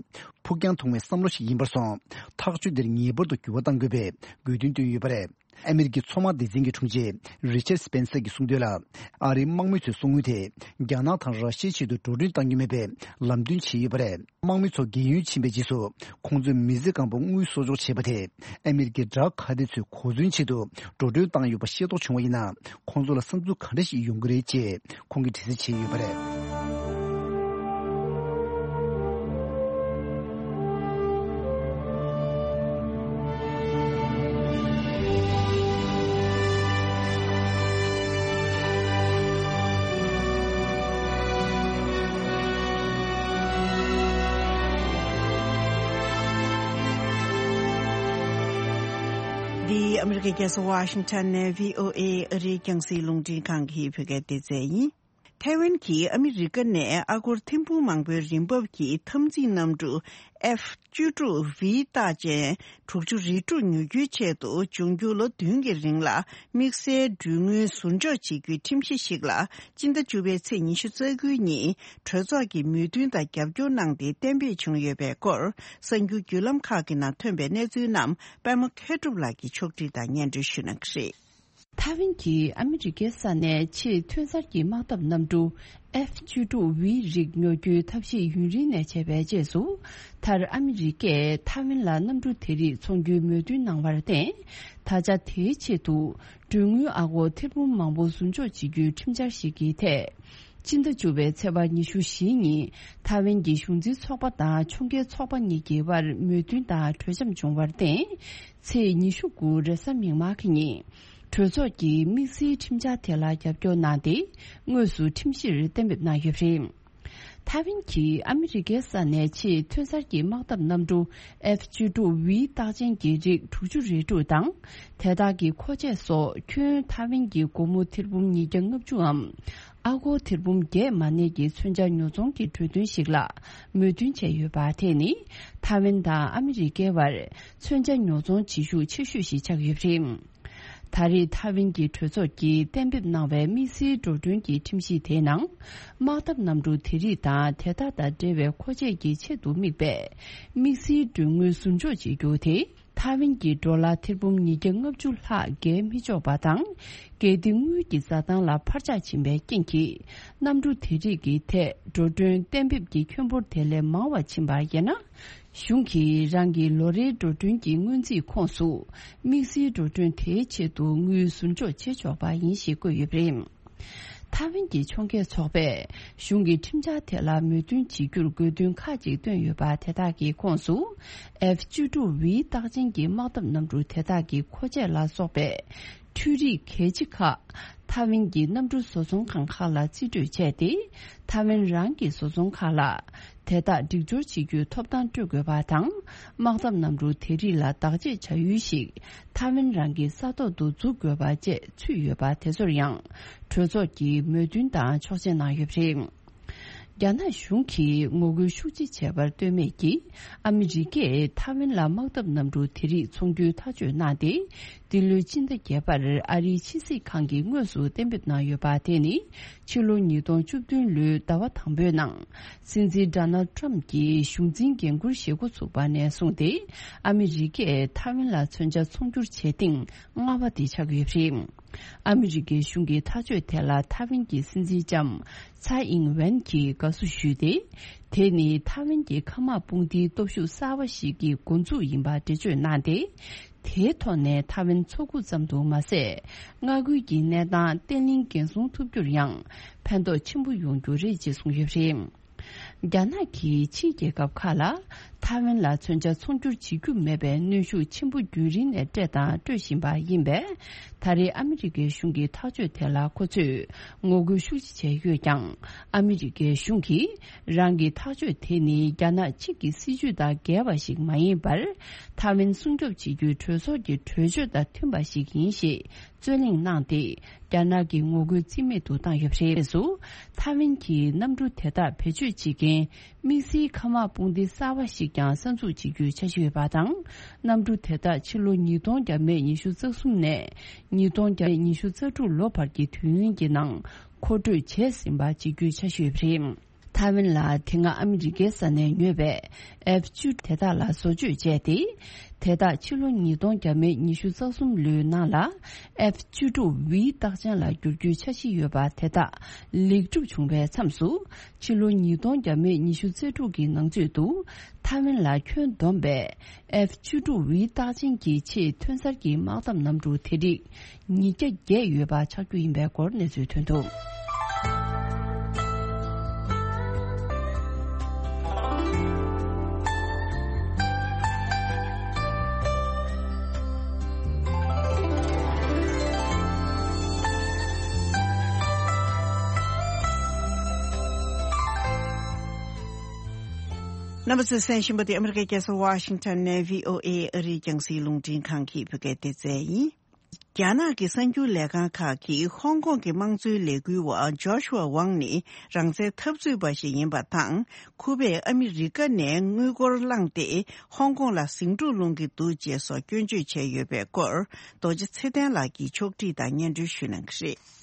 ཕུགས་རྒྱང་ཐུང་བའི་བསམ་བློ་ཞིག་ཡིན་པར་སོང་། ཐག་གཅོད་འདིར་ངེས་པར་དུ་འགྱུར་བ་གཏང་དགོས་པའི་དགོས་འདུན་བཏོན་ཡོད་པ་རེད། ཨ་མི་རི་ཀའི་མཚོ་དམག་སྡེ་ཚན་གྱི་དྲུང་ཆེ་རི་ཆར་སི་པེན་སར་གྱིས་གསུངས་དོན་ལ། ཨ་རིའི་དམག་མི་ཚོའི་སོ་དངུལ་དེ་རྒྱ་ནག་དང་ར་ཤི་ཡའི་ཆེད་དུ་འགྲོ་གྲོན་གཏང་རྒྱུ་མེད་པའི་ལམ་སྟོན་བྱས་ཡོད་པ་རེད། དམག་མི་ཚོ་རྒས་ཡོལ་ཕྱིན་པའི་རྗེས་སུ་ཁོང་ཚོའི་མི་ཚེ་གང་པོ་དངུལ་གསོག་འཇོག་བྱས་པ་དེ་ཨ་མི་རི་ཀའི་དགྲ་ཁ་གཏད་ཚོས་གོ་མཚོན་ཆེད་དུ་འགྲོ་གྲོན་བཏང་ཡོད་པ་ཤེས་རྟོགས་བྱུང་བ་ཡིན་ན། ཁོང་ཚོ་ལ་བསམ་ཚུལ་ག་འདྲ་ཞིག་ཡོང་གི་རེད་ཅེས་ཁོང་གིས་དྲི་རྩད་བྱས་ཡོད་པ་རེད། འདི་ཨ་མི་རི་ཀའི་རྒྱལ་ས་ཝ་ཤིང་ཊོན་ནས་བྷི་ཨོ་ཨེ་ཨ་རིའི་རྒྱང་སྲིང་རླུང་འཕྲིན་ཁང་གི་བོད་སྐད་སྡེ་ཚན་ཡིན། ཐའེ་ཝན་གྱིས་ཨ་མི་རི་ཀ་ནས་ཨ་སྒོར་ཐེར་འབུམ་མང་པོའི་རིན་འབབ་ཀྱི་འཐབ་འཛིང་གནམ་གྲུ་ཨེཕ་བཅུ་དྲུག་ཝི་རྟགས་ཅན་དྲུག་ཅུ་རེ་དྲུག་ཉོ་རྒྱུའི་ཆེད་དུ་འབྱུང་འགྱུར་ལོ་བདུན་གྱི་རིང་ལ་དམིགས་བསལ་གྲོན་དངུལ་ཟུར་འཇོག་བྱེད་རྒྱུའི་ཁྲིམས་གཞི་ཞིག་ལ་སྤྱི་ཟླ་བཅུ་པའི་ཚེས་ཉི་ཤུ་རྩ་དགུ་ཉིན་གྲོས་ཚོགས་ཀྱིས་མོས་མཐུན་དང་རྒྱབ་སྐྱོར་གནང་སྟེ་གཏན་འབེབས་བྱུང་ཡོད་པའི་སྐོར། གསར་འགྱུར་བརྒྱུད་ལམ་ཁག་གི་ནང་ཐོན་པའི་གནས་ཚུལ་རྣམས་པད་མ་མཁས་གྲུབ་ལགས་ཀྱིས་ཕྱོགས་སྒྲིག་དང་སྙན་སྒྲོན་ཞུ་གནང་གི་རེད། ཐའེ་ཝན་གྱིས་ཨ་མི་རི་ཀའི་ས་ནས་ཆེས་ཐོན་གསར་གྱི་དམག་འཐབ་གནམ་གྲུ་ཨེཕ་བཅུ་དྲུག་ཝི་རིགས་ཉོ་རྒྱུའི་ཐབས་ཤེས་ཡུན་རིང་ནས་བྱས་པའི་རྗེས་སུ། མཐར་ཨ་མི་རི་ཀས་ཐའེ་ཝན་ལ་གནམ་གྲུ་དེ་རིགས་འཚོང་རྒྱུའི་མོས་མཐུན་གནང་བར་བརྟེན། ད་ཆ་དེའི་ཆེད་དུ་གྲོན་དངུལ་ཨ་སྒོར་ཐེར་འབུམ་མང་པོ་ཟུར་འཇོག་བྱེད་རྒྱུའི་ཁྲིམས་འཆར་ཞིག་གི་ཐད། སྤྱི་ཟླ་བཅུ་པའི་ཚེས་པ་ཉི་ཤུ་བཞི་ཉིན་ཐའེ་ཝན་གྱི་གཞུང་འཛིན་ཚོགས་པ་དང་ཕྱོགས་འགལ་ཚོགས་པ་གཉིས་ཀྱི་དབར་མོས་མཐུན་དང་གྲོས་འཆམ་བྱུང་བར་བརྟེན། ཚེས་ཉི་ཤུ་དགུ་རེས་གཟའ་མིག་དམར་གྱི་ཉིན། གྲོས་ཚོགས་ཀྱིས་དམིགས་བསལ་ཁྲིམས་འཆར་དེ་ལ་རྒྱབ་སྐྱོར་གནང་སྟེ། དངོས་སུ་ཁྲིམས་གཞིར་གཏན་འབེབས་གནང་ཡོད་པ་རེད། ཐའེ་ཝན་གྱིས་ཨ་མི་རི་ཀའི་ས་ནས་ཆེས་ཐོན་གསར་གྱི་དམག་འཐབ་གནམ་གྲུ་ཨེཕ་བཅུ་དྲུག་ཝི་རྟགས་ཅན་གྱི་རིགས་དྲུག་ཅུ་རེ་དྲུག་དང་། དེ་དག་གི་མཁོ་ཆས་སོགས་ཁྱོན་ཐའེ་ཝན་གྱི་སྒོར་མོ་ཐེར་འབུམ་ཉིས་བརྒྱ་ལྔ་བཅུའམ། ཨ་སྒོར་ཐེར་འབུམ་བརྒྱད་མ་གནས་ཀྱི་མཚོན་ཆ་ཉོ་ཚོང་གི་གྲོས་མཐུན་ཞིག་ལ་མོས་མཐུན་བྱས་ཡོད་པ། དེ་ནི་ཐའེ་ཝན་དང་ཨ་མི་རི་ཀའི་བར་མཚོན་ཆ་ཉོ་ཚོང་བྱེད་ཤུགས་ཆེ་ཤོས་ཤིག་ཆགས་ཡོད་པ་རེད། ད་རེས་ཐའེ་ཝན་གྱི་གྲོས་ཚོགས་ཀྱིས་གཏན་འབེབས་གནང་བའི་དམིགས་བསལ་འགྲོ་གྲོན་གྱི་ཁྲིམས་གཞི་དེའི་ནང་། དམག་འཐབ་གནམ་གྲུ་དེ་རིགས་དང་དེ་དག་དང་འབྲེལ་བའི་མཁོ་ཆས་ཀྱི་ཆེད་དུ་དམིགས་པའི་དམིགས་བསལ་གྲོན་དངུལ་ཟུར་འཇོག་བྱེད་རྒྱུ་དེ། ཐའེ་ཝན་གྱི་ཌོ་ལར་ཐེར་འབུམ་ཉིས་བརྒྱ་ལྔ་བཅུ་ལྷག་བརྒལ་མི་ཆོག་པ་དང་། གལ་ཏེ་དངུལ་གྱི་བཟའ་ཐང་ལ་འཕར་ཆག་ཕྱིན་པའི་རྐྱེན་གྱིས། གནམ་གྲུ་དེ་རིགས་ཀྱི་ཐད་འགྲོ་གྲོན་གཏན་འབེབས་ཀྱི་ཁྱོན་འབོར་དེ་ལས་མང་བ་ཕྱིན་པ་ཡིན་ན། གཞུང་གིས་རང་གི་ལོ་རེའི་འགྲོ་གྲོན་གྱི་སྔོན་རྩིས་ཁོངས་སུ། དམིགས་བསལ་འགྲོ་གྲོན་དེའི་ཆེད་དུ་དངུལ་ཟུར་འཇོག་བྱེད་ཆོག་པ་ཡིན་ཞེས་བཀོད་ཡོད་པ་རེད། ཐའེ་ཝན་གྱི་ཕྱོགས་འགལ་ཚོགས་པས་གཞུང་གི་ཁྲིམས་འཆར་དེ་ལ་མོས་མཐུན་བྱེད་རྒྱུར་དགོས་འདུན་ཁག་ཅིག་བཏོན་ཡོད་པ་དེ་དག་གི་ཁོངས་སུ། ཨེཕ་བཅུ་དྲུག་ཝི་རྟགས་ཅན་གྱི་དམག་འཐབ་གནམ་གྲུ་དེ་དག་གི་མཁོ་ཆས་ལ་སོགས་པའི་འཕྲུལ་རིག་གལ་ཆེ་ཁག་ཐའེ་ཝན་གྱི་གནམ་གྲུ་བཟོ་ཚོང་ཁང་ཁག་ལ་རྩིས་སྤྲོད་བྱས་ཏེ། ཐའེ་ཝན་རང་གི་བཟོ་ཚོང་ཁག་ལ་དེ་དག་སྒྲིག་སྦྱོར་བྱེད་རྒྱུའི་ཐོབ་ཐང་སྤྲོད་དགོས་པ་དང་། དམག་འཐབ་གནམ་གྲུ་དེ་རིགས་ལ་བདག་གཅེས་བྱ་ཡུལ་ཞིག་ཐའེ་ཝན་རང་གི་ས་ཐོག་ཏུ་འཛུགས་དགོས་པ་བཅས་ཚུད་ཡོད་པ་དེ་ཚོར་ཡང་གྲོས་ཚོགས་ཀྱིས་མོས་མཐུན་དང་ཆོག་མཆན་གནང་ཡོད་པ་རེད། རྒྱ་ནག་གཞུང་གིས་ངོ་རྒོལ་ཤུགས་ཆེ་བྱས་པར་ལྟོས་མེད་ཀྱིས། ཨ་མི་རི་ཀས་ཐའེ་ཝན་ལ་དམག་འཐབ་གནམ་གྲུ་དེ་རིགས་ཚོང་སྒྱུར་ཐག་གཅོད་གནང་སྟེ། འདི་ལོའི་སྤྱི་ཟླ་བརྒྱད་པར་ཨ་རིའི་ཕྱི་སྲིད་ཁང་གིས་དངོས་སུ་གཏན་འབེབས་གནང་ཡོད་པ་དེ་ནི། ཕྱི་ལོ་ཉིས་སྟོང་བཅུ་བདུན་ལོའི་ཟླ་བ་དང་པོའི་ནང་། སྲིད་འཛིན་ཌོ་ནལ་ཊམ་གྱིས་གཞུང་འཛིན་འགན་འཁུར་བཞེས་འགོ་ཚུགས་པ་ནས་བཟུང་སྟེ། ཨ་མི་རི་ཀས་ཐའེ་ཝན་ལ་མཚོན་ཆ་ཚོང་སྒྱུར་བྱེད་སྟེང་སྔ་བ་དེ་ཆགས་ཡོད་པ་རེད། ཨ་མི་རི་ཀའི་གཞུང་གི་ཐག་གཅོད་དེ་ལ་ཐའེ་ཝན་གྱི་སྲིད་འཛིན་ལྕམ་ཚའེ་ཨིང་ཝེན་གྱིས་དགའ་བསུ་ཞུས་ཏེ། དེ་ནི་ཐའེ་ཝན་གྱི་མཁའ་དམག་དཔུང་སྡེའི་སྟོབས་ཤུགས་གསར་བ་ཞིག་གི་འགོ་འཛུགས་ཡིན་པ་འགྲེལ་བརྗོད་གནང་སྟེ། དེའི་ཐོག་ནས་ཐའེ་ཝན་མཚོ་ཁུག་ཙམ་དུ་མ་ཟད། མངའ་ཁུལ་གྱི་གནས་སྟངས་བརྟན་ལྷིང་འགན་སྲུང་ཐུབ་རྒྱུར་ཡང་ཕན་ཐོགས་ཆེན་པོ་ཡོང་རྒྱུ་རེད་ཅེས་གསུངས་ཡོད་པ་རེད། རྒྱ་ནག་གིས་ཕྱིའི་རྒྱལ་ཁབ་ཁག་ལ་ཐའེ་ཝན་ལ་མཚོན་ཆ་ཚོང་སྒྱུར་བྱེད་རྒྱུ་མེད་པའི་གནོན་ཤུགས་ཆེན་པོ་རྒྱུན་རིང་ནས་སྤྲད་དང་སྤྲོད་བཞིན་པ་ཡིན་པས། ད་རེས་ཨ་མི་རི་ཀའི་གཞུང་གི་ཐག་གཅོད་དེ་ལ་ཁོ་ཚོས་ངོ་རྒོལ་ཤུགས་ཆེ་བྱས་ཡོད་ཀྱང་། ཨ་མི་རི་ཀའི་གཞུང་གིས་རང་གི་ཐག་གཅོད་དེ་ནི་རྒྱ་ནག་གཅིག་གི་སྲིད་ཇུས་དང་འགལ་བ་ཞིག་མ་ཡིན་པར། ཐའེ་ཝན་སྲུང་སྐྱོབ་བྱེད་རྒྱུའི་གྲོས་ཚོགས་ཀྱི་གྲོས་ཆོད་དང་མཐུན་པ་ཞིག་ཡིན་ཞེས། རྩོད་གླེང་གནང་སྟེ། རྒྱ་ནག་གི་ངོ་རྒོལ་རྩིས་མེད་དུ་བཏང་ཡོད་པ་རེད། སུ། ཐའེ་ཝན་གྱིས་གནམ་གྲུ་དེ་དག་བེད་སྤྱོད་བྱེད་མཁན་དམིགས་བསལ་མཁའ་དམག་དཔུང་སྡེ་གསར་བ་ཞིག་ཀྱང་གསར་འཛུགས་བྱེད་རྒྱུའི་འཆར་གཞི་ཡོད་པ་དང་། གནམ་གྲུ་དེ་དག་ཕྱི་ལོ་ཉིས་སྟོང་བརྒྱ་མེད་ཉི་ཤུ་རྩ་གསུམ་ནས་ཉིས་སྟོང་བརྒྱ་མེད་ཉི་ཤུ་རྩ་དྲུག་ལོ་བར་གྱི་དུས་ཡུན་གྱི་ནང་མཁོ་སྤྲོད་བྱས་ཟིན་པ་བྱེད་རྒྱུའི་འཆར་གཞི་ཡོད་པ་རེད། ཐའེ་ཝན་ལ་དེ་སྔ་ཨ་མི་རི་ཀའི་ས་ནས་ཉོས་པའི་ཨེཕ་བཅུ་དེ་དག་ལ་བཟོ་བཅོས་བྱས་ཏེ། དེ་དག་ཕྱི་ལོ་ཉིས་སྟོང་བརྒྱ་མེད་ཉི་ཤུ་རྩ་གསུམ་ལོའི་ནང་ལ་ཨེཕ་བཅུ་དྲུག་ཝི་རྟགས་ཅན་ལ་བསྒྱུར་རྒྱུའི་འཆར་གཞི་ཡོད་པ་དེ་དག་ལེགས་གྲུབ་བྱུང་བའི་མཚམས་སུ། ཕྱི་ལོ་ཉིས་སྟོང་བརྒྱ་མེད་ཉི་ཤུ་རྩ་དྲུག་གི་ནང་ཚུད་དུ་ཐའེ་ཝན་ལ་ཁྱོན་བསྡོམས་པའི་ཨེཕ་བཅུ་དྲུག་ཝི་རྟགས་ཅན་གྱི་ཆེས་ཐོན་གསར་གྱི་དམག་འཐབ་གནམ་གྲུ་དེ་རིགས། ཉིས་བརྒྱ་བརྒྱད་ཡོད་པ་ཆགས་རྒྱུ་ཡིན་པའི་སྐོར་གནས་ཚུལ་ཐོན་འདུག་རྣམ་པ་ཚོས་གསན་བཞིན་པ་དེ་ཨ་མི་རི་ཀའི་རྒྱལ་ས་ཝ་ཤིང་ཊོན་ནས་བྷི་ཨོ་ཨེ་ཨ་རིའི་རྒྱང་སྲིང་རླུང་འཕྲིན་ཁང་གི་བོད་སྐད་སྡེ་ཚན་ཡིན། རྒྱ་ནག་གི་གསར་འགྱུར་ལས་ཁང་ཁག་གིས་ཧོང་ཀོང་གི་དམངས་གཙོའི་ལས་འགུལ་བ་ཇོ་ཤུ་ཝ་ཝང་ནི་རང་བཙན་འཐབ་རྩོད་པ་ཞིག་ཡིན་པ་དང་། ཁོ་པས་ཨ་མི་རི་ཀ་ནས་དངུལ་སྒོར་བླངས་ཏེ་ཧོང་ཀོང་ལ་ཟིང་འཁྲུག་སློང་གི་འདུག་ཅེས་སོགས་སྐྱོན་བརྗོད་བྱས་ཡོད་པའི་སྐོར། རྡོ་རྗེ་ཚེ་བརྟན་ལགས་ཀྱིས་ཕྱོགས་སྒྲིག་དང་སྙན་སྒྲོན་ཞུ་གནང་གི་རེད།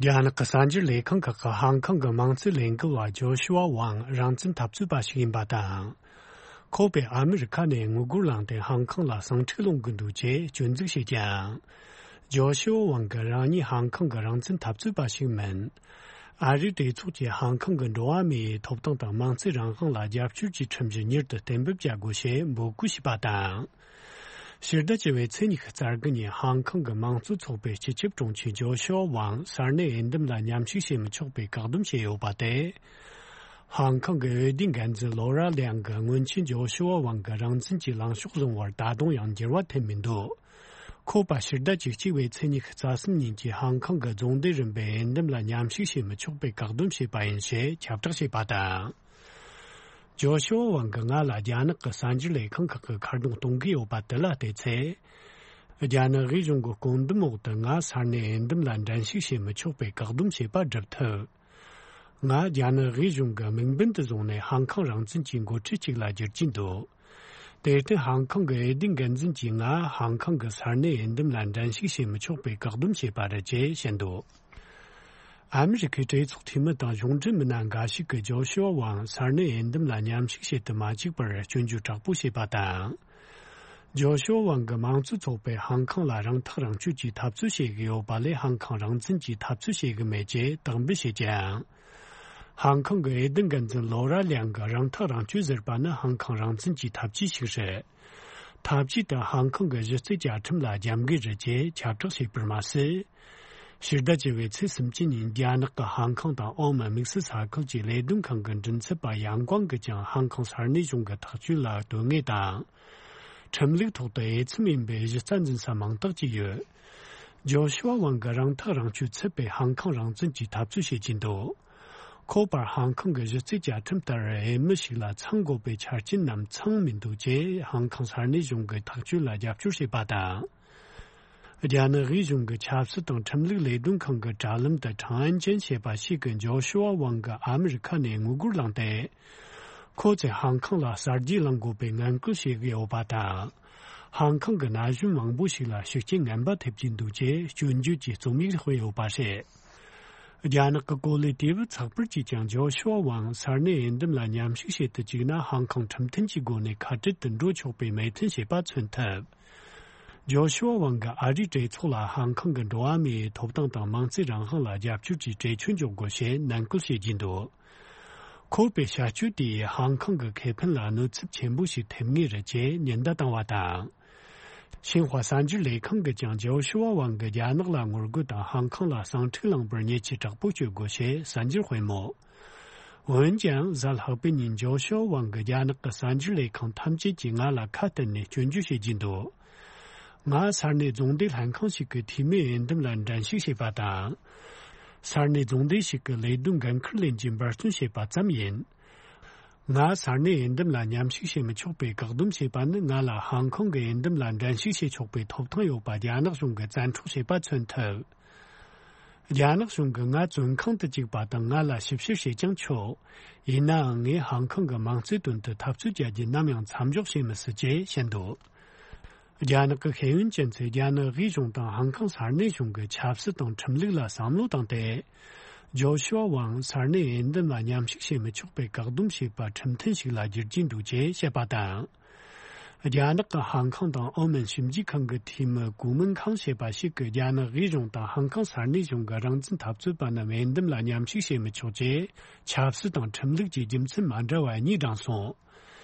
རྒྱ་ནག་གི་གསར་འགྱུར་ལས་ཁང་ཁག་གིས་ཧང་ཀང་གི་དམངས་གཙོའི་ལས་འགུལ་བ་ཇོ་ཤུ་ཝ་ཝང་རང་བཙན་འཐབ་རྩོད་པ་ཞིག་ཡིན་པ་དང་། ཁོ་པས་ཨ་མི་རི་ཁ་ནས་དངུལ་སྒོར་བླངས་ཏེ་ཧང་ཀང་ལ་ཟིང་འཁྲུག་སློང་གི་འདུག་ཅེས་སྐྱོན་འཛུགས་བྱས་ཀྱང་། ཇོ་ཤུ་ཝ་ཝང་གིས་རང་ཉིད་ཧང་ཀང་གི་རང་བཙན་འཐབ་རྩོད་པ་ཞིག་མིན། ཨ་རིའི་གྲོས་ཚོགས་ཀྱིས་ཧང་ཀང་གི་འགྲོ་བ་མིའི་ཐོབ་ཐང་དང་དམངས་གཙོའི་རང་དབང་ལ་རྒྱབ་སྐྱོར་གྱི་ཁྲིམས་གཞི་མྱུར་དུ་གཏན་འབེབས་བྱ་དགོས་ཞེས་འབོད་སྐུལ་བྱས་པ་དང་། ཕྱི་ཟླ་བཅུ་བའི་ཚེས་ཉི་ཤུ་རྩ་དགུ་ཉིན་ཧང་ཀང་གི་དམངས་གཙོ་ཚོགས་པའི་སྤྱི་ཁྱབ་དྲུང་ཆེ་ཇོ་ཤུ་ཝ་ཝང་ས་གནས་འོས་འདེམས་ལ་མཉམ་ཞུགས་བྱེད་མི་ཆོག་པའི་བཀག་སྡོམ་བྱས་ཡོད་པ་དེ། ཧང་ཀང་གི་འོས་བསྡུའི་འགན་འཛིན་ལོ་ར་ལིའང་གིས་སྔོན་ཆད་ཇོ་ཤུ་ཝ་ཝང་གི་རང་བཙན་གྱི་ལངས་ཕྱོགས་བཟུང་བར་ད་དུང་ཡང་འགྱུར་བ་ཐེབས་མི་འདུག་ཁོ་པ་ཕྱི་ཟླ་བཅུ་གཅིག་པའི་ཚེས་ཉི་ཤུ་རྩ་གསུམ་ཉིན་གྱི་ཧང་ཀང་གི་རྫོང་སྡེ་རིམ་པའི་འོས་འདེམས་ལ་མཉམ་ཞུགས་བྱེད་མི་ཆོག་པའི་བཀག་སྡོམ་བྱས་པ་ཡིན་ཞེས་ཁྱབ་བསྒྲགས་བྱས་པ་དང་། ཇོ་ཤུ་ཝ་ཝང་གིས་ང་ལ་རྒྱ་ནག་གི་གསར་འགྱུར་ལས་ཁང་ཁག་གིས་ཁ་རྡུང་གཏོང་གི་ཡོད་པ་དེ་ལ་བལྟས་ཚེ། རྒྱ་ནག་དབུས་གཞུང་གི་བཀོད་འདོམས་འོག་ཏུ་ང་ས་གནས་འོས་འདེམས་ལ་འགྲན་ཞུགས་བྱེད་མི་ཆོག་པའི་བཀག་སྡོམ་བྱས་པ་སྒྲུབ་ཐུབ། ང་རྒྱ་ནག་དབུས་གཞུང་གི་དམིགས་འབེན་དུ་བཟུང་ནས་ཧང་ཀང་རང་བཙན་གྱི་འགོ་ཁྲིད་ཅིག་ལ་འགྱུར་གྱིན་འདུག་དེར་བརྟེན་ཧང་ཀང་གི་འོས་བསྡུའི་འགན་འཛིན་གྱིས་ང་ཧང་ཀང་གི་ས་གནས་འོས་འདེམས་ལ་འགྲན་ཞུགས་བྱེད་མི་ཆོག་པའི་བཀག་སྡོམ་བྱས་པ་རེད་ཅེས་བཤད་འདུག་ཨ་མི་རི་ཁའི་གྲོས་ཚོགས་འཐུས་མི་དང་གཞུང་འབྲེལ་མི་སྣ་འགའ་ཞིག་གིས་ཇོ་ཤུ་ཝ་ཝང་ས་གནས་འོས་འདེམས་ལ་མཉམ་ཞུགས་བྱེད་དུ་མ་བཅུག་པར་སྐྱོན་བརྗོད་དྲག་པོ་བྱས་པ་དང་། ཇོ་ཤུ་ཝ་ཝང་གིས་དམངས་གཙོ་ཚོགས་པས་ཧང་ཀང་ལ་རང་ཐག་རང་གཅོད་ཀྱི་འཐབ་རྩོད་བྱེད་ཀྱི་ཡོད་པ་ལས་ཧང་ཀང་རང་བཙན་གྱི་འཐབ་རྩོད་བྱེད་ཀྱི་མེད་ཅེས་དག་འབུལ་བྱས་ཀྱང་། ཧང་ཀང་གི་འོས་བསྡུ་འགན་འཛིན་ལོ་ར་ལིའང་གིས་རང་ཐག་རང་གཅོད་ཟེར་པ་ནི་ཧང་ཀང་རང་བཙན་གྱི་འཐབ་ཇུས་ཤིག་རེད། འཐབ་ཇུས་དེ་ཧང་ཀང་གི་གཞི་རྩའི་བཅའ་ཁྲིམས་ལ་རྒྱབ་འགལ་རེད་ཅེས་ཁྱབ་བསྒྲགས་བྱས་པར་མ་ཟད། ཕྱི་ཟླ་བཅུ་བའི་ཚེས་སུམ་ཅུ་ཉིན་རྒྱ་ནག་གི་ཧང་ཀང་དང་ཨོ་མོན་དམིགས་བསལ་ས་ཁུལ་གྱི་ལས་དོན་ཁང་གི་མགྲིན་ཚབ་པ་ཡང་ཀོང་གིས་ཀྱང་ཧང་ཀང་ས་གནས་གཞུང་གི་ཐག་གཅོད་ལ་དོན་དངོས་དང་། ཁྲིམས་ལུགས་ཐོག་ཏུ་འོས་འཚམ་ཡིན་པའི་གཞི་རྩ་འཛིན་ས་མང་དག་ཅིག་ཡོད། ཇོ་ཤུ་ཝ་ཝང་གིས་རང་ཐག་རང་གཅོད་ཚུད་པའི་ཧང་ཀང་རང་བཙན་གྱི་འཐབ་རྩོད་བྱེད་ཀྱིན་འདུག་ཁོ་པར་ཧང་ཀང་གི་གཞི་རྩའི་བཅའ་ཁྲིམས་ལྟར་འོས་མི་ཞིག་ལ་ཚང་དགོས་པའི་ཆ་རྐྱེན་རྣམས་ཚང་མི་འདུག་ཅེས་ཧང་ཀང་ས་གནས་གཞུང་གི་ཐག་གཅོད་ལ་རྒྱབ་སྐྱོར་བྱས་པ་དང་། རྒྱ་ནག་དབུས་གཞུང་གི་ཆབ་སྲིད་དང་ཁྲིམས་ལུགས་ལས་དོན་ཁང་གི་དྲ་ལམ་དུ་ཁྲང་ཨན་ཅན་ཞེས་པ་ཞིག་གིས་ཇོ་ཤུ་ཝ་ཝང་གིས་ཨ་མི་རི་ཁ་ནས་དངུལ་སྒོར་བླངས་ཏེ། ཁོ་ཚོས་ཧང་ཁང་ལ་གསར་བརྗེ་བླང་དགོས་པའི་ངན་སྐུལ་བྱེད་ཀྱི་ཡོད་པ་དང་། ཧང་ཁང་གི་ན་གཞོན་མང་པོ་ཞིག་ལ་ཤུགས་རྐྱེན་ངན་པ་ཐེབས་ཀྱི་འདུག་ཅེས་སྐྱོན་བརྗོད་ཀྱི་རྩོམ་ཡིག་སྤེལ་ཡོད་པ་རེད། རྒྱ་ནག་གི་གོ་ལའི་དུས་བབ་ཚགས་པར་གྱིས་ཀྱང་ཇོ་ཤུ་ཝ་ཝང་ས་གནས་འོས་འདེམས་ལ་མཉམ་ཞུགས་བྱེད་དུ་བཅུག་ན་ཧང་ཁང་ཁྲིམས་མཐུན་གྱི་སྒོ་ནས་ཁ་བྲལ་དུ་འགྲོ་ཆོག་པའི་མོས་མཐུན་བྱས་པ་མཚོན་ཐུབ། ཇོ་ཤུ་ཝ་ཝང་གིས་ཨ་རིའི་གྲོས་ཚོགས་ལ་ཧང་ཁང་གི་འགྲོ་བ་མིའི་ཐོབ་ཐང་དང་མིང་ཚིག་རང་དབང་ལ་རྒྱབ་སྐྱོར་གྱི་གྲོས་ཆོད་འཇོག་དགོས་ཞེས་ནན་སྐུལ་བྱེད་ཀྱིན་འདུག། ཁོ་པའི་བྱ་སྤྱོད་དེས་ཧང་ཁང་གི་ཁེ་ཕན་ལ་གནོད་འཚེ་ཆེན་པོ་ཞིག་ཐེབས་ངེས་རེད་ཅེས་ཉེན་བརྡ་བཏང་བ་དང་། ཤིན་ཧྭ་གསར་འགྱུར་ལས་ཁང་གིས་ཀྱང་ཇོ་ཤུ་ཝ་ཝང་གིས་རྒྱ་ནག་ལ་ངོ་རྒོལ་དང་ཧང་ཁང་ལ་ཟིང་འཁྲུག་བསླངས་པར་ཉེས་ཆད་དྲག་པོ་གཅོད་དགོས་ཞེས་གསར་འགྱུར་སྤེལ་མོད། འོན་ཀྱང་གཟའ་ལྷག་པའི་ཉིན་ཇོ་ཤུ་ཝ་ཝང་གིས་རྒྱ་ནག་གི་གསར་འགྱུར་ལས་ཁང་ཐམས་ཅད་ཀྱིས་ང་ལ་ཁ་གཏད་ནས་སྐྱོན་བརྗོད་བྱེད་ཀྱིན་འདུག། ང་ས་གནས་རྫོང་སྡེ་ལྷན་ཁང་ཞིག་གི་འཐུས་མིའི་འོས་འདེམས་ལ་འགྲན་ཞུགས་བྱས་པ་དང་། ས་གནས་རྫོང་སྡེ་ཞིག་གི་ལས་དོན་འགན་འཁུར་ལེན་གྱི་འབད་བརྩོན་བྱས་པ་ཙམ་ཡིན། ང་ས་གནས་འོས་འདེམས་ལ་མཉམ་ཞུགས་བྱེད་མི་ཆོག་པའི་བཀག་སྡོམ་བྱས་པ་ནི་ང་ལ་ཧང་ཁོང་གི་འོས་འདེམས་ལ་འགྲན་ཞུགས་བྱེད་ཆོག་པའི་ཐོབ་ཐང་ཡོད་པ་རྒྱ་ནག་གཞུང་གིས་བཙན་འཕྲོག་བྱས་པ་མཚོན་ཐུབ། རྒྱ་ནག་གཞུང་གིས་ང་བཙོན་ཁང་དུ་བཅུག་པ་དང་ང་ལ་ཞིབ་བཤེར་བྱེད་ཀྱང་ཆོག། ཡིན་ནའང་ངས་ཧང་ཁོང་གི་མིང་ཚིག་དོན་དུ་འཐབ་རྩོད་བྱ་རྒྱུ་ནམ་ཡང་མཚམས་འཇོག་བྱེད་མི་སྲིད་ཅེས་བཤད་འདུག། རྒྱ་ནག་གི་ཤེས་ཡོན་ཅན་ཚོས་རྒྱ་ནག་དབུས་གཞུང་དང་ཧང་ཁོང་ས་གནས་གཞུང་གི་ཆབ་སྲིད་དང་ཁྲིམས་ལུགས་ལ་བསམ་བློ་བཏང་སྟེ། ཇོ་ཤུ་ཝ་ཝང་ས་གནས་འོས་འདེམས་ལ་མཉམ་ཞུགས་བྱེད་མི་ཆོག་པའི་བཀག་སྡོམ་བྱས་པ་ཁྲིམས་མཐུན་ཞིག་ལ་བསྒྱུར་གྱི་འདུག་ཅེས་བཤད་པ་དང་། རྒྱ་ནག་གི་ཧང་ཁོང་དང་ཨོ་མན་ཞིབ་འཇུག་ཁང་གི་འཐུས་མི་གུ་མིན་ཁང་ཞེས་པ་ཞིག་གིས་རྒྱ་ནག་དབུས་གཞུང་དང་ཧང་ཁོང་ས་གནས་གཞུང་གི་རང་བཙན་འཐབ་རྩོད་པ་རྣམས་འོས་འདེམས་ལ་མཉམ་ཞུགས་བྱེད་མི་ཆོག་ཅེས་ཆབ་སྲིད་དང་ཁྲིམས་ལུགས་ཀྱི་རྒྱུ་མཚན་མ་འདྲ་བ་གཉིས་བགྲངས་སོང་།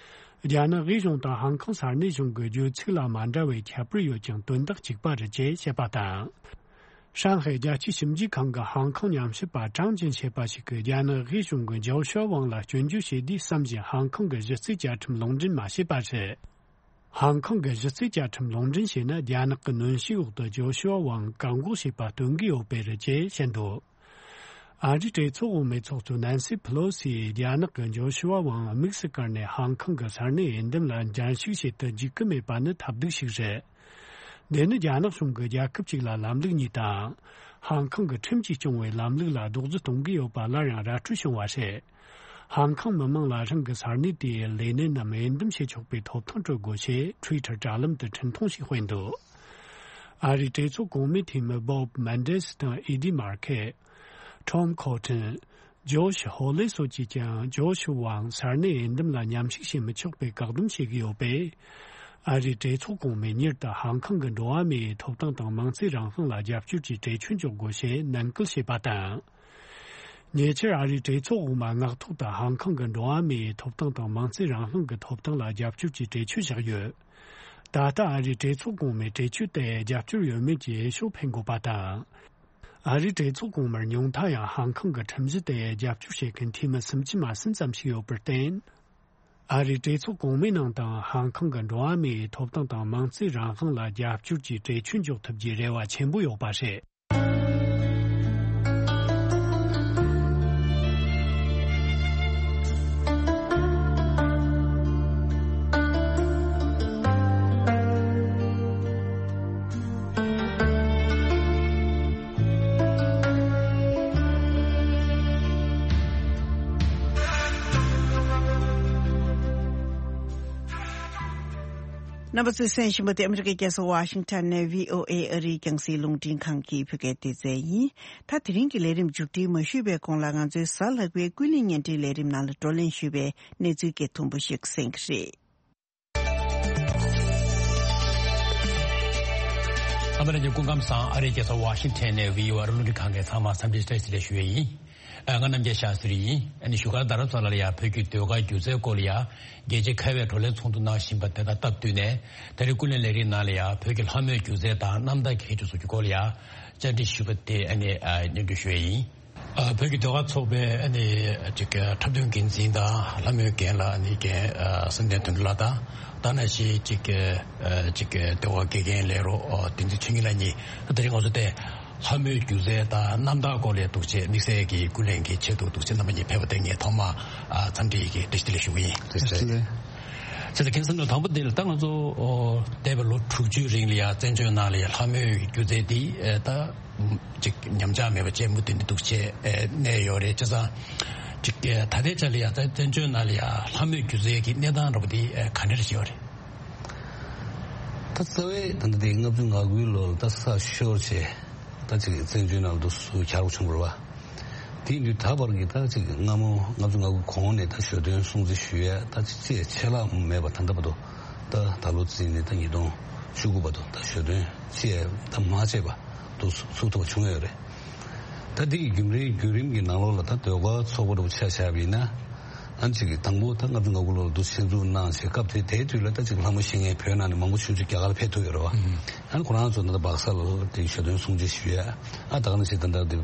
རྒྱ་ནག་དབུས་གཞུང་དང་ཧང་ཁོང་ས་གནས་གཞུང་གི་བརྗོད་ཚིག་ལ་མ་འདྲ་བའི་ཁྱད་པར་ཡོད་ཀྱང་དོན་དག་གཅིག་པ་རེད་ཅེས་བཤད་པ་དང་། ཧྲང་ཧའེ་རྒྱལ་སྤྱིའི་ཞིབ་འཇུག་ཁང་གི་ཧང་ཁོང་ཉམས་ཞིབ་པ་ཀྲང་ཅིན་ཞེས་པ་ཞིག་གིས་རྒྱ་ནག་དབུས་གཞུང་གིས་ཇོ་ཤུ་ཝ་ཝང་ལ་སྐྱོན་བརྗོད་བྱས་དུས་བསམ་བཞིན་ཧང་ཁོང་གི་གཞི་རྩའི་བཅའ་ཁྲིམས་ལུང་འདྲེན་མ་བྱས་པ་རེད། ཧང་ཁོང་གི་གཞི་རྩའི་བཅའ་ཁྲིམས་ལུང་འདྲེན་བྱས་ན་རྒྱ་ནག་གི་གནོན་ཤུགས་འོག་ཏུ་ཇོ་ཤུ་ཝ་ཝང་བཀག་འགོག་བྱས་པ་སྟོན་གྱི་ཡོད་པས་རེད་ཅེས་བཤད་འདུག། ཨ་རིའི་གྲོས་ཚོགས་འོག་མའི་ཚོགས་གཙོ་ནན་སི་ཕི་ལོ་སི་ཡིས་རྒྱ་ནག་གིས་ཇོ་ཤུ་ཝ་ཝང་དམིགས་སུ་བཀར་ནས་ཧང་ཁོང་གི་ས་གནས་འོས་འདེམས་ལ་འགྲན་ཞུགས་བྱེད་དུ་འཇུག་གི་མེད་པ་ནི་ཐབས་སྡུག་ཞིག་རེད། འདི་ནི་རྒྱ་ནག་གཞུང་གིས་རྒྱལ་ཁབ་ཅིག་ལ་ལམ་ལུགས་གཉིས་དང་། ཧང་ཁོང་གི་ཁྲིམས་ཀྱིས་སྐྱོང་བའི་ལམ་ལུགས་ལ་རྡོག་རྫིས་གཏོང་གི་ཡོད་པ་སླར་ཡང་ར་སྤྲོད་བྱུང་བ་རེད། ཧང་ཁོང་མི་མང་ལ་རང་གི་ས་གནས་དེའི་ལས་སྣེ་རྣམས་འོས་འདེམས་བྱེད་ཆོག་པའི་ཐོབ་ཐང་སྤྲོད་དགོས་ཞེས་ཊུའི་ཊར་དྲ་ལམ་དུ་འཕྲིན་ཐུང་ཞིག་སྤེལ་འདུག། ཨ་རིའི་གྲོས་ཚོགས་གོང་མའི་འཐུས་མི་བོབ་མན་ཌེ་སི་དང་ཨི་ཌི་མར་ཁེ། ཊོམ་ཁོ་ཊན། ཇོ་ཤི་ཧོ་ལེ་སོགས་ཀྱིས་ཀྱང་ཇོ་ཤི་ཝང་ས་གནས་འོས་འདེམས་ལ་མཉམ་ཞུགས་བྱེད་མི་ཆོག་པའི་བཀག་སྡོམ་བྱེད་ཀྱི་ཡོད་པས། ཨ་རིའི་གྲོས་ཚོགས་གོང་མས་མྱུར་དུ་ཧང་ཁོང་གི་འགྲོ་བ་མིའི་ཐོབ་ཐང་དང་མིང་ཚིག་རང་དབང་ལ་རྒྱབ་སྐྱོར་གྱི་གྲོས་ཆོད་འཇོག་དགོས་ཞེས་ནན་སྐུལ་བྱས་པ་དང་། ཉེ་ཆར་ཨ་རིའི་གྲོས་ཚོགས་འོག་མ་མངགས་ཐོག་ཏུ་ཧང་ཁོང་གི་འགྲོ་བ་མིའི་ཐོབ་ཐང་དང་མིང་ཚིག་རང་དབང་གི་ཐོབ་ཐང་ལ་རྒྱབ་སྐྱོར་གྱི་གྲོས་ཆོད་བཞག་ཡོད། ད་ལྟ་ཨ་རིའི་གྲོས་ཚོགས་གོང་མས་གྲོས་ཆོད་དེར་རྒྱབ་སྐྱོར་ཡོད་མེད་ཀྱི་འོས་ཤོག་འཕེན་དགོས་པ་དང་། ཨ་རིའི་གྲོས་ཚོགས་གོང་མར་ཉུང་མཐའ་ཡང་ཧང་ཁོང་གི་ཁྲིམས་གཞི་དེར་རྒྱབ་སྐྱོར་བྱེད་མཁན་འཐུས་མི་སུམ་ཅུ་མ་ཟིན་ཙམ་ཞིག་ཡོད་པར་བརྟེན། ཨ་རིའི་གྲོས་ཚོགས་གོང་མའི་ནང་དུའང་ཧང་ཁོང་གི་འགྲོ་བ་མིའི་ཐོབ་ཐང་དང་མིང་ཚིག་རང་དབང་ལ་རྒྱབ་སྐྱོར་གྱི་གྲོས་ཆོད་འཇོག་ཐུབ་རྒྱུའི་རེ་བ་ཆེན་པོ་ཡོད་པ་རེད། རྣམ་པ་ཚོས་གསན་བཞིན་པ་དེ་ཨ་མི་རི་ཀའི་རྒྱལ་ས་ཝ་ཤིང་ཊོན་ནས་བྷི་ཨོ་ཨེ་ཨ་རིའི་རྒྱང་སྲིང་རླུང་འཕྲིན་ཁང་གི་བོད་སྐད་སྡེ་ཚན་ཡིན། ད་དེ་རིང་གི་ལས་རིམ་མཇུག་སྒྲིལ་མ་ཞུས་པའི་གོང་ལ་ང་ཚོའི་གཟའ་ལྷག་པའི་ཀུན་གླེང་བརྙན་འཕྲིན་ལས་རིམ་ནང་ལ་བགྲོ་གླེང་ཞུས་པའི་གནས་ཚུལ་གྱི་དུམ་བུ་ཞིག་གསན་གྱི་རེད། ཨ་མ་ལགས་ཀྱི་སྐུ་ཁམས་བཟང་། ཨ་རིའི་རྒྱལ་ས་ཝ་ཤིང་ཊོན་ནས་བྷི་ཨོ་ཨེ་རླུང་འཕྲིན་ཁང་གི་ཚང་མ་འཚམས་འདྲི་བཀྲ་ཤིས་བདེ་ལེགས་ཞུ་ཡས་ཡིན། ཨ་ང་རྣམ་རྒྱལ་ཤཱ་སྟྲི་ཡིན། ཨ་ནི་བཞུགས་སྒར་རྡ་རམ་ས་ལ་ལ་ཡང་བོད་ཀྱི་ཟློས་གར་སྒྱུ་རྩལ་སྐོར་ལ་ཡང་རྒྱལ་སྤྱིའི་ཁ་བའི་བགྲོ་གླེང་ཚོགས་འདུ་གནང་བཞིན་པ་དེ་དང་སྟབས་བསྟུན་ནས། ད་རེས་ཀུན་གླེང་ལས་རིམ་ནང་ལ་ཡང་བོད་ཀྱི་ལྷ་མོའི་སྒྱུ་རྩལ་དང་གནམ་བདག་གི་ཁྱད་ཆོས་སོགས་ཀྱི་སྐོར་ལ་ཡང་བཅར་འདྲི་ཞུས་པ་དེ་ཨ་ནི་ཨ་སྙན་སྒྲོན་ཞུ་ཡས་ཡིན། ཨ་བོད་ཀྱི་ཟློས་གར་ཚོགས་པའི་ཨ་ནི་ཅིག་འཁྲབ་སྟོན་འགན་འཛིན་དང་ལྷ་མོའི་འགན་ལ་ཨ་ནི་འགན་ཨ་བསམ་གཏན་དོན་གྲུབ་ལགས་དང་། ད་ནང་བཞིན་ཅིག་ཨ་ཅིག་ཟློས་གར་དགེ་རྒན་ལས་རོགས་ཨ་བསྟན་འཛིན་ཆོས་ཉིད་ལགས་གཉིས། ད་དེ་རིང་ང་ཚོ་དེ་ལྷ་མོའི་སྒྱུ་རྩལ་དང་གནམ་བདག་སྐོར་ལ་འདུག་ཅེས་དམིགས་བསལ་གྱི་ཀུན་གླེང་གི་ཆེད་དུ་འདུག་ཅེས་རྣམ་པ་གཉིས་ཕེབས་པ་དེ་ངས་ཐོག་མར་ཨ་འཚམས་འདྲི་ཡི་གེ་བཀྲ་ཤིས་བདེ་ལེགས་ཞུ་གི་ཡིན། བཀྲ་ཤིས་བདེ་ལེགས། བྱས་ཙང་མཁན་ཟུར་པ་དང་པོ་འདི་ལ་ད་ང་ཚོ་འོ་འདས་པའི་ལོ་དྲུག་ཅུའི་རིང་ལ་ཡ་བཙན་བྱོལ་ནང་ལ་ཡ་ལྷ་མོའི་སྒྱུ་རྩལ་འདི་ཨེ་ད་ཅིག་ཉམས་ཆག་མེད་པ་བྱས་མུ་མཐུད་ནས་འདུག་བྱས་ཨེ་གནས་ཡོད་རེད། བྱས་ཙང་ཅིག་ཨེ་ད་ལྟའི་ཆ་ལ་ཡ་ད་བཙན་བྱོལ་ནང་ལ་ཡ་ལྷ་མོའི་སྒྱུ་རྩལ་གྱི་གནས་སྟངས་འདྲ་པོ་འདི་ཨེ་ག་འདྲ་ཞིག་ཡོད་རེད། ད་རྩ་བའི་ད་ལྟ་དེ་ལྔ་བཅུ་ང་དགུའི་ལོ་ལ་ད་ས་ཤོར་བྱས་ད་ཅིག་བཙན་བྱོལ་ནང་ལ་འདུག་སུ་གྱར་བ་བྱུང་བ་རེད་བ། དེ་ཡིན་དུས་ད་བར་གྱི་ད་ཅིག་སྔ་མོ་ལྔ་བཅུ་ང་དགུ་གོང་ནས་ད་ཞོ་སྟོན་སྲུང་བརྩི་ཞུ་ཡ་ད་ཅིག་ཅེས་ཆད་ལྷག་མེད་པ་ད་ལྟ་བར་དུ་ད་ད་ལོ་རྩིས་ནས་ད་ཉིས་སྟོང་བཅུ་དགུ་བར་དུ་ད་ཞོ་སྟོན་ཅེས་ད་མ་བྱས་པ་འདུག་སུ་ཚུགས་ཐུབ་པ་བྱུང་ཡོད་རེད། ད་འདི་ཡི་རྒྱུན་རིང་བརྒྱུད་རིམ་གྱི་ནང་ལོགས་ལ་ད་ཟློས་གར་ཚོགས་པ་འདྲ་པོ་ཆ་བཞག་པ་ཡིན་ན། ཨ་ནི་ཅིག་གི་དང་པོ་ད་ལྔ་བཅུ་ང་དགུ་ལོར་འདུ་ཆེན་འཛུགས་གནང་བྱས་སྐབས་དེ་དེའི་དུས་ལ་ད་ཅིག་ལྷ་མོ་ཤེས་མཁན་བོད་ནང་ནས་མང་པོ་ཞེ་པོ་ཅིག་རྒྱ་གར་ཕེབས་ཐུབ་ཡོད་རེད་བ། ཨ་ནི་ཁོ་རང་ཚོ་ད་ལྟ་སྦག་ས་ལ་དེ་ཞོ་སྟོན་སྲུང་བརྩི་ཞུ་ཡ། ཨ་ད་ག་ནང་བཞིན་ད་ལྟ་དེ་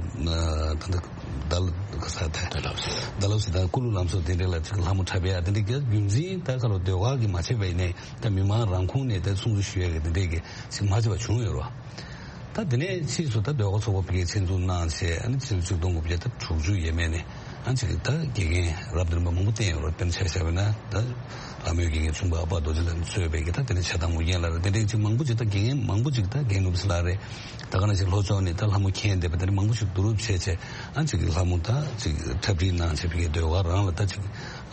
ད་ལྟ་ད་ལ་ག་ས་དེ་ད་ལབ་སི་ད་ལ་ཀུ་ལུ་ལམ་སོགས་དེ་འདྲ་ལ་ཅིག་ལྷ་མོ་འཁྲབ་ཡ་དེ་འདྲ་རྒྱ་རྒྱུན་འཛིན་ད་ག་ལོ་ཟློས་གར་གྱི་མ་བྱས་པ་ཡིན་ནའི་ད་མི་མང་རང་ཁོངས་ནས་ད་སྲུང་བརྩི་ཞུ་ཡ་གི་དེ་འདྲས་གི་ཅིག་མ་བྱས་པ་བྱུང་ཡོད་རེད་བ། ད་དེ་ནས་ཕྱིས་སུ་ད་ཟློས་གར་ཚོགས་པ་ཕ་གིར་ཆེད་འཛུགས་གནང་བྱས་ཨ་ནི་ཕྱི་ལོ་ཆིག་སྟོང་དགུ་བརྒྱ་ད་དྲུག་ཅུ་ཡས་མས་ནས་ཨ་ཅིག་ད་དགེ་རྒན་རབ་འབྲིང་པ་མང་པོ་བསྟེན་ཡོད་རེད། དཔེར་ན་ཆ་བཞག་པ་ན་ད་ལྷ་མོའི་དགེ་རྒན་ཆུང་པ་ཨ་པ་རྡོ་རྗེ་ལགས་གཙོས་པའི་གི་ད་དེ་ནས་ཕྱྭ་ཐང་ཨོ་རྒྱན་ལགས་རེད། དེ་འདྲའི་ཅིག་མང་པོ་ཅིག་ད་དགེ་རྒན་མང་པོ་ཅིག་ད་རྒན་ནོར་བུ་ལགས་རེད། ད་ག་ནང་བཞིན་ལྷོ་ཕྱོགས་ནས་ད་ལྷ་མོ་མཁྱེན་བསྡད་པ་དེ་འདྲ་མང་པོ་ཞིག་བསྡུ་རུབ་བྱས་བྱས་ཨ་ཅིག་གི་ལྷ་མོ་ད་ཅིག་འཁྲབ་ཁྲིད་གནང་བྱས་ཕ་གིའི་ཟློས་གར་རང་ལ་ད་ཅིག་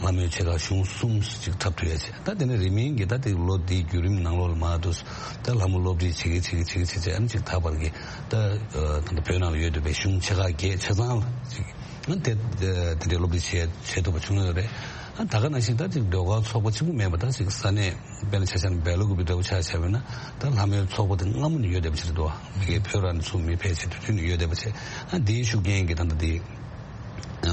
ལྷ་མོའི་ཆེ་ཁག་གཞུང་གསུམ་ཞིག་འཁྲབ་ཐུབ་ཡ་བྱས། ད་དེ་ནས་རིང་མིན་གྱི་ད་དེ་ལོ་འདིའི་བརྒྱུད་རིམ་ནང་ལོགས་ལ་མར་དུ་ད་ལྷ་མོ་སློབ་ཁྲིད་བྱེད་ཀྱི་བྱེད་ཀྱི་བྱེད་ཀྱི་བྱེད་ཀྱི་ཨ་ནི་ཅིག་ད་བར་གྱི་ད་ད་ལྟ་བོད་ནང་ལ་ཡོད་བསྡད་པའི་གཞུང་ཆེ་ཁག་བརྒྱད་ཆ་ཚང་ལ་ཅིག་ཨ་དེ་དེ་འདྲའི་སློབ་ཁྲིད་བྱེད་བྱེད་ཐུབ་པ་བྱུང་ཡོད་རེད། ཨ་ད་ག་ནང་བཞིན་ད་ཅིག་ཟློས་གར་ཚོགས་པ་གཅིག་པུ་མེད་པ་ད་ཅིག་ས་གནས་དཔེར་ན་ཆ་བཞག་ན་སྦེལ་ཀོབ་འདྲ་པོ་ཆ་བཞག་པ་ཡིན་ན་ད་ལྷ་མོའི་ཚོགས་པ་དེ་སྔ་མོ་ནས་ཡོད་བསྡད་པ་ཅིག་རེད་འདུག་བ། ཕ་གིའི་བོད་རང་ནས་ཚུར་མི་ཕེབས་བྱས་དུས་དུས་ནས་ཡོད་བསྡད་པ་བྱས། ཨ་འདིའི་ཤུགས་རྐྱེན་གྱིས་ད་ལྟ་འདི་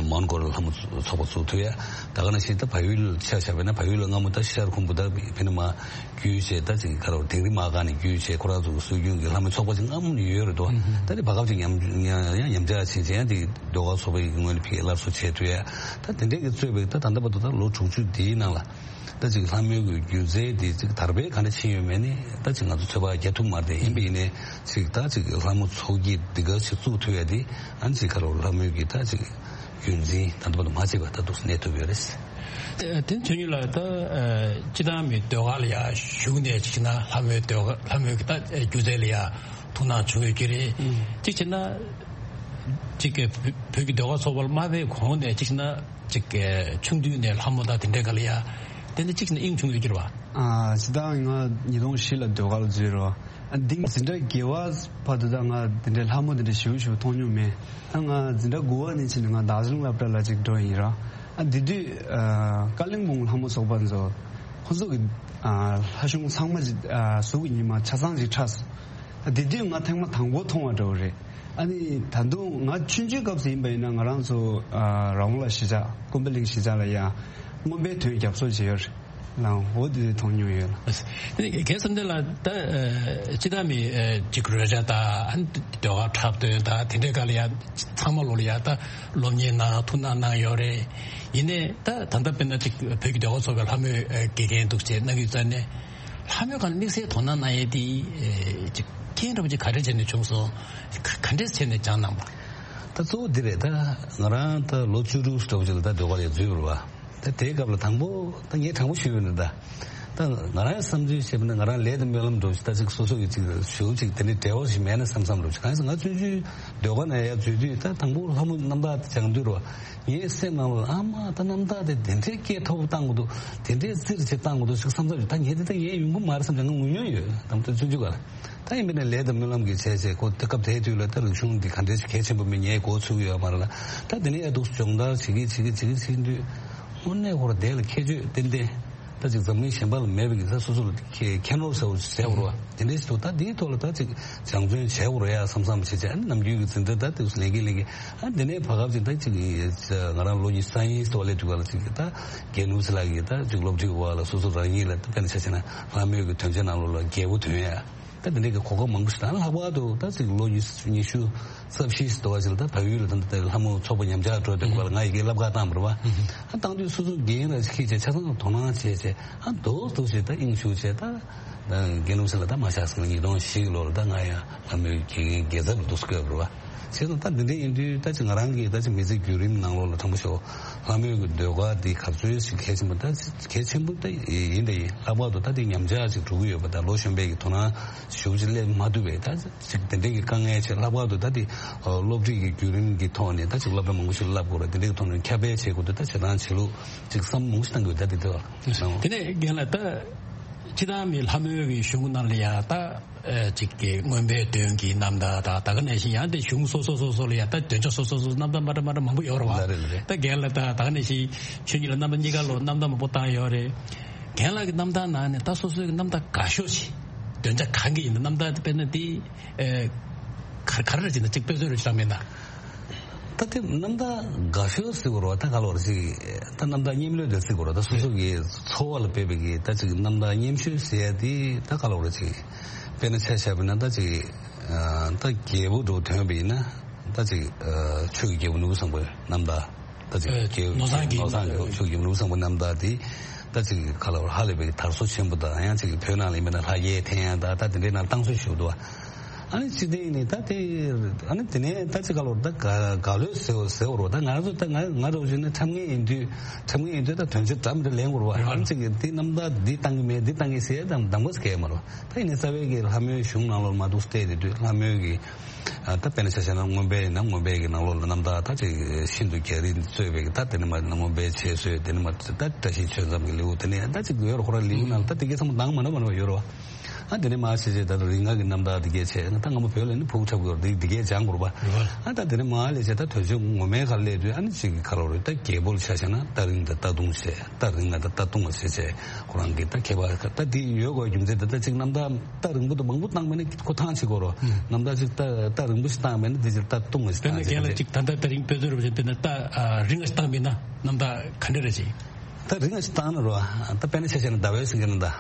མོན་གྷོ་ལ་ལྷ་མོ་ཚོགས་པ་བཙུགས་ཐུབ་ཡ། ད་ག་ནང་བཞིན་ད་བལ་ཡུལ་ཆ་བཞག་པ་ཡིན་ན་བལ་ཡུལ་ལ་སྔ་མོ་ད་ཤར་ཁུམ་བུ་ད་ཕ་གི་ནས་མར་བརྒྱུད་བྱས་ད་ཅིག་ག་རེ་དིང་རི་མ་ག་ནས་བརྒྱུད་བྱས་ཁོ་རང་ཚོ་གི་སྲོལ་རྒྱུན་གྱི་ལྷ་མོའི་ཚོགས་པ་ཅིག་སྔ་མོ་ནས་ཡོད་རེད་འདུག་ད་དེ་བར་སྐབས་ཅིག་ཉམས་ཉམས་ཉམས་ཆག་ཕྱིན་བྱས་ཡང་དེ་ཟློས་གར་ཚོགས་པ་ཡི་ངོས་ནས་ཕ་གིའི་སླར་གསོ་བྱས་ཐུབ་ཡ། ད་དེ་འདྲས་ཀྱི་གཙོས་པའི་ད་ད་ལྟ་བར་དུ་ད་ལོ་དྲུག་ཅུ་འདིའི་ནང་ལ་ད་ཅིག་ལྷ་མོའི་གི་སྒྱུ་རྩལ་འདི་ཅིག་དར་སྤེལ་ག་འདྲ་ཕྱིན་ཡོད་མེད་ནི་ད་ཅིག་ང་ཚོ་ཚོད་དཔག་རྒྱག་ཐུབ་མ་རེད། ཡིན་པ་ཡིན་ནའི་ཅིག་ད་ཅིག་ལྷ་མོ་ཚོགས་སྐྱིད་འདི་ག་ཞིག་བཙུགས་ཐུབ་ཡ་འདི་ཨ་ནི་ཅིག་ག་རེ་ལྷ་མོའི་གི་ད་ཅིག་རྒྱུན་འཛིན་ད་ལྟ་བར་དུ་མ་བྱས་པ་ད་འདུག་སེ་གནས་ཐུབ་ཡོད་རེད། དེ་དོན་གཉིས་ལ་ད་སྤྱི་བཏང་མི་ཟློས་གར་ལ་ཡ་ཞུགས་ནས་ཅིག་ན་ལྷ་མོའི་ཟློས་གར་ལྷ་མོའི་གི་ད་སྒྱུ་རྩལ་ལ་ཡ་ཐུགས་སྣང་བྱུང་ཡོད་ཀྱི་རེད། ཅིག་བྱས་ན་ཅིག་གི་བོད་ཀྱི་ཟློས་གར་ཚོགས་པ་ལ་མ་ཕེབས་གོང་ནས་ཅིག་བྱས་ན་ཅིག་གི་ཆུང་དུས་ནས་ལྷ་མོ་དང་དེ་འདྲའི་སྒང་ལ་ཡ་དེ་འདྲ་ཅིག་བྱས་ན་དབྱིངས་བྱུང་ཡོད་ཀྱི་རེད་བ། ཨ་སྤྱི་བཏང་ང་ཉིས་སྟོང་བཞི་ལ་ཟློས་གར་ལ་འཛུལ་རེད་བ། ཨ་འདི་འཛིན་གྲྭ་བརྒྱད་པ་བར་དུ་ད་ང་དེ་འདྲའི་ལྷ་མོ་དེ་འདྲ་ཞེ་པོ་ཞེ་པོ་མཐོང་མྱོང་མེད། ད་ང་འཛིན་གྲྭ་དགུ་པ་ནས་ཕྱིན་ནས་ང་དར་ཇི་ལིང་སློབ་གྲྭ་ལ་ཅིག་འགྲོ་ཡིན་ར། ཨ་དེ་དུས་ཨ་ཀ་ལིང་པོང་ལྷ་མོ་ཚོགས་པ་ཚོ་ཁོ་ཚོ་གི་ཨ་ལྷ་གཞུང་ཚང་མ་ཅིག་ཨ་གཟུགས་ཀྱི་ཉི་མ་ཆ་ཚང་ཅིག་འཁྲབ་སོང་། ཨ་དེ་དུས་ང་ཐེངས་མ་དང་པོ་མཐོང་བ་འདྲ་བོ་རེད། ཨ་ནི་ད་དུང་ང་ཆུང་ཆུང་སྐབས་སུ་ཡིན་པ་ཡིན་ན་ང་རང་ཚོ་ཨ་ར་བོང་ལ་གཞིས་ཆགས་ཀུན་པ་གླིང་གཞིས་ཆགས་ལ་ཡང་རྔོན་པའི་ཐོན་རྒྱབ་གསོ་བྱས་ཡོད་རེད། ལའང་འོ་དེ་མཐོང་མྱོང་ཡོད་ལ། དེ་ནས་རྒན་བསམ་གཏན་ལགས་ད་ཨ་སྤྱི་བཏང་མི་ཨ་ཅིག་རོལ་ཆ་དང་ཨ་ནི་ཟློས་གར་འཁྲབ་སྟོན་དང་དེ་འདྲའི་སྒང་ལ་ཡང་ཚང་མ་ལོ་ལ་ཡང་ད་སློབ་གཉེར་གནང་ཐུགས་སྣང་གནང་ཡོད་རེད། ཡིན་ནའི་ད་ད་ལྟ་དཔེར་ན་ཅིག་བོད་ཀྱི་ཟློས་གར་ཚོགས་པའི་ལྷ་མོའི་ཨ་དགེ་རྒན་འདུག་ཅེས་གནང་གི་ཡོད་ཙང་ནས་ལྷ་མོའི་སྒང་ལ་དམིགས་བསལ་དོ་སྣང་གནང་ཡས་དེ་ཨ་ཅིག་རྐྱེན་འདྲ་པོ་ཅིག་ག་འདྲས་བྱས་ནས་བྱུང་སོང་། ག་ག་འདྲས་བྱས་ནས་སྦྱངས་གནང་པ། ད་གཙོ་བོ་འདི་རེད། ད་ང་རང་ད་ལོ་བཅུ་དྲུག་འདྲ་པོ་ཅིག་ལ་ད་ཟློས་གར་ལ་འཛུལ་བ་རེད་བ། ད་དེའི་སྐབས་ལ་དང་པོ་ད་ངས་དྲང་པོ་ཞུས་པ་ཡིན་ན་ད། ད་ང་རང་བསམ་ཚུལ་བཤད་པ་ན་ང་རང་ལས་དང་སྨོན་ལམ་འདྲ་པོ་ཞིག་ད་ཅིག་སོ་སོ་གི་ཅིག་ཞེ་པོ་ཅིག་དེ་འདྲའི་འབྲེལ་བ་ཞིག་མེད་ན་བསམ་བསམ་འདྲ་པོ་ཞིག་གང་ཡིན་ཟེར་ན་ང་ཆུང་ཆུང་ཟློས་གར་ནང་ཡར་འཛུལ་དུས་ད་དང་པོ་ལྷ་མོ་རྣམ་ཐར་དེ་སྦྱང་དུས་རེད་བ། ངའི་སེམས་ནང་ལ་ཨ་མ་ད་རྣམ་ཐར་དེ་དེ་འདྲའི་སྐད་མཐོ་པོ་བཏང་དགོས་འདུག་དེ་འདྲའི་རྩིས་ཆེ་བཏང་དགོས་འདུག་ཅིག་བསམ་བསམ་ཞིག་ད་ངས་དེ་ད་ངས་ཡོང་གི་མ་རེད་བསམ་ཞིག་ང་ངུ་མྱོང་ཡོད་དམ་དུ་ཆུང་ཆུང་སྒང་ལ། ད་ཡིན་པས་ན་ལས་དང་སྨོན་ལམ་གྱི་བྱས་བྱས་ཁོ་དེ་སྐབས་དེའི་དུས་ལ་ད་རིག་གཞུང་འདི་ག་འདྲའི་གལ་ཆེན་པོ་མིན་ངས་གོ་ཚུགས་ཡོད་མ་རེད་ལ། ད་དེ་ནས་ཡ་འདུག་སྦྱོང་བརྡར་བྱེད་ཀྱི་བྱེད་ཀྱི་བྱེད་ཀྱི་བྱེད་དུས་དངོས་གནས་ཁོ་ར་དེ་ལ་ཁྱད་ཆོས་ཏན་ཏན་ད་ཅིག་འཛམ་གླིང་གཞན་པ་ལ་མེད་པའི་གི་ད་སོ་སོ་ལ་ཁྱད་མཁྱེན་རོགས་ཟེར་བ་ཟེར་བ་རེད་བ། དེ་འདྲའི་ཞིག་འདུག་ད་དེའི་ཐོག་ལ་ད་ཅིག་སྦྱང་བརྩོན་བྱས་པ་རེད་ཡ་བསམ་བསམ་བྱས་བྱས་ཨ་ནི་ནམ་རྒྱུན་གྱི་འཛིན་གྲྭ་ད་དེ་ལེན་གྱི་ལེན་གྱི་ཨ་དེ་ནས་བར་སྐབས་ཅིག་ད་ཅིག་ང་རང་ལོ་ཉི་ཤུ་རྩ་གཉིས་ཙམ་སླེབས་དུས་སྒང་ལ་ཅིག་ད་རྒན་ནོར་བུ་ལགས་ཀྱིས་ད་ཅིག་སློབ་ཁྲིད་འོག་ལ་སོ་སོ་རང་ཉིད་ལ་ད་དཔེར་ན་ཆ་བཞག་ན་ལྷ་མོའི་གི་དོན་བྱེད་ནང་ལོགས་ལ་རྒྱལ་པོ་ཐོན་ཡ། ད་དེ་འདྲའི་གི་གོ་སྐབས་མང་པོ་ཞིག་དང་ལྷག་པར་དུ་ད་ཅིག་ལོ་ཉི་ཤུ་ཉི་ཤུ་ རྩ་བཞི་ཟེར་བ་ཞིག་ལ་ད་བལ་ཡུལ་ལ་ད་ལྟ་ལྷ་མོ་ཚོགས་པ་ཉམས་ཆག་འགྲོ་དུས་སྐབས་ལ་ང་ཡི་གེ་བསླབ་གར་བཏང་བ་རེད་བ། ཨ་བཏང་དུས་སོ་སོ་འགན་ར་ཞིག་འཁྱེར་བྱས་ཆ་ཚང་དོ་སྣང་བྱས་བྱས་ཨ་རྡོག་རྡོག་ཞིག་ད་དབྱིངས་ཞུགས་བྱས་ད། དགེ་སློང་ཞིག་ལ་ད་མ་ཆགས་སོང་ཉིས་སྟོང་བཞི་གི་ལོ་ལ་ད་ང་ཡང་ལྷ་མོའི་དགེ་རྒན་དགེ་ཚབ་ལ་འདུག་སེ་བསྐོས་པ་རེད་བ། བྱས་ཙང་ད་འདི་འདྲ་ཡིན་དུས་ད་ཅིག་ང་རང་གིས་ད་ཅིག་མི་ཚེ་བརྒྱུད་རིམ་ནང་ལོགས་ལ་དྲང་པོ་ཞུ། ལྷ་མོའི་གི་ཟློས་གར་འདི་ག་ཚོད་ཞིག་གལ་ཆེན་པོ་ད་གལ་ཆེན་པོ་ད་ཡིན་ད་ཡིན། ལྷག་པར་དུ་ད་འདི་ཉམས་ཆག་ཅིག་འགྲོ་གི་ཡོད་པ་ད་ལོ་གཞོན་པའི་གི་དོ་སྣང་ཞུ་ཅིག་སླེབས་མ་ཐུབ་པའི་ད་ཅིག་དེ་འདྲའི་གི་དཀའ་ངལ་ཆེ། ལྷག་པར་དུ་ད་འདི་སློབ་ཁྲིད་ཀྱི་བརྒྱུད་རིམ་གྱི་ཐོག་ནས་ད་ཅིག་སློབ་དཔོན་མང་པོ་ཞིག་བསླབ་དགོས་རེད། དེ་འདྲའི་གི་ཐོག་ནས་ཁྱབ་སྤེལ་བྱེད་དགོས་དུས་ད་བྱེད་སྟངས་བྱེད་ལུགས་ཅིག་བསམ་མང་པོ་ཞིག་བཏང་དགོས་ད་འདི་དེ་བ། དེ་ནས་རྒན་ལགས་ད་སྤྱིར་བཏང་མི་ལྷ་མོའི་གི་གཞུང་ནང་ལ་ཡ་ད་ཅིག་གི་མངོན་པའི་དོན་གྱི་རྣམ་ཐར་ད་ད་ག་ནང་བཞིན་ཡང་དེ་གཞུང་སོ་སོ་སོ་སོ་ལ་ཡ་ད་འདོན་ཆ་སོ་སོ་སོ་རྣམ་ཐར་མ་འདྲ་མ་འདྲ་མང་པོ་ཡོད་རེད་བ། ལ་རེད་ལ་རེད། ད་རྒན་ལགས་ད་ད་ག་ནང་བཞིན་ཆོས་ཉིད་ལ་རྣམ་པ་གཉིས་ཀ་ལོ་རྣམ་ཐར་མང་པོ་བཏང་ཡོད་རེད། རྒན་ལགས་ཀྱི་རྣམ་ཐར་ནང་ནས་ད་སོ་སོའི་གི་རྣམ་ཐར་དགའ་ཤོས་ཤིག་འདོན་ཆ་གང་གི་ཡིན་ད་རྣམ་ཐར་དཔེར་ན་དེ་ཨེ་ག་ག་རེ་རེད་ཅེ་ན་ཅིག་དཔེ་མཚོན་རེ་ཞིག་རག་མེད་ན། ད་དེ་རྣམ་ཐར་དགའ་ཤོས་ཟེར་དགོས་རེད་བ། ད་ག་ལོར་ཅིག་ད་རྣམ་ཐར་སྙན་ལོས་དེ་ཟེར་དགོས་རེད། ད་སོ་སོ་གི་འཚོ་བ་ལ་དཔག་པའི་གི་ད་ཅིག་རྣམ་ཐར་སྙན་ཤོས་ཟེར་ཡ་དེ་ད་ག་ལོར་ཅིག་དཔེར་ན་ཆ་བཞག་པ་ན་ད་ཅིག་ད་རྒྱལ་པོ་འདྲ་བོ་ཐོན་པ་ཡིན་ན་ད་ཅིག་ཆོས་ཀྱི་རྒྱལ་པོ་ནོར་བུ་བཟང་པོའི་རྣམ་ཐར་ད་ཅིག་ཨེ་རྒྱལ་ནོར་བཟང་གི་ནོར་བཟང་གི་ཆོས་ཀྱི་རྒྱལ་པོ་ནོར་བུ་བཟང་པོའི་རྣམ་ཐར་དེ་ད་ཅིག་ག་ལོར་ཧ་ལས་པའི་དར་སོ་ཆེན་པོ་དང་ཡང་ཅིག་བོད་ནང་ལ་ཡིན་པ་ན་ལྷ་རྒྱལ་འཐེན་ཡ་ད་ད་དེ་འདྲའི་ནང་བཏང་སྲོལ་ཞིག་འདུག་བ། ཨ་ནི་སྤྱི་བདེ་ནི་ད་དེ་ཨ་ནི་དེ་ནས་ད་ཅི་ག་ལོར་ད་ག་ག་ལོས་ཟེར་ཟེར་བ་རོ། ད་ང་ཚོ་ད་ང་ང་རོ་བཞིན་ནི་ཁྲམ་ངན་ཡིན་དུས་ཁྲམ་ངན་ཡིན་དུས་ད་དོན་ཆེ་འདྲ་མི་འདྲ་ལེན་དགོས་རོ། ཨ་ནི་ཅིག་དེ་རྣམ་ཐར་འདི་བཏང་གི་མེད་འདི་བཏང་གི་ཟེར་དང་གདམ་ག་སྐད་མ་རོ། ད་ཡིན་ནི་རྩ་བའི་གི་ལྷ་མོའི་གཞུང་ནང་ལོར་མ་འདུག་སྟེ་དེ་དུས་ལྷ་མོའི་གི་ད་དཔེར་ན་ཆ་བཞག་ན་མངོན་པའི་ན་མངོན་པའི་གི་ནང་ལོགས་ལ་རྣམ་ཐར་ད་ཅིག་ཤིན་ཏུ་རྒྱ་རིགས་གཙོས་པའི་གི་ད་དེ་ནི་མ་མངོན་པའི་འཆད་རྩོད་དེ་ནི་མ་ད་བཀྲ་ཤིས་ཆོས་མཚམས་གི་ལེའུ་དེ་ནི་ད་ཅིག་ཡོད་རོ། ཁོ་ར་ལེའུ་ནང་ད་དེ་གི་ཚང་མ་དང་མ་འདྲ་མ་འདྲ་ཡོད་རོ། ཨ་དེ་ནས་མ་བྱས་བྱས་ད་ལྟ་རིགས་ལྔ་གི་རྣམ་ཐར་དེ་གས་བྱས་ད་ང་མ་བོད་ལ་ནི་ཕུག་འཁྲབ་དགོས་རེད། དེ་གས་སྦྱང་དགོས་རེད་པ། ཨ་ད་དེ་ནས་མ་ལས་བྱས་ད་དོལ་རྒྱལ་ངོ་མའི་ཁ་སླེབས་དུས་ཨ་ནི་ཅིག་གི་ཁ་ལོ་རེད། ད་རྒྱལ་པོ་ལ་ཆ་བཞག་ན་རྟ་རིང་དང་རྟ་ཐུང་བྱས་རྟ་རིང་ང་དང་རྟ་ཐུང་བ་བྱས་བྱས་ཁོ་རང་གི་ད་ཁྱད་པར་ད་དེ་ཡོད་དགོས་རྒྱུ་མཚན་དེ་ད་ཅིག་རྣམ་ཐར་རྟ་རིང་པོ་དང་མང་པོ་བཏང་མེད་ན་ཁོ་ཐང་ཆེ་དགོས་རོ། རྣམ་ཐར་ཅིག་རྟ་རྟ་རིང་པོ་ཞིག་བཏང་མེད་ན་དེ་ཅིག་རྟ་ཐུང་བ་ཞིག་དཔེར་ན་བཏང་རྒན་ལགས་ཅིག་ཅིག་ད་ལྟ་རྟ་རིང་དཔེ་མཚོན་རུ་བཞིན་དཔེར་ན་རྟ་རིང་ང་ཞིག་བཏང་མེད་ན་རྣམ་ཐར་ག་འདྲ་རེད་ཅིག་ད་རིང་ང་ཞིག་བཏང་ན་རོ། ད་དཔེར་ན་ཆ་བཞག་ན་ཟླ་བའི་སེང་གེ་རྣམ་ཐར།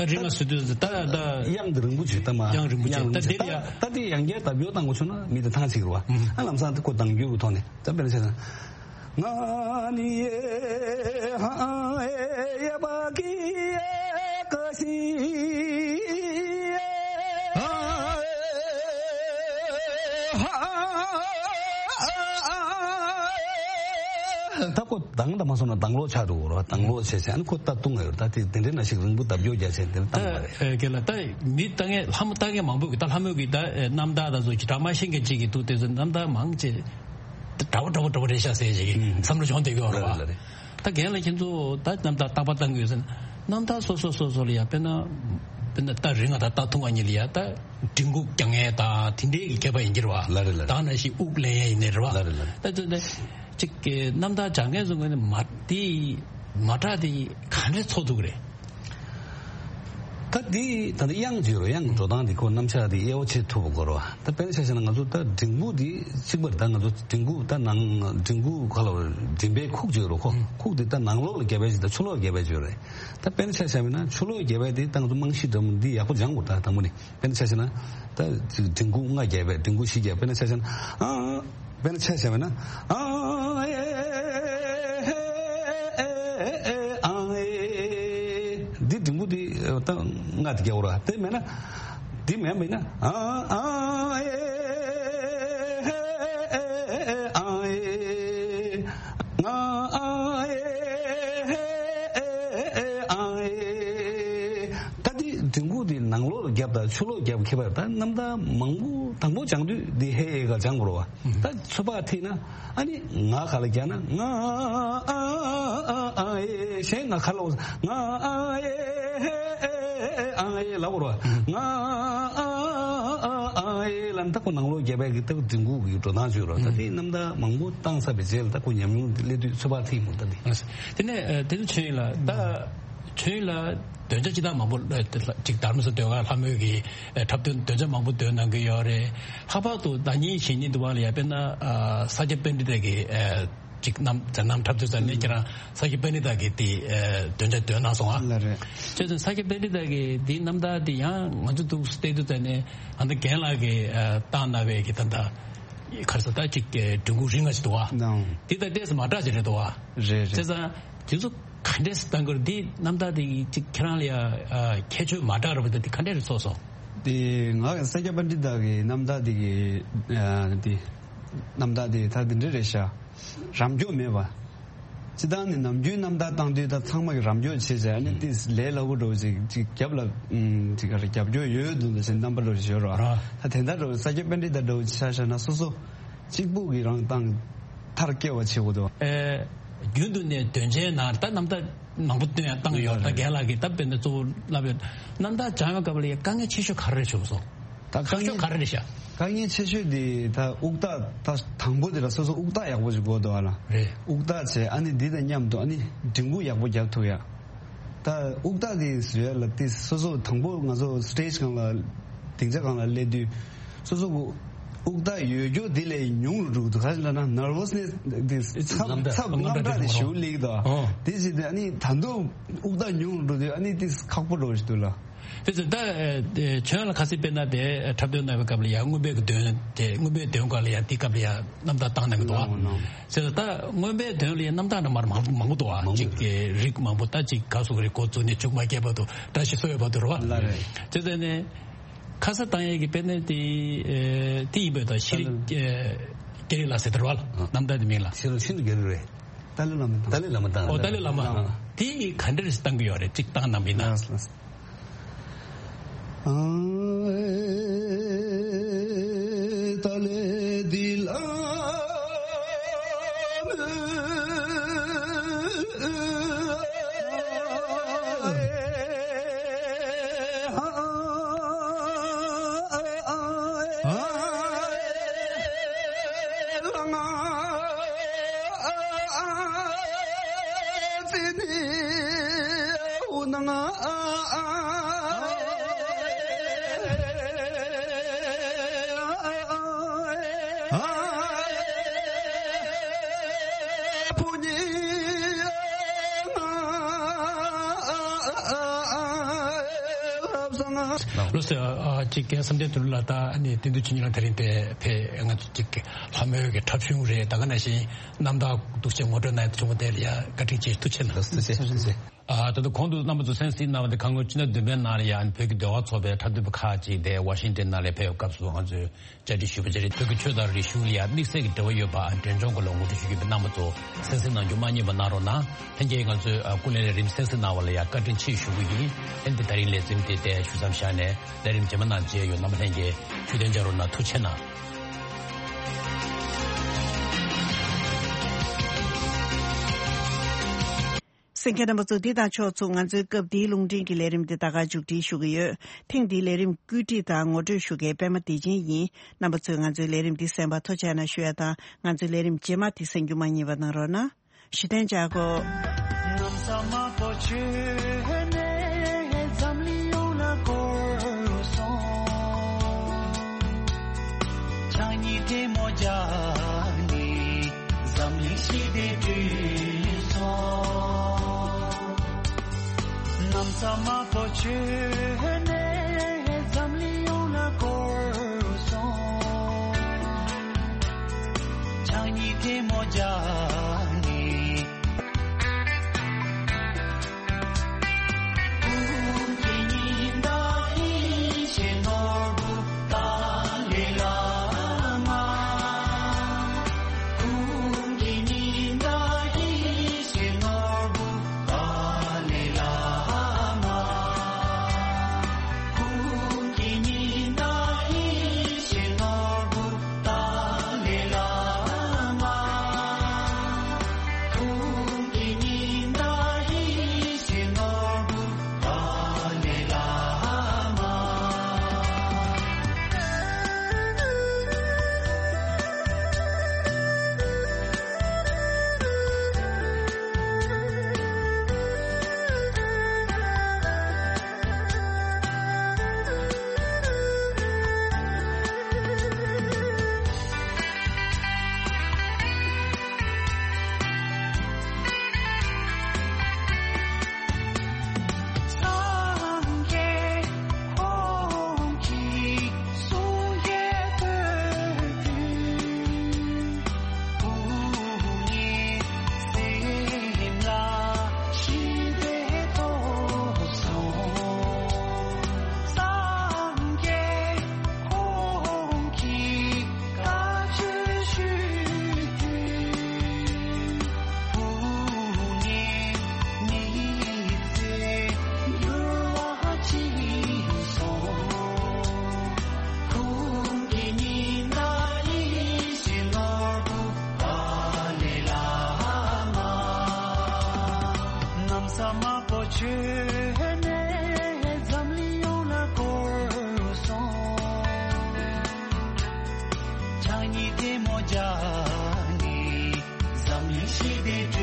ད་རིང་ང་སུ་དུས་ད་ད་དབྱངས་འདི་རིང་པོ་བྱོས་ད་མ། དབྱངས་རིང་པོ་བྱོས་ད་དེ་ལ་ཡ། ད་དེ་ཡང་བསྐྱར་ད་བེའུ་བཏང་དགོས་བྱུང་ན་མི་དེ་ཐང་ཆད་ཀྱི་རེད་བ། ཨ་ལམ་སང་དེ་ཁོ་གདངས་འགྱུར་གྱི་ཐོག་ནས་ད་དཔེར་ན་བྱས་ན། ང་ནི་ཡེ་ཧང་ཡེ་ཡེ་པ་ཀི་ཡེ་ཀ་ཤི་ཡེ་ཧང་ཧང་། ད་ཁོ་གདངས་དང་མ་སོང་ན་གདངས་ལོག་ཆགས་འགྲོ་གི་རེད་བ། གདངས་ལོག་བྱས་བྱས་ཨ་ནི་ཁོ་ད་བཏུང་ང་ཡོད། ད་དེ་དེ་འདྲའི་ནང་ཞིག་རིང་པོ་ལྡབ་སྐྱོར་རྒྱག་བྱས་དེ་འདྲ་བཏང་ད་བ་རེད། ཨེ་གལ་ལ་ད་མི་ལྟ་མཁན་ལྷ་མོ་ལྟ་མཁན་མང་པོ་གི་ད་ལྷ་མོ་གི་ད་ཨེ་རྣམ་ཐར་ད་ཚོ་ཇི་ལྟར་མ་ཤེས་མཁན་ཅིག་གི་འདུག་དེ་ཚོ་རྣམ་ཐར་མང་ཆེ་འདྲ་བོ་འདྲ་བོ་འདྲ་བོ་རེད་ཤག་ཟེར་ཞིག་གི་ཨུམ། བསམ་བློ་བྱུང་བསྡད་ཀྱི་ཡོད་རེད་ལ་བ། ལ་རེད། ད་རྒན་ལགས་ཁྱེད་ཚོ་ད་རྣམ་ཐར་རྟག་པར་བཏང་གི་ཡོད་ཟེར་ན་རྣམ་ཐར་སོ་སོ་སོ་སོ་ལ་ཡ་དཔེར་ན་དཔེར་ན་རྟ་རིང་ང་དང་རྟ་ཐུང་བ་གཉིས་ལ་ཡ་ད་མགྲིན་ཁུག་རྒྱག་མཁན་དང་དེ་འདྲའི་གི་ཁྱད་པར་ཡིན་གྱི་རེད་བ། ལ་རེད་ལ་རེད། ད་ནང་བཞིན་དབུགས་ལེན་ཡ་ཡིན་ནའི་རེད་བ། ལ་རེད་ལ་རེད། ད་དེ་ནས་ཅིག་གི་རྣམ་ཐར་སྦྱང་མཁན་ཚོ་ངོས་ནས་མ་དེ་མ་དྲག་དེ་ག་འདྲས་ཚོར་ཐུབ་ཀྱི་རེད། ད་འདི་ད་ལྟ་དབྱངས་བརྗོད་རོ། དབྱངས་འགྲོ་སྟངས་འདི་ཁོ་རྣམ་གཞག་འདི་དབྱེ་བ་ཕྱེ་ཐུབ་པ་དགོས་རོ། ད་དཔེར་ན་ཆ་བཞག་ན་ང་ཚོ་ད་མགྲིན་ཁུག་འདི་གཅིག་པར་ད་ང་ཚོ་མགྲིན་ཁུག་ད་ནང་མགྲིན་ཁུག་ཁ་ལ་མགྲིན་པའི་ཁུག་བརྗོད་རོ། ཁོ་ཁུག་འདི་ད་ནང་ལོགས་ལ་རྒྱབ་པའི་ཅིག་ད་ཕྱི་ལོགས་ལ་རྒྱབ་པའི་བརྗོད་རེད། ད་དཔེར་ན་ཆ་བཞག་ན་ཕྱི་ལོགས་རྒྱབ་པའི་འདི་ད་ང་ཚོ་རྨང་གཞི་འདྲ་མོ་འདི་ཡག་པོ་སྦྱང་དགོས། ད་དང་པོ་ནས་དཔེར་ན་ཆ་བཞག་ན་ད་མགྲིན་ཁུག་ལྔ་རྒྱབ་པའི་མགྲིན་ཁུག་བཞི་རྒྱབ། དཔེར་ན་ཆ་བཞག་ན་ཨ། དཔེར་ན་ཆ་བཞག་པ་ན་ཨ་ཨེ་ཨེ་ཨེ་ཨ་ཨེ། འདི་མགྲིན་པ་འདི་ད་ལྔ་འདི་རྒྱག་ར། དེ་མེད་ན་འདི་མེད་མེད་ན་ཨ་ཨ་ཨེ་ཨེ་ཨ་ཨེ། ང་ཨ་ཨེ་ཨེ་ཨེ་ཨ་ཨེ། ད་འདི་ ད་ཆུ་ལོག་རྒྱབ་ཁྱེད་པར་ད་རྣམ་ཐར་མང་པོ་དང་པོ་སྦྱང་དུས་འདི་ཧེ་ཨེ་ག་སྦྱང་དགོས་རེད་བ། ད་ཚོད་དཔག་ཐིག་ན་ཨ་ནི་ང་ག་ལ་རྒྱག་ན་ང་ཨ་ཨ་ཨ་ཨེ་གཞན་ང་ག་ལ་ང་ཨ་ཨེ་ཨ་ཨེ་ལབ་དགོས་རེད་བ། ང་ཨ་ཨ་ཨ་ཨེ་ལབ་ན་ད་ཁོ་ནང་ལོག་རྒྱབ་པའི་གི་ད་ཁོ་འཛིན་ཁུག་གི་འགྲོ་སྟངས་བྱོས་རོགས། ད་དེ་རྣམ་ཐར་མང་པོ་བཏང་ཚར་བའི་རྗེས་ལ་ད་ཁོ་ཉམས་མྱོང་དེ་སླེབས་དུས་ཚོད་དཔག་ཐིག་མོ་ད་འདི། དེ་ནས་དེ་ཚོ་ཆོས་ཡིན་ལ་ད། ཆོས་ལ་འདོན་ཆ་ཅི་དང་མང་པོ་ཅིག་དྷརྨ་ས་འདོན་ག་ལྷ་མོའི་གི་འཁྲབ་སྟོན་འདོན་ཆ་མང་པོ་འདོན་གནང་གི་ཡོད་རེད། ལྷག་པར་དུ་ཟླ་ཉིན་ཞེ་གཉིས་འདུག་བ་ལ་ཡ་དཔེར་ན་ས་སྐྱ་པཎྜི་ཏ་གི་ཅིག་རྣམ་མཛད་རྣམ་འཁྲབ་དུས་ཙམ་ནས་ཁྱེད་རང་ས་སྐྱ་པཎྜི་ཏ་གི་དེ་འདོན་ཆ་འདོན་གནང་སོང་ཨ། ལ་རེད། བྱས་ཙང་ས་སྐྱ་པཎྜི་ཏ་གི་དེའི་རྣམ་ཐར་དེ་ཡང་ང་ཚོ་འདུག་བལྟས་དུས་ཙམ་ནས་ཨ་ད་རྒན་ལགས་ཀྱིས་བཏང་གནང་བའི་གི་ད་ད་ག་རེ་ཟེར་ད་ཅིག་འབྲི་གུང་རིང་ང་ཞིག་འདུག་བ། དེ་དང་ཏོག་ཙམ་མ་འདྲ་ཞིག་རེད་འདུག་བ། རེད་རེད། བྱས་ཙང་། དེ་ཚོ་ག་འདྲས་སེ་བཏང་དགོས་རེད། འདི་རྣམ་ཐར་དེ་ཅིག་ཁྱེད་རང་ལ་ཡ་ཁྱད་ཆོས་མ་འདྲ་ར་བ་དེ་ག་འདྲས་རེད་ཚོགས་སོང་། དེ་ང་ས་སྐྱ་པཎྜི་ཏ་གི་རྣམ་ཐར་དེ་གི་དེ་རྣམ་ཐར་དེ་ད་དེ་འདྲས་རེད་ཤག་རམ་འཇོག་མེད་པ། སྤྱིར་བཏང་ནི་ནམ་རྒྱུན་རྣམ་ཐར་བཏང་དུས་ད་ཚང་མ་གི་རམ་འཇོག་བྱེད་བྱས་ཨ་ནི་ཏིས་ལས་སླ་པོ་འདྲ་བོ་ཅིག་ཅིག་རྒྱབ་ལ་ཅིག་ག་རེ་རྒྱབ་སྐྱོར་ཡོད་འདུག་ཟེར་རྣམ་པ་འདྲ་བོ་ཞིག་ཡོད་ར། ད་དེ་འདྲ་འདྲ་བོ་ས་སྐྱ་པཎྜི་ཏ་འདྲ་བོ་ཆ་བཞག་ན་སོ་སོ་གཅིག་པུ་གི་རང་བཏང་མཐར་སྐྱེལ་བ་བྱེད་དགོས་འདུག་ཨེ། རྒྱུན་དུ་ནས་དོན་ཆེན་ནང་ད་རྣམ་ཐར་མང་པོ་བཏོན་ཡང་བཏང་ཡོད། ད་རྒན་ལགས་ཀྱིས་ད་དཔེར་ན་གཙོ་བོ་བསླབ་ཡོད། རྣམ་ཐར་སྦྱང་བའི་སྐབས་ལ་ཡང་དཀའ་ངལ་ཆེ་ཤོས་ག་རེ་རེད་བྱུང་སོང་། ད་དཀའ་ཁག་ཤོས་ངལ་ག་རེ་རེད་ཤག་དཀའ་ངལ་ཆེ་ཤོས་དེ་ད་དབུགས་རྟགས་ད་དང་པོ་དེ་ལ་སོ་སོ་དབུགས་རྟགས་ཡག་པོ་ཞིག་དགོས་འདུག་ཨ་ལ། རེད། དབུགས་རྟགས་བྱས་ཨ་ནི་འདི་དང་མཉམ་དུ་ཨ་ནི་འབྲིང་པོ་ཡག་པོ་རྒྱབ་ཐུབ་ཡ། ད་དབུགས་རྟགས་དེ་བཟོ་ཡ་ལ་དེ་སོ་སོ་དང་པོ་ང་ཚོ་སི་ཊེཇ་སྒང་ལ་སྡིངས་ཆ་སྒང་ལ་སླེབས་དུས། སོ་སོ་གི་དབུགས་རྟགས་ཡོད་རྒྱུ་དེ་ལས་ཉུང་རུ་འགྲོ་གི་འདུག་ག་རེ་ལབ་ན་ནར་ཝ་སི་ནེ་སི་དེ་ཚབ་ཚབ་དངངས་སྐྲག་དེ་ཞེ་པོ་སླེབས་ཀྱི་འདུག་ཨོ། དེ་བྱས་ཏེ་ཨ་ནི་ད་དུང་དབུགས་རྟགས་ཉུང་རུ་འགྲོ་དུས་ཨ་ནི་དེ་ཁག་པོ་འགྲོ་བཞིན་འདུག་ལ། དེ་ཚོ་ད་ཨེ་ཁྱོད་ལ་ཁ་སང་དཔེར་ན་དེ་འཁྲབ་སྟོན་གནང་བའི་སྐབས་ལ་ཡང་རྔོན་པའི་གི་འདོན་དེ་རྔོན་པའི་འདོན་སྐབས་ལ་ཡང་དེ་སྐབས་ལ་ཡང་རྣམ་ཐར་བཏང་གནང་གི་འདུག་ཨ། ནོ་ནོ། ཟེར་ད་རྔོན་པའི་འདོན་ལ་ཡང་རྣམ་ཐར་འདྲ་མར་མང་མང་པོ་འདུག་ཨ། མང་པོ་གཅིག་གི་རིགས་མང་པོ་ད་གཅིག་ག་སུ་གི་རིགས་འགོ་བཙུགས་ནས་མཇུག་མ་སྐྱེལ་བར་དུ་བཀྲ་ཤིས་གསོལ་བའི་བར་དུ་རེད་བ། ལ་རེད། དེ་ཚོ་ནས་ཁ་ས་བཏང་ཡས་ཀྱི་དཔེར་ན་དེ་ཨེ་དེ་ཡིན་པའི་ད་ཤེས་རིག་ཨེ་སྐད་རིགས་ལ་ཟེར་དེ་རེད་བ། རྣམ་ཐར་དེ་མིང་ལ། ཤེས་རིག་ཤིན་ཏུ་སྐད་རིགས་རེད། ཏཱ་ལའི་བླ་མ་དང་། ཏཱ་ལའི་བླ་མ་དང་། ཨོ་ཏཱ་ལའི་བླ་མ། ཨ། དེ་ག་འདྲ་རེ་བཏང་གི་ཡོད་རེད་གཅིག་བཏང་གནང་པ་ཡིན་ན། ལགས་སོ་ལགས་སོ། ལགས་སོ། ཨ་ཅིག་གི་བསམ་གཏན་དོན་གྲུབ་ལགས་ད་ཨ་ནི་བསྟན་འཛིན་ཆོས་ཉིད་ལགས་དེ་རིང་དེ་ཕེབས་ང་ཚོ་ཅིག་ལྷ་མོའི་གི་འཁྲབ་གཞུང་རེད། ད་ག་ནང་བཞིན་རྣམ་ཐར་འདུག་སེ་ངོ་སྤྲོད་གནང་ཡ་བྱུང་བ་དེ་ལ་ཡ་བཀའ་དྲིན་ཆེ་ཐུགས་རྗེ་གནང་། ཐུགས་རྗེ་ཆེ། ཐུགས་རྗེ་ཆེ། ཨ་ད་དུང་གོང་དུ་རྣམ་པ་ཚོ་གསན་གཟིགས་གནང་བ་དེ་གང་གི་ཕྱི་ཟླ་བདུན་པའི་ནང་ལ་ཡང་བོད་ཀྱི་འདུལ་བ་ཚོགས་པའི་འཁྲབ་སྟོན་པ་ཁག་ཅིག་དེ་ཝ་ཤིང་ཏན་ནང་ལ་ཕེབས་སྐབས་སུ་ང་ཚོས་བཅར་འདྲི་ཞུས་པ་བཅས་རེད། བོད་ཀྱི་ཆོས་དང་རིག་གཞུང་ལ་ཡང་དམིགས་བསལ་གྱི་འབྲེལ་བ་ཡོད་པ་འབྲས་ལྗོངས་སྐོར་ལ་ངོ་སྤྲོད་ཞུ་རྒྱུ་ཡིན་པས་རྣམ་པ་ཚོ་གསན་གཟིགས་གནང་རྒྱུ་མ་བསྙེལ་བ་གནང་རོགས་གནང་། ལྷན་རྒྱས་ང་ཚོའི་སྐུ་ལས་རིམ་གསན་གཟིགས་གནང་བ་ལ་ཡང་བཀའ་དྲིན་ཆེ་ཞུ་གི་ཡིན། ཨེ་འདི་ད་རིང་ལས་རིམ་དེ་དེ་ཞུ་མཚམས་བཞག་ནས་ལས་རིམ་རྗེས་མ་ནང་མཇལ་ཡོང་། རྣམ་པ་ལྷན་རྒྱས་ཇུས་གཏན་འཇགས་རོགས་གནང་། ཐུགས་རྗེ་གནང་། གསན་མཁན་རྣམ་པ་ཚོ། འདི་དང་ཕྱོགས་མཚུངས་ང་ཚོའི་སྐབས་འདིའི་རླུང་འཕྲིན་གྱི་ལས་རིམ་འདི་ད་ག་མཇུག་སྒྲིལ་ཞུ་གི་ཡོད། ཐེངས་འདིའི་ལས་རིམ་བཀོད་སྒྲིག་དང་ངོ་སྤྲོད་ཞུ་མཁན་པད་མ་བདེ་ཆེན་ཡིན། རྣམ་པ་ཚོས་ང་ཚོའི་ལས་རིམ་འདི་གསན་པར་ཐུགས་རྗེ་གནང་ཞུ་ཡ་དང་། ང་ཚོའི་ལས་རིམ་རྗེས་མ་འདི་གསན་རྒྱུ་མ་བསྙེལ་བ་གནང་རོགས་གནང་། གཞི་རྟེན་འཇགས་སྒོ། ནམ་ཟླ་དམར་པོ་བྱོན་ནས་འཛམ་གླིང་ཡོངས་ལ་བསྐོར་སོང་། ཕྱག་གཉིས་ཐལ་མོ་སྦྱར་ནས་འཛམ་གླིང་ཞི་བདེ་བསྐྲུན་སོང་། ནམ་ཟླ་དམར་པོ་བྱོན་ནས་འཛམ་གླིང་ཡོངས་ལ་བསྐོར་སོང་། ཕྱག་གཉིས་ཐལ་མོ་སྦྱར་ནས། ས་དམར་པོ་ཁྱོད་ནས་འཛམ་གླིང་ཡོངས་ལ་བསྐོར་སོང་། ཕྱག་གཉིས་ཐལ་མོ་སྦྱར་ནས་འཛམ་གླིང་ཞི་བདེ་